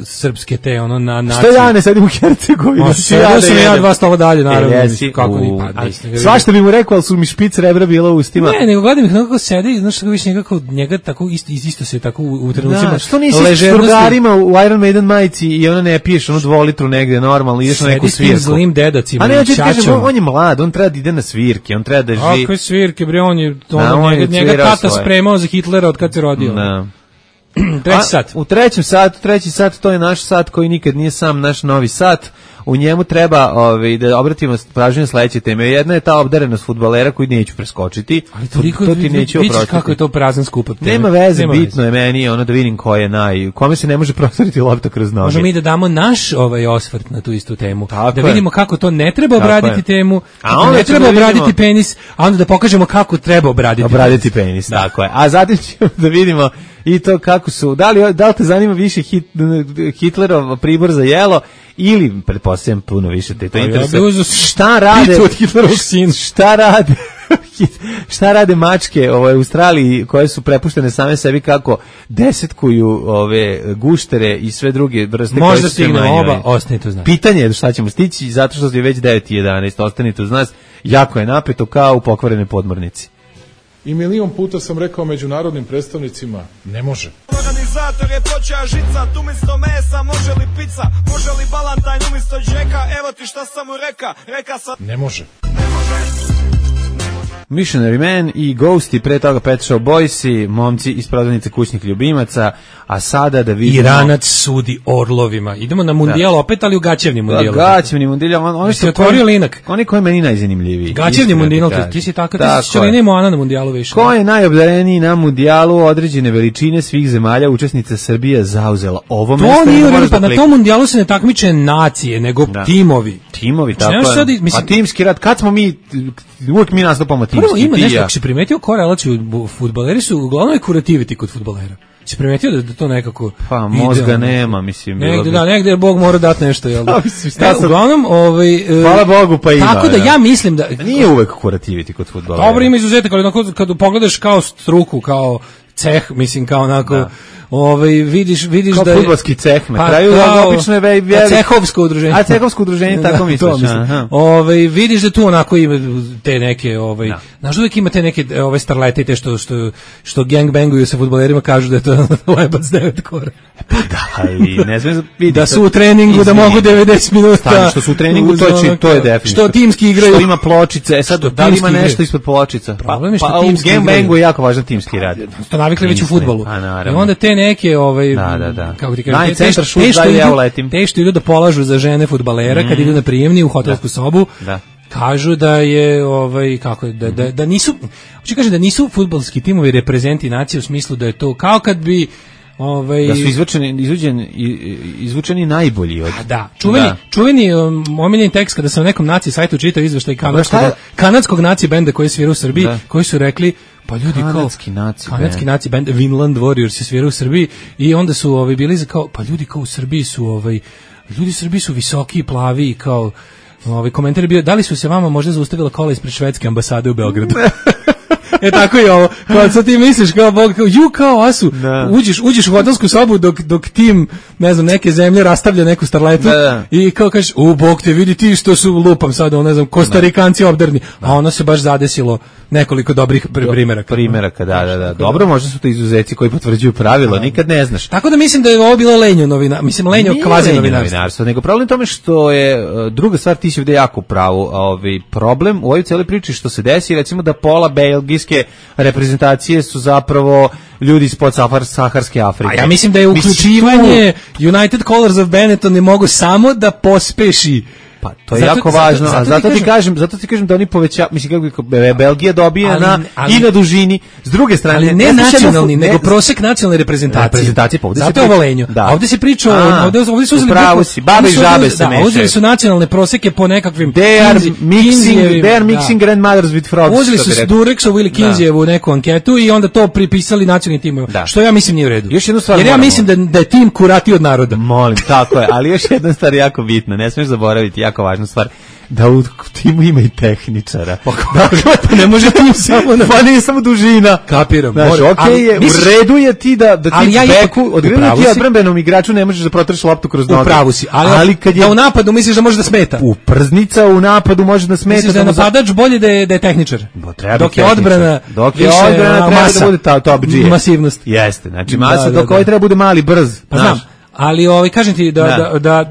srpske te, ono, na nacije. Što ja ne sedim u Hercegovini? Ma, sedio sam ja dva stola dalje, naravno. E, jesi, kako ni pa, svašta bi mu rekao, ali su mi špic rebra bila u ustima. Ne, nego gledam ih kako sedi, znaš kako više njega, njega tako isto, isto se tako u, u trenucima. Da, što nisi s šturgarima u Iron Maiden majici i ona ne piješ onu dvolitru negde normalno, ideš na neku svirku. Sedi s tim zlim dedacima. A ne, hoću ti kažem, on je mlad, on treba da ide na svirke, on treba da živi. Ako je svirke, bre, on je, on njega, njega tata spremao za Hitlera od kad se rodio. Da. Treći sat. U trećem satu, treći sat, to je naš sat koji nikad nije sam, naš novi sat. u njemu treba ovaj, da obratimo pažnju na sledeće teme. Jedna je ta obdarenost fudbalera koju neću preskočiti. Ali toliko, to ti neću oprostiti. Kako je to prazan skup od teme. Nema veze, Nema bitno veze. je meni ono da vidim ko je naj, kome se ne može prostoriti lopta kroz noge. Možemo mi da damo naš ovaj osvrt na tu istu temu. Tako da vidimo je. kako to ne treba Tako obraditi je. temu, a onda ne treba da obraditi vidimo... penis, a onda da pokažemo kako treba obraditi, obraditi penis. penis da. Tako je. A zatim ćemo da vidimo i to kako su, da li, da li te zanima više hit, Hitlerov pribor za jelo ili, pretpostavljam, puno više te to interesuje. Ja šta rade, šta rade, šta rade mačke ove, u Australiji koje su prepuštene same sebi kako desetkuju ove guštere i sve druge vrste. Možda stignemo oba, ostanite uz nas. Pitanje je šta ćemo stići, zato što je već devet i jedanaest, ostanite uz nas, jako je napeto kao u pokvarene podmornici. I milion puta sam rekao međunarodnim predstavnicima, ne može. Organizator je počeo žicat, umjesto mesa može li pizza, može li balantajn umjesto džeka, evo ti šta sam mu reka, reka sam... Ne može. Missionary Man i Ghost i pre toga Pet Shop Boysi, momci iz prodavnice kućnih ljubimaca, a sada da vidimo... Iranac sudi orlovima. Idemo na mundijal opet, ali u gaćevni mundijal. Gaćevni mundijal, on, on se otvorio linak. Oni koji je meni najzanimljiviji. Gaćevni mundijal, ti si tako, ti si čelini Moana na mundijalu više. Ko je najobdareniji na mundijalu određene veličine svih zemalja, učesnica Srbija zauzela ovo mesto? To nije, pa na tom mundijalu se ne takmiče nacije, nego da. timovi. Timovi, tako je. Sad, mislim, a timski rad, kad smo mi, uvijek mi nastupamo timski. Prvo ima nešto, ako si primetio korelaciju, fudbaleri su, uglavnom je kurativiti kod fudbalera. Si primetio da, da to nekako... Pa mozga idealno. Nema, mislim. Negde, da, negde je Bog mora dati nešto, jel da? E, uglavnom, ovaj... Hvala Bogu, pa ima. Tako da ja mislim da... Nije uvek kurativiti kod fudbalera. Dobro, ima izuzetak, ali kad, kad pogledaš kao struku, kao ceh, mislim, kao onako... Da. Ovaj vidiš vidiš kao da je fudbalski ceh na pa, kraju kao, obično je velik cehovsko udruženje. A cehovsko udruženje da, tako misliš. Ovaj vidiš da tu onako ima te neke ovaj da. Znaš uvijek ima te neke ove starlete i te što što što gangbanguju sa fudbalerima kažu da je to lebac devet kora. Pa da, i ne znam vidi da su u treningu izmini. Da mogu devedeset minuta. Stani, što su u treningu to je to je definitivno. Što timski igraju. Što ima pločice, e sad da li ima nešto ispod pločica. Problem je što pa, timski u gangbangu je jako važan timski rad. To navikli već u fudbalu. I onda te neke ovaj da, da, da. kako ti kažeš, te, te, te, što ja idu, te što idu da polažu za žene fudbalera mm. kad idu na prijemni u hotelsku da. sobu, da. kažu da je ovaj kako da da da nisu, hoće kaže da nisu fudbalski timovi reprezenti nacije u smislu da je to kao kad bi ovaj da su izvučeni izvučeni izvučeni najbolji od. A da, čuveni da. čuveni um, omiljeni tekst kada sam na nekom naci sajtu čitao izveštaj kanadskog kanadskog naci benda koji svira u Srbiji, da. koji su rekli pa ljudi kanadski kao naci kanadski naci band Vinland Warriors se svira u Srbiji i onda su ovaj bili kao pa ljudi kao u Srbiji su ovaj ljudi u Srbiji su visoki i plavi i kao ovaj komentar je bio da li su se vama možda zaustavila kola ispred švedske ambasade u Beogradu. E tako je ovo. Pa sad ti misliš kao Bog, kao, ju kao asu, da. uđeš, uđeš u hotelsku sobu dok, dok tim, ne znam, neke zemlje rastavlja neku starletu da, da. i kao kažeš, u Bog te vidi ti što su lupam sad, ne znam, Kostarikanci obdarni, da. a ono se baš zadesilo nekoliko dobrih primeraka. Primeraka, da, da, da. Dobro, možda su to izuzeci koji potvrđuju pravilo, da. nikad ne znaš. Tako da mislim da je ovo bilo lenjo novina, mislim lenjo kvazi novinarstvo. Nego problem tome što je, druga stvar, ti si ovde jako pravo, ovaj problem u ovoj cijeloj priči što se desi, recimo da pola belgijske reprezentacije su zapravo ljudi iz podsaharske Afrike. A ja mislim da je uključivanje United Colors of Benetton ne mogu samo da pospeši. Pa to je zato, jako važno, zato, zato, a zato ti kažem, kažem, zato ti kažem da oni poveća, mislim kako bi Belgija dobija ali, na ali, i na dužini. S druge strane, ali ne, ne nacionalni, ne, nego prosek nacionalne reprezentacije. Reprezentacije pa zato je ovo lenjo. Da. A ovdje se priča, a, ovdje, ovdje su uzeli pravo si, babe i žabe se mešaju. Uzeli su nacionalne proseke po nekakvim They are mixing, they are mixing da. grandmothers with frogs. Uzeli su Dureksovu ili Kinzijevu neku anketu i onda to pripisali nacionalnim timovima. Što ja mislim nije u redu. Još jednu stvar. Jer ja mislim da da je tim kurati od naroda. Molim, tako je, ali još jedna stvar jako bitna, ne smiješ zaboraviti, jako važna stvar. Da u timu ima i tehničara. Dakle, pa ne može tim samo na... Pa nije samo dužina. Kapiram. Znaš, okej okay je, misliš, u redu je ti da, da ti ja beku, odgledno ti odbrambenom igraču ne možeš da protreš loptu kroz noge. U pravu si, ali, ali kad je... Da u napadu misliš da može da smeta. U prznica u napadu može da smeta. Misliš da je napadač za... bolje da je, da je tehničar. Bo, treba dok je odbrana, dok je odbrana treba masa, da bude ta top G. Masivnost. Jeste, znači masa, da, dok da, ovaj treba bude mali, brz. Pa znam. Ali ovaj kažem ti da Da. da, da,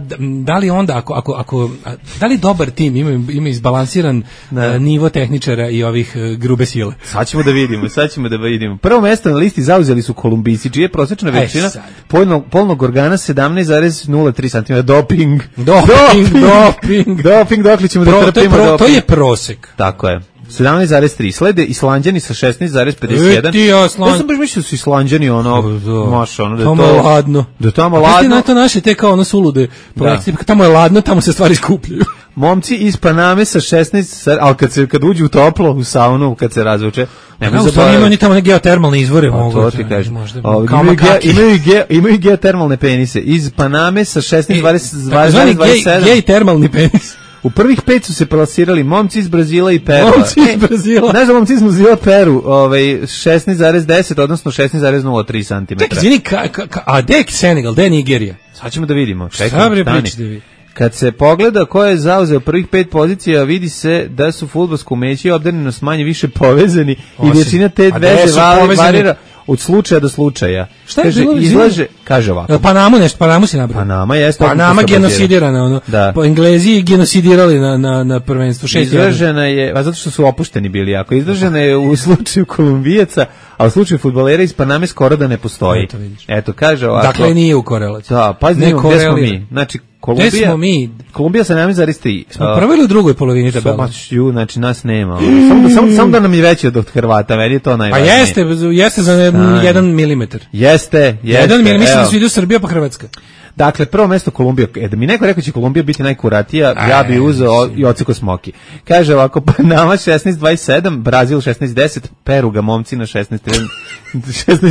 da li onda ako ako ako a, da li dobar tim ima ima izbalansiran Da. uh, nivo tehničara i ovih uh, grube sile. Sad ćemo da vidimo, sad ćemo da vidimo. Prvo mesto na listi zauzeli su Kolumbijci, čija je prosječna E, veličina sad. polnog, polnog organa sedamnaest zarez nula tri centimetra. Doping. Doping, doping. Doping, dokle ćemo Pro, da to, je trpimo pro, doping. to je prosek. Tako je. sedamnaest zarez tri. Slede Islanđani sa šesnaest zarez pedeset jedan. E, ti Island- Ja sam baš mislio da su Islanđani ono, maš, ono, da je tamo je to... ladno. Da je tamo A znaš ti ladno. na to naše te kao ono sulude projekcije, tamo je ladno, tamo se stvari skupljaju. Momci iz Paname sa šesnaest, sa- ali kad, se, kad uđu u toplo, u saunu, kad se razvuče, nemoj Kako zaboraviti. imaju oni tamo neke geotermalne izvore, Pa, mogu. to ti kažem. Možda, Ovdje kao imaju, ge, makaki. imaju, ge, imaju geotermalne penise. Iz Paname sa šesnaest zarez Takozvani dvadeset sedam. gej, gej termalni penis. U prvih pet su se plasirali momci iz Brazila i Peru. Momci iz Brazila. Znaš da momci iz Brazila Peru, ovaj, šesnaest zarez deset, odnosno šesnaest zarez nula tri centimetra. Čekaj, izvini, ka, ka, ka, a gde je Senegal, gde je Nigerija? Sad ćemo da vidimo. Šta Čekaj, bre stani. pričate vi? Kad se pogleda ko je zauzeo prvih pet pozicija, vidi se da su fudbalsko umeće i obdarenost manje više povezani i Osim. većina te A gde veze su vari- povezani? varira od slučaja do slučaja. Šta je kaže, bilo, izlaže, izvini? kaže ovako. Jel Panamu nešto, Panamu si nabrao? Panama jeste. Panama odlično genocidirana, ono. Da. Po Englezi genocidirali na, na, na prvenstvu. šest jedan. Izražena je, a zato što su opušteni bili jako, izražena je u slučaju Kolumbijaca, a u slučaju fudbalera iz Paname skoro da ne postoji. Eto, vidiš. Eto, kaže ovako. Dakle, nije u korelaciji. Da, pazi, Ne gde smo korelira. mi. Znači, Kolumbija, Gde smo mi? Kolumbija sa sedamnaest zarez tri. Smo u prvoj ili u drugoj polovini tabela? Somačju, znači nas nema. Samo, samo, samo da nam je veći od Hrvata, meni je to Pa najvažnije. jeste, jeste za ne- Stani. jedan milimetar. Jeste, jeste. Jedan milimetar, mislim evo. da su idu Srbija pa Hrvatska. Dakle, prvo mesto Kolumbija. E, da mi neko rekao će Kolumbija biti najkuratija, ja bi uzeo i oceko smoki. Kaže ovako, Panama šesnaest dvadeset sedam, Brazil šesnaest deset, Peru ga momci na šesnaest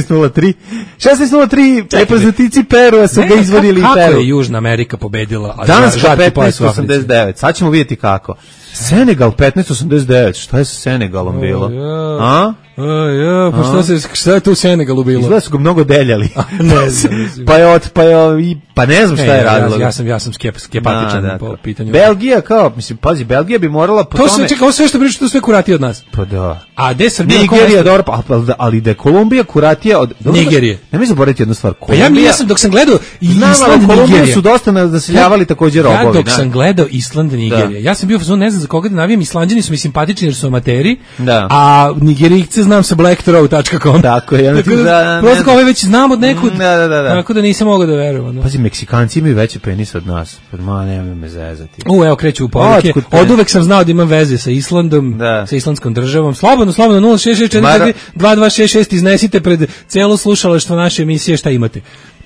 nula tri. šesnaest nula tri, reprezentatici Perua su ga izvodili i Kako Peru. je Južna Amerika pobedila? a Danas žarki pojas petnaest u Africi? osamdeset devet. Sad ćemo vidjeti kako. Senegal petnaest osamdeset devet. Šta je sa Senegalom bilo? A? A, ja, pa šta, se, šta je tu u Senegalu bilo? Izgleda su ga mnogo deljali. ne znam, mislim. pa je od, pa je, i- pa ne znam šta E, je ja, radilo. Ja, ja sam, ja sam skep, skepatičan Da, da, po to. pitanju. Belgija kao, mislim, pazi, Belgija bi morala po To tome... se, čekaj, ovo sve što priča, to sve kurati od nas. Pa da. A gde je Srbija? Nigerija, dobro, pa, ali da- ali da je Kolumbija kuratija od... dobro, Nigerije. Nemoj zaboraviti jednu stvar. Pa Kolumbija... ja, ja sam, dok sam gledao Znam, Island, ali Kolumbiju Nigerija. su dosta naseljavali također robovi. Ja dok da. sam gledao Island, Nigerija, ja sam bio u fazonu, ne znam za koga da navijam, Islanđani su mi simpatični jer su amateri, Da. a Nigerijce znam sa black throw tačka com. Tako je, ja Tako da, da, da, ne prosto znam. kao ove već znam od nekud, Da, da, da, da. tako da nisam mogao da verujem. ono. Pazi, Meksikanci imaju veće penise od nas. Pa ma, nemoj me zezati. U, evo kreću u poruke. Otkud te? Od uvek sam znao da imam veze sa Islandom, Da. sa islandskom državom. Slobodno, slobodno, nula šest šest četiri Mara- dva dva šest šest iznesite pred celo slušalaštvo naše emisije šta imate.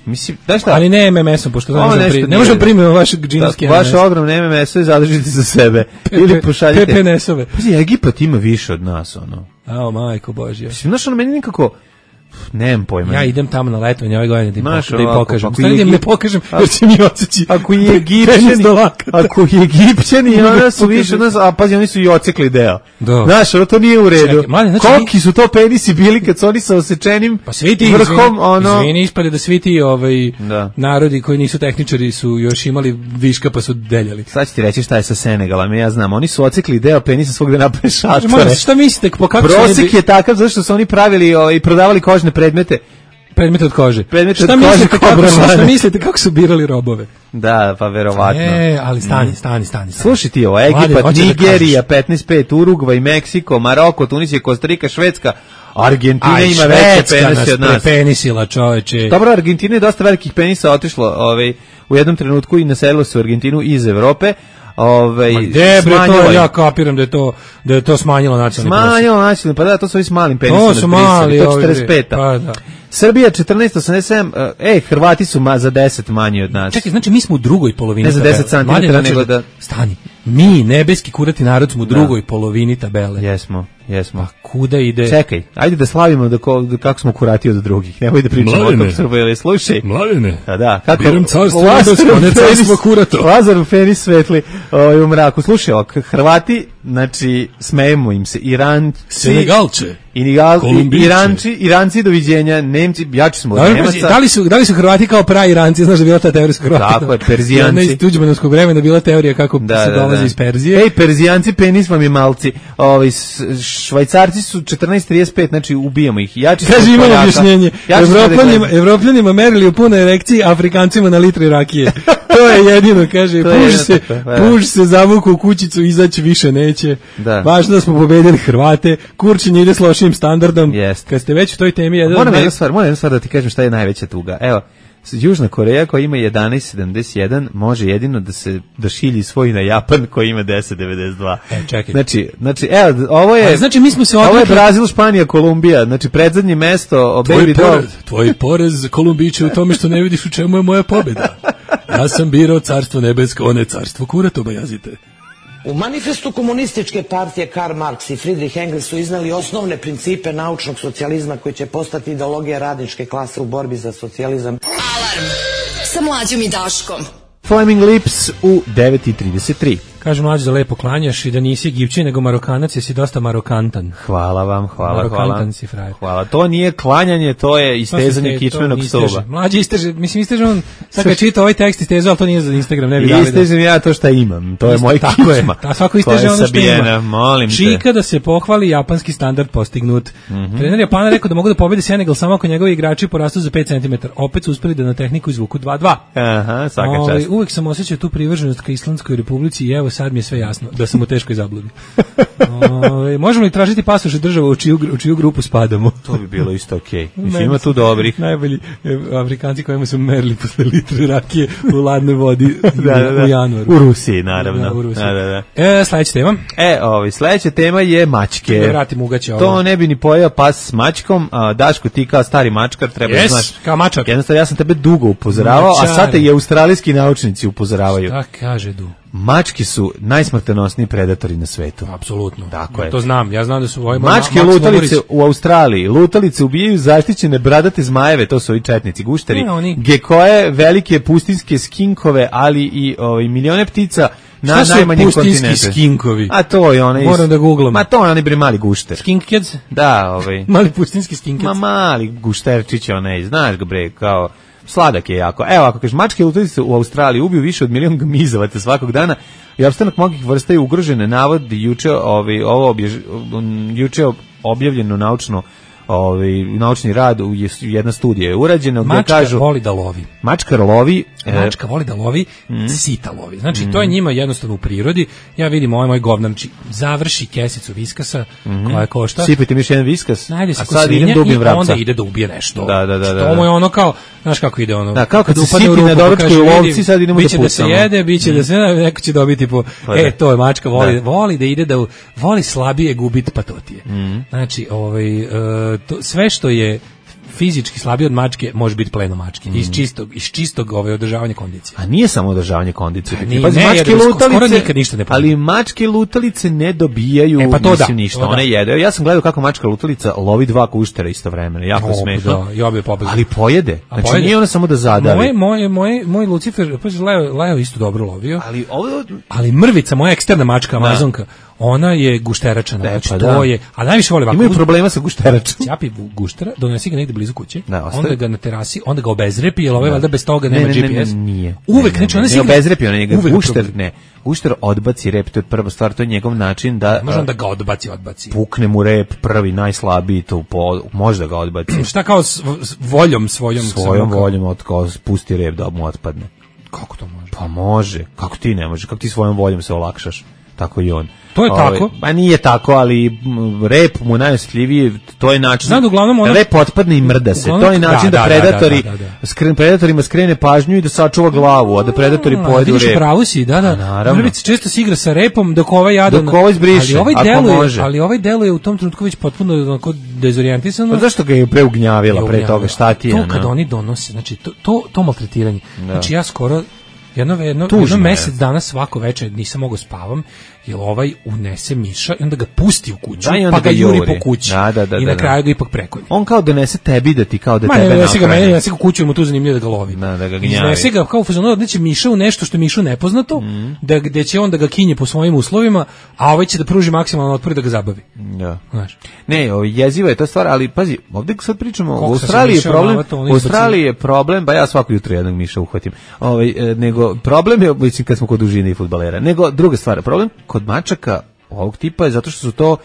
Mislim, da šta? Ali ne M M S-om, pošto ne Ovo možemo, nešto pri, ne nije možemo dobro. primiti vašeg džinovski Da, vaše ogromne M M S-ove zadržite za sebe. Ili pošaljite. P P N S-ove. Pazi, Egipat ima više od nas, ono. Ao, majko Božja. Mislim, znaš, ono, meni nekako... Nemam pojma. Ja idem tamo na letovanje ove godine da im, Znaš, pok- da im ovako, pokažem. ako Stvari da im je ne Egip- pokažem, a- jer će mi odseći. Ako je penis Egipćani, do lakata. ako je Egipćani, Ne onda su pokažem. više od nas, a pazi, oni su i ocekli deo. Da. Znaš, ono, to nije u redu. Čekaj, mladen, znači Koliki su to penisi bili kad su oni sa osečenim Pa svi ti, vrhom, izvini, ono... izvini, ispade da svi ti ovaj, Da. narodi koji nisu tehničari su još imali viška pa su deljali. Sad ću ti reći šta je sa Senegalom, ja znam, oni su ocekli deo penisa svog da naprave šatore. Moram, šta mislite, po kako su oni Prosek bi- je takav zato što su oni pravili i prodavali kožne predmete. predmete od kože? Predmete Šta od kože mislite kao kako su, brvane. šta mislite kako su birali robove? Da, pa verovatno. E, ali stani, stani, stani. stani. Slušaj ti ovo, Mladen, Egipat, hoćeš da Nigerija, kažeš? petnaest pet, Urugvaj, Meksiko, Maroko, Tunisija, Kostarika, Švedska, Argentina Aj, ima veće Švedska penise od nas nas. prepenisila, čoveče. Dobro, Argentina je dosta velikih penisa otišlo ovaj, u jednom trenutku i naselilo se u Argentinu iz Evrope. Ovaj, Ma gde bre smanjilo to, je- ja kapiram da je to, da je to smanjilo nacionalni prosjek. Smanjilo nacionalni, pa da, to su ovi s malim penisom. To su mali, to ovi, četrdeset peta. pa da. Srbija četrnaest osamdeset sedam, ej, Hrvati su ma za deset manji od nas. Čekaj, znači mi smo u drugoj polovini Ne za tabele. deset centimetara, Mladen, nego znači da- Stani, mi, nebeski kurati narod, smo u drugoj polovini tabele. Jesmo, jesmo. A kuda ide? Čekaj, ajde da slavimo da, ko, da kako smo kurati od drugih. Nemoj da pričamo o Mladene. tom što bili. Slušaj. Mladene. A da, kako Biram carstvo Lazarov nebesko, ne penis- carstvo kurato. Lazarov penis svetli ovaj, u mraku. Slušaj, ok, Hrvati, znači, smejemo im se. Iranci, Senegalče. I Iranci, Iranci doviđenja, Nemci, jači smo od Nemaca. Da li su, da li su Hrvati kao pravi Iranci, znaš da je bila ta teorija s Hrvatima? Tako je, Perzijanci. Jedna iz Tuđmanovskog vremena bila teorija kako da, se da, dolazi da. iz Perzije. Ej, Perzijanci, penis vam je malci. Ovi, Švajcarci su četrnaest trezet pet, znači ubijamo ih. Jači kaže, imamo objašnjenje. Evropljanima, Evropljanima merili u punoj erekciji, Afrikancima na litri rakije. To je jedino, kaže, puž se, puž se zavuku u kućicu, izaći više neće. Da. Važno da smo pobedili Hrvate, Kurčin ide s lošim standardom. Jest. Kad ste već u toj temi... Jedan moram naj... jednu stvar, moram jednu stvar da ti kažem šta je najveća tuga. Evo, Južna Koreja koja ima jedanaest sedamdeset jedan može jedino da se da šilji svoj na Japan koji ima deset devedeset dva. E, čekaj. Znači, znači evo, ovo je... A, znači, mi smo se odrekli... Ovo je Brazil, Španija, Kolumbija. Znači, predzadnje mesto... Tvoj porez, tvoj porez Kolumbiće u tome što ne vidiš u čemu je moja pobjeda. Ja sam birao carstvo nebesko, one carstvo kurata obajazite. U manifestu komunističke partije Karl Marx i Friedrich Engels su iznali osnovne principe naučnog socijalizma koji će postati ideologija radničke klase u borbi za socijalizam. Alarm sa Mlađom i Daškom. Flaming Lips u devet i trideset tri. Kaže Mlađo da lepo klanjaš i da nisi Egipćin nego Marokanac, jesi dosta marokantan. Hvala vam, hvala, marokantan hvala. Si frajer. Hvala, to nije klanjanje, to je istezanje kičmenog stuba. Mlađi isteže, mislim isteže on, sad kad čita ovaj tekst isteže, ali to nije za Instagram, ne bi dali. Istežem ja to šta imam, to je moj kičma. Je, ta svako isteže ono što ima. Molim te. Čika da se pohvali japanski standard postignut. Mm-hmm. Trener Japana rekao da mogu da pobede Senegal samo ako njegovi igrači porastu za pet centimetara. Opet su uspeli da na tehniku izvuku dva dva. Aha, svaka čast. Uvek sam osjećao tu privrženost ka Islandskoj republici i evo sad mi je sve jasno da sam u teškoj zabludi. Ove, možemo li tražiti pasoš od država u čiju, u čiju grupu spadamo? To bi bilo isto okej. Okay. Mislim, ima tu dobrih. Najbolji Afrikanci kojima su merili posle litre rakije u ladnoj vodi da, da, da. u januaru. U Rusiji, naravno. Da, u Rusiji. Da, da, da. E, sledeća tema. E, ovaj, sledeća tema je mačke. Da vratim ugaće ovo. To ne bi ni pojeo pas s mačkom. A, Daško, ti kao stari mačkar treba yes, da znaš. Kao mačak. Jednostavno, ja sam tebe dugo upozoravao, Mačar. A sad te i australijski naučnici upozoravaju. Šta kaže Du? Mačke su najsmrtonosniji predatori na svetu. Apsolutno. Tako je. To znam. Ja znam da su ovaj mačke ma, lutalice u Australiji. Lutalice ubijaju zaštićene bradate zmajeve, to su ovi četnici, gušteri. Ne, oni... Gekoje, velike pustinske skinkove, ali i ovaj milione ptica na najmanjem kontinentu. Pustinski skinkovi? A to je onaj... Moram da googlam. Ma to je onaj bre mali gušter. Skinkheads? Da, ovaj. Mali pustinski skinkheads. Ma mali gušterčić onaj, znaš ga bre, kao... Sladak je jako. Evo, ako kažeš, mačke lutalice u Australiji ubiju više od milion gmizavaca svakog dana i opstanak mnogih vrsta je ugrožene. Navodi juče, ovaj, ovo objež, juče objavljeno naučno ovaj naučni rad u jedna studija je urađena gdje mačka kažu voli da lovi. Mačka lovi, mačka voli da lovi, mm. sita lovi. Znači mm. to je njima jednostavno u prirodi. Ja vidim ovaj moj govnarči završi kesicu viskasa mm. koja košta. Sipite mi još jedan viskas. Najde a sad idem da ubijem vrapca. Onda ide da ubije nešto. Da, da, da, da. To mu je ono kao, znaš kako ide ono. Da, kao kad, kad se sipi na doručku u ovci, sad idemo da pucamo. Biće da se jede, biće mm. da se neko će dobiti po. Pa, e, to je mačka voli, da. voli da ide da voli slabije gubiti patotije. Mm. Znači, ovaj uh, to, sve što je fizički slabiji od mačke može biti pleno mačke. Mm. Iz čistog, iz čistog ove održavanja kondicije. A nije samo održavanje kondicije. Pa, pa ne, mačke lutalice, nikad ništa ne ali mačke lutalice ne dobijaju e, pa to mislim, da, ništa. To one jedu. Ja sam gledao kako mačka lutalica lovi dva guštera istovremeno. Jako o, smešno. Da, ja bi pobegao. Ali pojede. Znači pojede. Nije ona samo da zadavi. Moj moj moj moj Lucifer, pa Leo, Leo isto dobro lovio. Ali ovo ali mrvica, moja eksterna mačka Amazonka. Ona je gušteračana, znači pa to da. je, a najviše voli ovako. Imaju problema sa gušteračom. Ćapi guštera, donesi ga negde blizu kuće, da, onda ga na terasi, onda ga obezrepi, jer ovaj valjda bez toga nema ne, ne, G P S. Ne, ne, nije. Uvek, znači ona se obezrepi, ona njega gušter, ne. Gušter odbaci rep, to je prva stvar, to je njegov način da može da ga odbaci, odbaci. Pukne mu rep prvi, najslabiji, to po, može da ga odbaci. Šta kao s, s voljom svojom svojom voljom od kao pusti rep da mu otpadne. Kako to može? Pa može. Kako ti ne može? Kako ti svojom voljom se olakšaš? Tako i on. To je Ove, tako? Pa nije tako, ali rep mu najosjetljiviji, to je način. Znam, uglavnom ona... Rep otpadne i mrda se. Uglavnom, to je način da, da, da predatori, da, da, da, da. Skren, predatorima skrene pažnju i da sačuva glavu, a da predatori no, pojedu rep. Vidiš, pravo si, da, da. Naravno. Mrvica često se igra sa repom dok ovaj jadan... Dok ovaj zbriše, ali ovaj ako deluje, može. Ali ovaj deluje u tom trenutku već potpuno onako dezorijentisano. Pa zašto ga je preugnjavila pre toga, šta ti je? To kad oni donose, znači to, to, to maltretiranje. Da. Znači ja skoro Jedno, jedno, jedno mesec dana svako večer nisam mogao spavam, jer ovaj unese miša i onda ga pusti u kuću, da, pa ga juri po kući. Da, da, da, I da, na kraju ga ipak prekolje. On kao donese tebi da ti kao da Ma, tebe ne, nahrani. Ma ne, ne, ga u kuću, mu tu zanimljivo da ga lovi. Da, da ga gnjavi. Iznese ga kao u fazonu, odneće miša u nešto što je mišu nepoznato, mm. da, gde će on da ga kinje po svojim uslovima, a ovaj će da pruži maksimalno otpor da ga zabavi. Da. Znaš. Ne, jeziva je to stvar, ali pazi, ovdje sad pričamo, u Australiji je problem, u Australiji je problem, ba ja svako jutro jednog miša uhvatim, ovaj, nego problem je, mislim, kad smo kod dužine i fudbalera, nego druga stvar, problem kod mačaka ovog tipa je zato što su to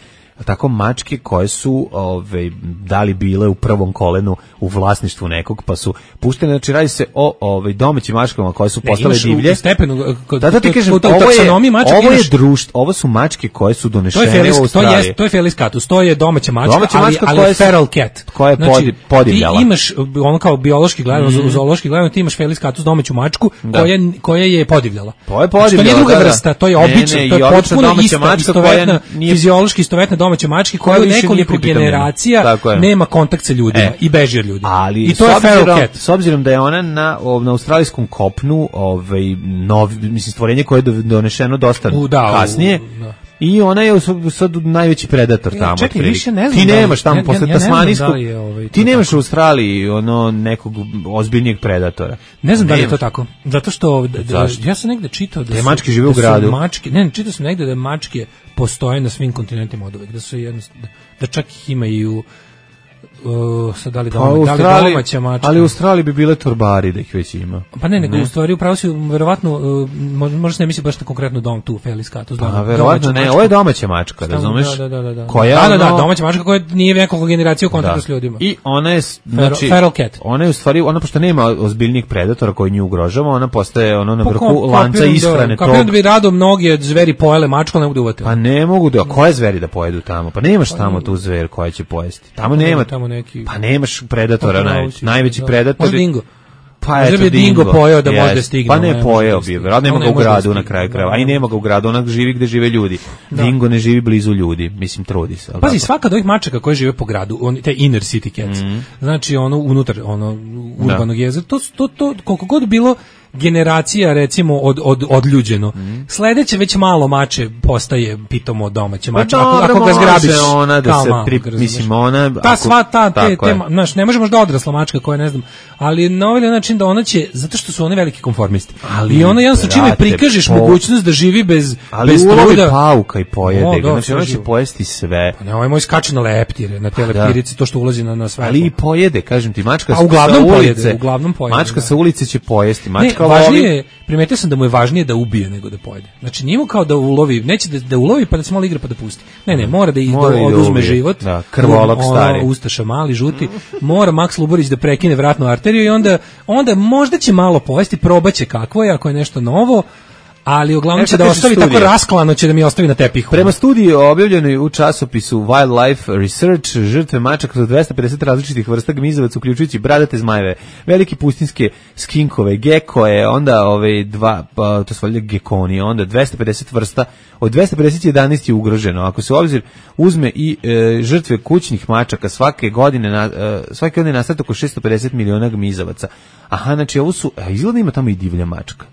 tako mačke koje su ove, dali bile u prvom kolenu u vlasništvu nekog, pa su puštene, znači radi se o ove, domaćim mačkama koje su postale ne, divlje. U stepenu, kod, da, da ti kažem, kod, ovo, je, mačak, ovo je imaš, društvo, ovo su mačke koje su donešene to je felis, u Australiji. To je, to je felis catus, to je domaća mačka, domaća ali, mačka ali je feral cat. Koja je znači, podivljala. Ti imaš, ono kao biološki gledano, mm. zoološki gledano, ti imaš felis catus, domaću mačku, da. koja, koja je podivljala. To je podivljala, to nije druga da, vrsta, to je obična, to je potpuno ista, istovetna, nije... fiziološki istovetna domaća mačka koja nekoliko generacija nema kontakt sa ljudima e, i beži od ljudi. Ali I to je feral cat. S obzirom da je ona na, na australijskom kopnu ovaj, nov, mislim, stvorenje koje je donešeno dosta u, da, kasnije, u, da. I ona je sad najveći predator tamo. Čekaj, više ne znam. Ti nemaš tamo ja, posle ja, ja tasmanijskog. Da ovaj, ti nemaš tako u Australiji ono nekog ozbiljnijeg predatora. Ne znam da li je to tako. Zato što da, ja sam negde čitao da te su, mačke žive da u gradu. Mačke, ne, čitao sam negde da mačke postoje na svim kontinentima oduvek, da su jednostavno da čak ih ima i u Uh, sad da li, doma, pa, da li domaća mačka. Ali u Australiji bi bile torbari da ih već ima. Pa ne, nego ne. U stvari upravo si verovatno, uh, možda se ne misli baš na konkretno dom tu, felis catus. Pa verovatno ne, ovo je domaća mačka, razumeš? Da, da, da, da. Koja da, da, da, domaća mačka koja nije nekoliko generacija u kontaktu s ljudima. I ona je, znači, feral cat. Ona je u stvari, ona pošto nema ozbiljnih predatora koji nju ugrožava, ona postaje ono na vrhu lanca ishrane tog. Kapiram da bi rado mnoge zveri pojele mačku, ali ne mogu da uvate. Pa ne mogu da, koje zveri da pojedu tamo? Pa nemaš tamo tu zver koja će pojesti. Tamo nema, tamo neki. Pa nemaš predatora, najveći, najveći predator. Možda dingo. Pa eto, bi dingo pojeo da yes. može stigne. Pa ne pojeo bi, vjerojatno nema ga u gradu na kraju krajeva, a i nema ga u gradu, onak živi gde žive ljudi. Da. Dingo ne živi blizu ljudi, mislim, trudi se. Pazi, tako? Svaka od ovih mačaka koje žive po gradu, on, te inner city cats, mm. znači ono unutar ono urbanog da. jezera, to, to, to koliko god bilo generacija recimo od od odljuđeno. Mm. Sledeće već malo mače postaje pitomo domaće mače. Ako, ako ga zgrabiš, ona da se pri, mislim ona ta sva ta te, te znaš, ne možemo da odrasla mačka koja ne znam, ali na ovaj način da ona će zato što su one veliki konformisti. Ali i ona jednostavno čime prikažeš po... mogućnost da živi bez ali bez truda, pauka i pojede, o, da, znači ona će pojesti sve. Pa ne, ovaj moj skače na leptire, na te leptirice, to što ulazi na na sve. Ali i pojede, kažem ti, mačka sa ulice, uglavnom pojede. Mačka sa ulice će pojesti, mačka važnije, primetio sam da mu je važnije da ubije nego da pojede. Znači nije mu kao da ulovi, neće da, da ulovi pa da se malo igra pa da pusti. Ne, ne, mora da, mora da oduzme da život. Da, krvolok stari. Ustaša mali, žuti. Mora Maks Luborić da prekine vratnu arteriju i onda, onda možda će malo pojesti, probaće kakvo je, ako je nešto novo. Ali uglavnom će da ostavi studija. Tako rasklano će da mi ostavi na tepihu. Prema studiji objavljenoj u časopisu Wildlife Research, žrtve mačaka su dvesta pedeset različitih vrsta gmizavaca, uključujući bradate zmajeve, velike pustinske skinkove, gekoje, onda ove dva, pa, to su valjda gekoni, onda dvesta pedeset vrsta, od dvesta pedeset jedanaest je ugroženo. Ako se u obzir uzme i e, žrtve kućnih mačaka, svake godine, na, e, svake godine nastane oko šesto pedeset miliona gmizavaca. Aha, znači ovo su, a izgleda ima tamo i divlja mačka.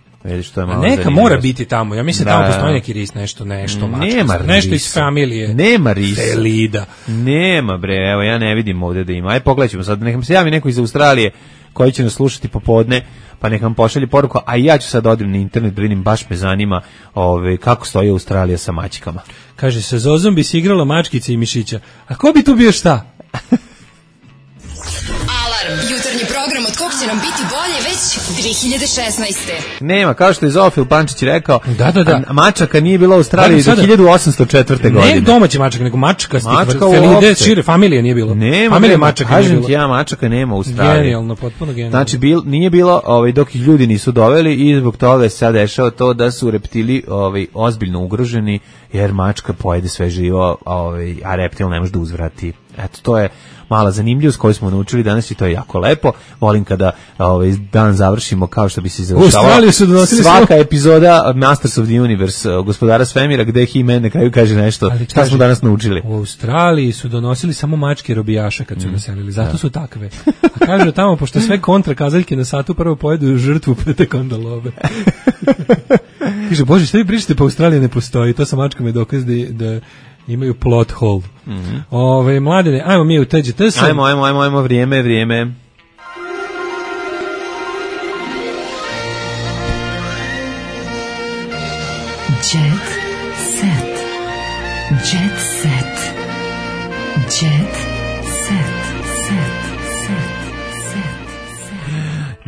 Što je malo neka zanimljivo. Mora biti tamo. Ja mislim da tamo postoji neki ris, nešto, nešto mačka. Nema nešto iz familije. Nema risa. Felida. Nema bre, evo ja ne vidim ovdje da ima. Aj pogledaj ćemo sad, nekam se javi neko iz Australije koji će nas slušati popodne, pa nekam pošalje poruku, a ja ću sad odim na internet da vidim, baš me zanima ove, kako stoji Australija sa mačkama. Kaže se, Zozom bi se igrala mačkice i mišića. A ko bi tu bio šta? Jutarnji program od kog će nam biti bolje već dve hiljade šesnaeste. Nema, kao što je Zofil Pančić rekao, da, da, da. mačaka nije bila u Australiji do hiljadu osamsto četvrte godine. Ne domaći mačak, nego mačka stik, felide, šire, familije nije bilo. Nema, familije mačaka nije bilo. Kažem ti ja, mačaka nema u Australiji. Genijalno, potpuno genijalno. Znači, bil, nije bilo ovaj, dok ih ljudi nisu doveli i zbog toga je sad dešao to da su reptili ovaj, ozbiljno ugroženi, jer mačka pojede sve živo, ovaj, a reptil ne može da uzvrati Eto, to je mala zanimljivost koju smo naučili danas i to je jako lepo. Volim kada ovaj dan završimo kao što bi se završavao. Svaka smo... epizoda Masters of the Universe, Gospodara svemira, gde He-Man na kraju kaže nešto. Ali, šta kaže, smo danas naučili? U Australiji su donosili samo mačke robijaša kad su mm. naselili, zato da. su takve. A kažu tamo, pošto sve kontra kazaljke na satu prvo pojedu žrtvu, pa tek onda love. Kaže, Bože, šta vi pričate, pa Australija ne postoji. To sa mačkama je dokaz da, da imaju plot hole. Mm-hmm. Ove, mladene, ajmo mi u T G T. Ajmo, ajmo, ajmo, ajmo, vrijeme, vrijeme. Jet set. Jet set. Jet set.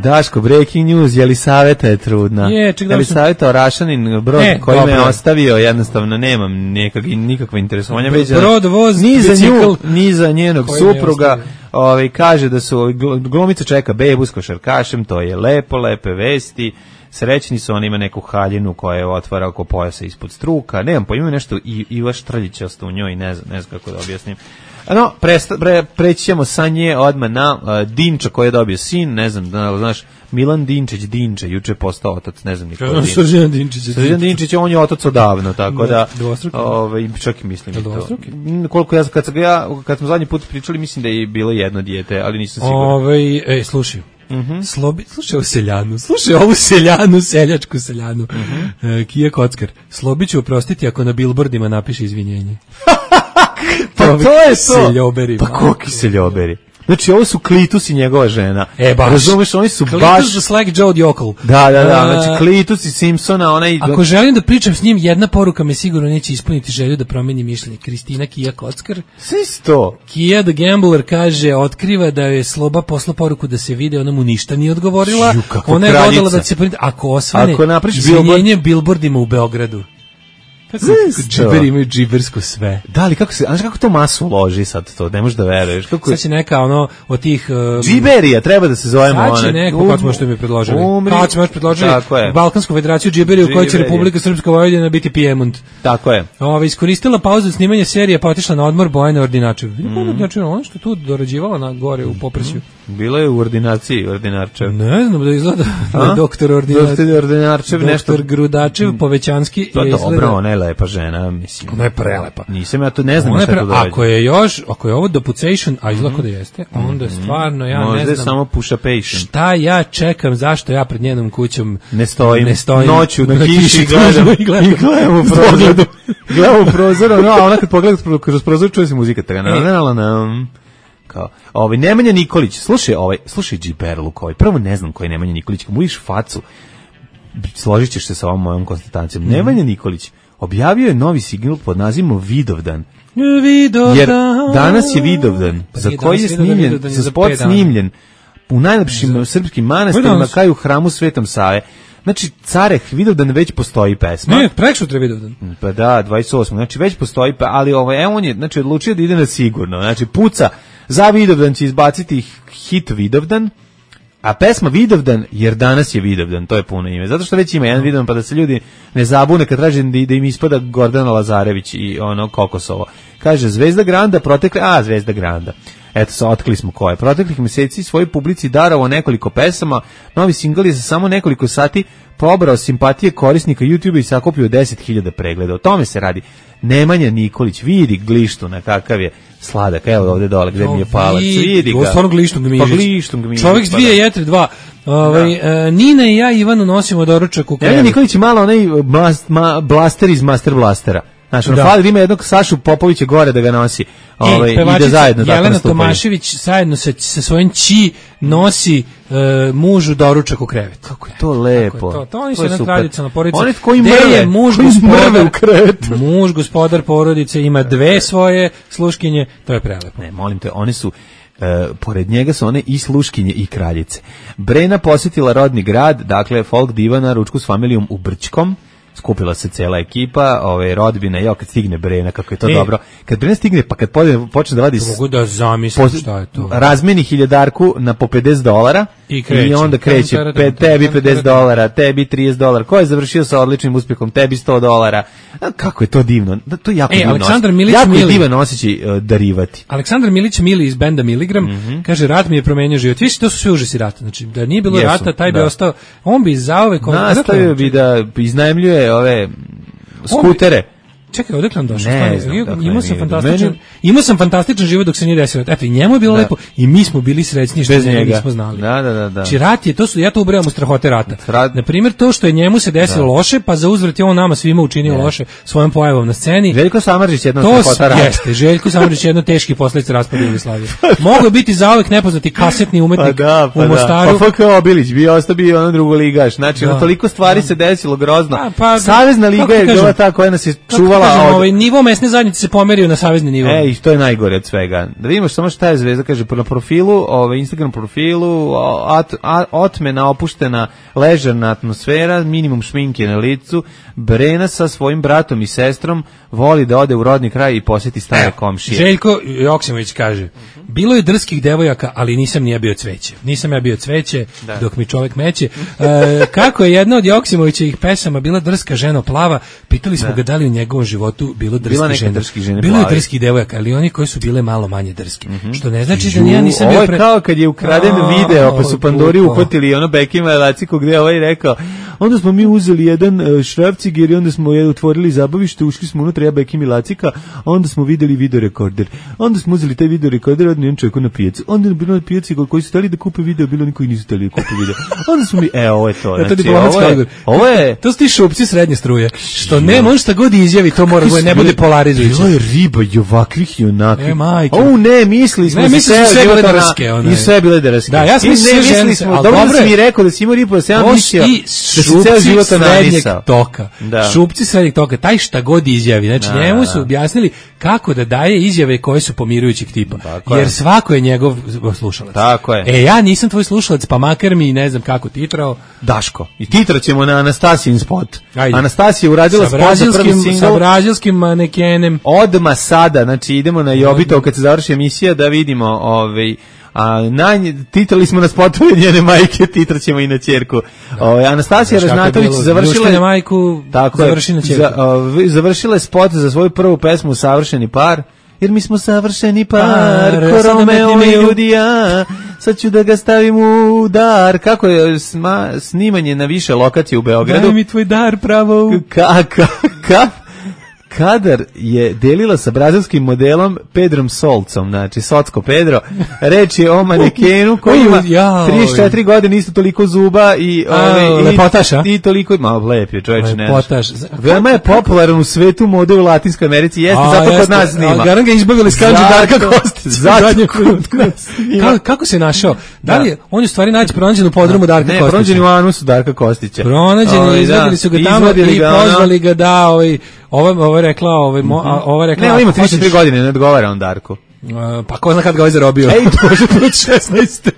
Daško, breaking news, Jelisaveta je trudna. Je, Jelisaveta Orašanin, brod e, koji me je ostavio, jednostavno nemam nekak, nikakva interesovanja. Brod, voz, ni za nju, ni za njenog supruga. Ovaj, kaže da su, glumica čeka bebu s košarkašem, to je lepo, lepe vesti. Srećni su, on ima neku haljinu koja je otvara oko pojasa ispod struka. Nemam pojma, nešto i Iva Štrljić ostao u njoj, ne znam, ne znam kako da objasnim. No, presta, pre, preći ćemo sa nje odmah na uh, Dinča koji je dobio sin, ne znam, da, znaš, Milan Dinčić Dinče, juče je postao otac, ne znam niko. Srđan Dinčić. Srđan Dinčić, on je otac odavno, tako da, ovaj, čak i mislim i to. Koliko ja, kad, sam ja, kad smo zadnji put pričali, mislim da je bilo jedno dijete, ali nisam siguran. Ovaj, ej, slušaj. Mm-hmm. Slobi, slušaj ovu seljanu, slušaj ovu seljanu, seljačku seljanu. Mm-hmm. uh, Kija Kockar, Slobi ću oprostiti ako na billboardima napiše izvinjenje. Pa to je to. Seljoberi. Pa koki seljoberi. Znači, ovo su Klitus i njegova žena. E, baš. Razumeš, oni su Klitus baš... Klitus za Slack Joe Djokl. Da, da, da. Znači, Klitus i Simpsona, onaj... Ako želim da pričam s njim, jedna poruka me sigurno neće ispuniti želju da promeni mišljenje. Kristina Kija Kockar. Sve sto. Kija the Gambler kaže, otkriva da je Sloba posla poruku da se vide, ona mu ništa nije odgovorila. Žu, ona je vodila da se... Ako osvane, ako izvinjenje billboardima u Beogradu. Džiber imaju džibersko sve. Da li, kako se, znaš kako to masu loži sad to, ne možeš da veruješ. Kako... Sad će neka ono od tih... Um, Džiberija, treba da se zovemo. Sad će neko, um, kako smo što mi predložili. Umri. Kako smo još predložili Balkansku federaciju Džiberiju u kojoj će Republika Srpska Vojvodina biti Pijemont. Tako je. Ove, iskoristila pauzu snimanja serije pa otišla na odmor Bojana Ordinačev. Mm. Znači, ono što tu dorađivala na gore u Popresju. Bila je u ordinaciji Ordinarčev. Ne znam da izgleda da doktor Ordinarčev. Doktor Grudačev, Povećanski. To je dobro, ona je lepa žena, mislim. Ona je prelepa. Nisam ja to, ne znam šta to dođe. Ako je još, ako je ovo deputation, a izlako da jeste, onda stvarno ja možda ne znam. Možda je samo push-a-patient. Šta ja čekam, zašto ja pred njenom kućom ne stojim, ne stojim noću na kiši gledam i gledam, i gledam u prozor. Gledam u prozor, no, a ona kad pogleda kroz prozor čuje se muzika. Tako, na, na, na, kao, ovaj, Nemanja Nikolić, slušaj, ovaj, slušaj Džiberluk, ovaj, prvo ne znam koji je Nemanja Nikolić, kad mu vidiš facu, složit ćeš se sa ovom mojom konstatacijom. Mm. Nemanja Nikolić objavio je novi signal pod nazivom Vidovdan. Vidovdan. Jer danas je Vidovdan, pa za koji je snimljen, za spot snimljen u najlepšim srpskim manastirima kao i u hramu Svetom Save. Znači, Careh, Vidovdan već postoji pesma. Ne, preksutra Vidovdan. Pa da, dvadeset osmog Znači, već postoji, pa, ali ovaj, evo on je, znači, odlučio da ide na sigurno. Znači, puca, za Vidovdan će izbaciti hit Vidovdan, a pesma Vidovdan, jer danas je Vidovdan, to je puno ime. Zato što već ima jedan Vidovdan, pa da se ljudi ne zabune kad traže da, da im ispada Gordana Lazarević i ono Kokosovo. Kaže, Zvezda Granda protekle, a, Zvezda Granda. Eto, sa otkrili smo ko je. Proteklih meseci svojoj publici darovao nekoliko pesama, novi singl je za samo nekoliko sati pobrao simpatije korisnika YouTube i sakupio deset hiljada pregleda. O tome se radi. Nemanja Nikolić, vidi glištu na kakav je sladak, evo ovde dole gde mi je palac, vidi ga. Stvarno glištom ga mižić. Pa glištom ga mižić. Čovjek s dvije jetre, dva. Ovaj, uh, Nina i ja Ivanu nosimo doručak u krevet. Nemanja Nikolić je malo onaj blast, ma, blaster iz Master Blastera. Znači, ono, fali da ima jednog Sašu Popovića gore da ga nosi. Ovaj, e, ide zajedno tako Jelena Tomašević zajedno sa, sa svojim ći nosi uh, mužu doručak u krevet. Kako je to lepo. Je to? To oni su jedna tradicionalna porodica. Oni koji mrve, muž koji gospodar, u krevetu. Muž gospodar porodice ima dve svoje sluškinje, to je prelepo. Ne, molim te, one su Uh, pored njega su one i sluškinje i kraljice. Brena posjetila rodni grad, dakle folk diva na ručku s familijom u Brčkom. Skupila se cela ekipa, ove rodbine, jo, kad stigne Brena, kako je to e, dobro. Kad Brena stigne, pa kad počne da vadi... Mogu da zamislim šta je to. Razmeni hiljadarku na po pedeset dolara, I, kreće. I onda kreće, pe, tebi pedeset dolara, tebi trideset dolara. Ko je završio sa odličnim uspjehom? Tebi sto dolara. A, kako je to divno? Da, to je jako e, divno. Aleksandar Milić jako Mili. je divan osjećaj uh, darivati. Aleksandar Milić Mili iz benda Miligram mm-hmm. kaže, rat mi je promenio život. Viš, to su sve užasi rata. Znači, da nije bilo Jesu, rata, taj da. bi ostao, on bi zauvek... Nastavio bi da iznajmljuje ove skutere. Čekaj, odakle on došao? Imao sam fantastičan, imao sam fantastičan život dok se nije desilo. Eto, i njemu je bilo da. lepo i mi smo bili srećni što njega nismo znali. Da, da, da, da. Či rat je, to su, ja to ubrajam u strahote rata. Strat... Na primjer, to što je njemu se desilo da. loše, pa za uzvrat je on nama svima učinio ne. loše svojom pojavom na sceni. Željko Samardžić jedno strahota rata. Jeste, Željko Samardžić jedno teški posledice raspada Jugoslavije. Mogu je biti zauvek nepoznati kasetni umetnik pa da, pa u Mostaru. Pa F K Obilić bio ostao bio ono drugoligaš. Znači, da. toliko stvari da. se desilo grozno. Pa, pa, Savezna liga je bila ta koja nas je čuvala od nivo mesne zajednice se pomerio na savezni nivo. E, i to je najgore od svega. Da vidimo samo šta je Zvezda, kaže, na profilu, ovaj, Instagram profilu, at, at, otmena, opuštena, ležerna atmosfera, minimum šminke na licu, Brena sa svojim bratom i sestrom voli da ode u rodni kraj i posjeti stare komšije. Željko Joksimović kaže, bilo je drskih devojaka, ali nisam nije bio cveće. Nisam ja bio cveće, da. dok mi čovjek meće. E, kako je jedna od Joksimovićevih pesama bila drska ženo plava, pitali smo da. ga da li u njegovom životu bilo drski žene. drski žene bilo je drskih devojaka, ali oni koji su bile malo manje drski. Mm-hmm. Što ne znači da ja nisam bio pre... Ovo je kao kad je ukraden oh, video, pa su Pandori uhvatili ono Bekima Laciko gde je ovaj rekao, onda smo mi uzeli jedan uh, šrafciger i onda smo je otvorili zabavište, ušli smo unutra, ja Bekim i Lacika, a onda smo videli videorekorder. Onda smo uzeli taj videorekorder, odnijem čovjeku na pijacu. Onda je bilo na pijaci koji su stali da kupe video, bilo oni koji nisu stali da kupe video. Onda smo mi, e, ovo je to. Znači, to, ovo je, ovo je... to su ti šupci srednje struje. Što ne, može šta god izjavi, to mora ne bude polarizujuće. Bilo je riba i ovakvih i onakvih. E, majke. O, ne, mislili smo ne, misli sve, sve bile drske. I sve bile drske. Da, ja sam mislio mislili smo, dobro da si mi rekao da si imao ribu, da se ja mislio da si ceo život srednjeg toka. Da. Šupci srednjeg toka, taj šta god izjavi. Znači, da, njemu su objasnili kako da daje izjave koje su pomirujućeg tipa. Tako jer je. svako je njegov slušalac. Tako je. E, ja nisam tvoj slušalac, pa makar mi ne znam kako titrao. Daško. I titraćemo na Anastasijin spot. Ajde. Anastasija uradila spot za prvi singl. Sa brazilskim manekenem. Odma sada, znači idemo na Jobito kad se završi emisija da vidimo ovaj a na titrali smo na spotove njene majke, titraćemo i na ćerku. Ovaj Anastasija Ražnatović završila je majku, tako završi na ćerku. Za, o, završila je spot za svoju prvu pesmu Savršeni par. Jer mi smo savršeni par, par ko Romeo i Judija, sad ću da ga stavim u dar. Kako je sma, snimanje na više lokacije u Beogradu? Daj mi tvoj dar pravo. Kako? Ka, Kadar je delila sa brazilskim modelom Pedrom Solcom, znači Socko Pedro. Reč je o manekenu koji ima trideset četiri godine, isto toliko zuba i ove, lepotaš, a? I toliko, malo lep je čovječ, ne. Lepotaš. Veoma je popularan u svetu mode u Latinskoj Americi, jeste, a, zato jeste, kod nas snima. A garan ga izbavili s kanđe Darka Kostića. Zato kod nas kako, kako se našao? Da li je, on je u stvari naći pronađen u podrumu Darka Kostića? Ne, pronađen u anusu Darka Kostića. Pronađen, izvadili su ga tamo i pozvali ga da, ovaj, Ova ova rekla, ovaj mm -hmm. ova rekla. Ne, ima trideset tri godine, ne odgovara on Darku. Uh, pa ko zna kad ga ovaj zarobio. Ej, to može biti šesnaeste.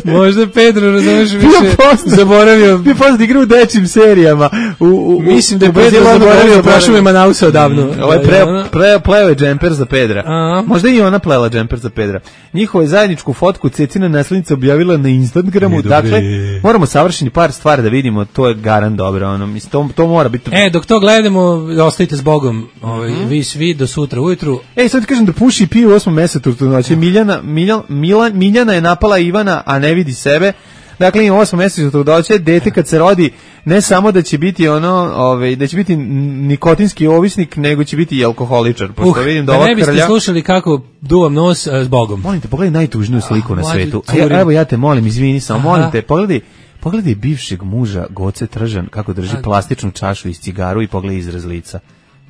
Možda Pedro, razumeš, više zaboravio. Bio poznat igra u dečim serijama. U, u, Mislim da je Pedro zaboravio, prašao je Manausa odavno. Mm, ovo je pre, pre, pleo je džemper za Pedra. A možda i ona plela džemper za Pedra. Njihovu zajedničku fotku Cecina naslednica objavila na Instagramu. Dakle, moramo savršeni par stvari da vidimo, to je garan dobro. Ono, mislim, to, to mora biti... E, dok to gledamo, ostavite s Bogom. Ovaj, mm -hmm. Vi svi do sutra ujutru. Ej, sad ti kažem da puši piju u osmom mesecu. Znači, Miljana, Miljan, Milan, Miljana je napala Ivana, a ne vidi sebe. Dakle, ima osam meseca trudnoće, dete kad se rodi, ne samo da će biti ono, ovaj, da će biti nikotinski ovisnik, nego će biti i alkoholičar. Pošto uh, vidim da, da ova ne biste krlja... slušali kako duvam nos uh, s Bogom. Molim te, pogledaj najtužniju sliku ah, na svetu. A ja, evo ja te molim, izvini samo, molim te, pogledaj, pogledaj bivšeg muža Goce Tržan kako drži plastičnu čašu iz cigaru i pogledaj izraz lica.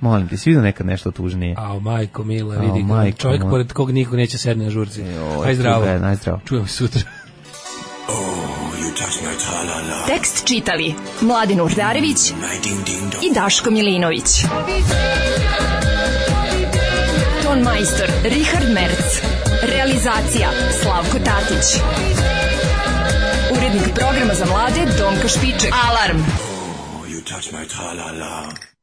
Molim te, si vidio nekad nešto tužnije? Ao, majko mila, vidi, Ao, majko, čovjek moj. Pored kog niko neće sedne na žurci. Aj zdravo. Aj zdravo. Čujemo se sutra. Oh, you touch my tra-la-la. Tekst čitali Mladin Urdarević i Daško Milinović. Ton majstor Richard Merc. Realizacija Slavko Tatić. Urednik programa za mlade Donka Špiček. Alarm! Oh, you touch my tra-la-la.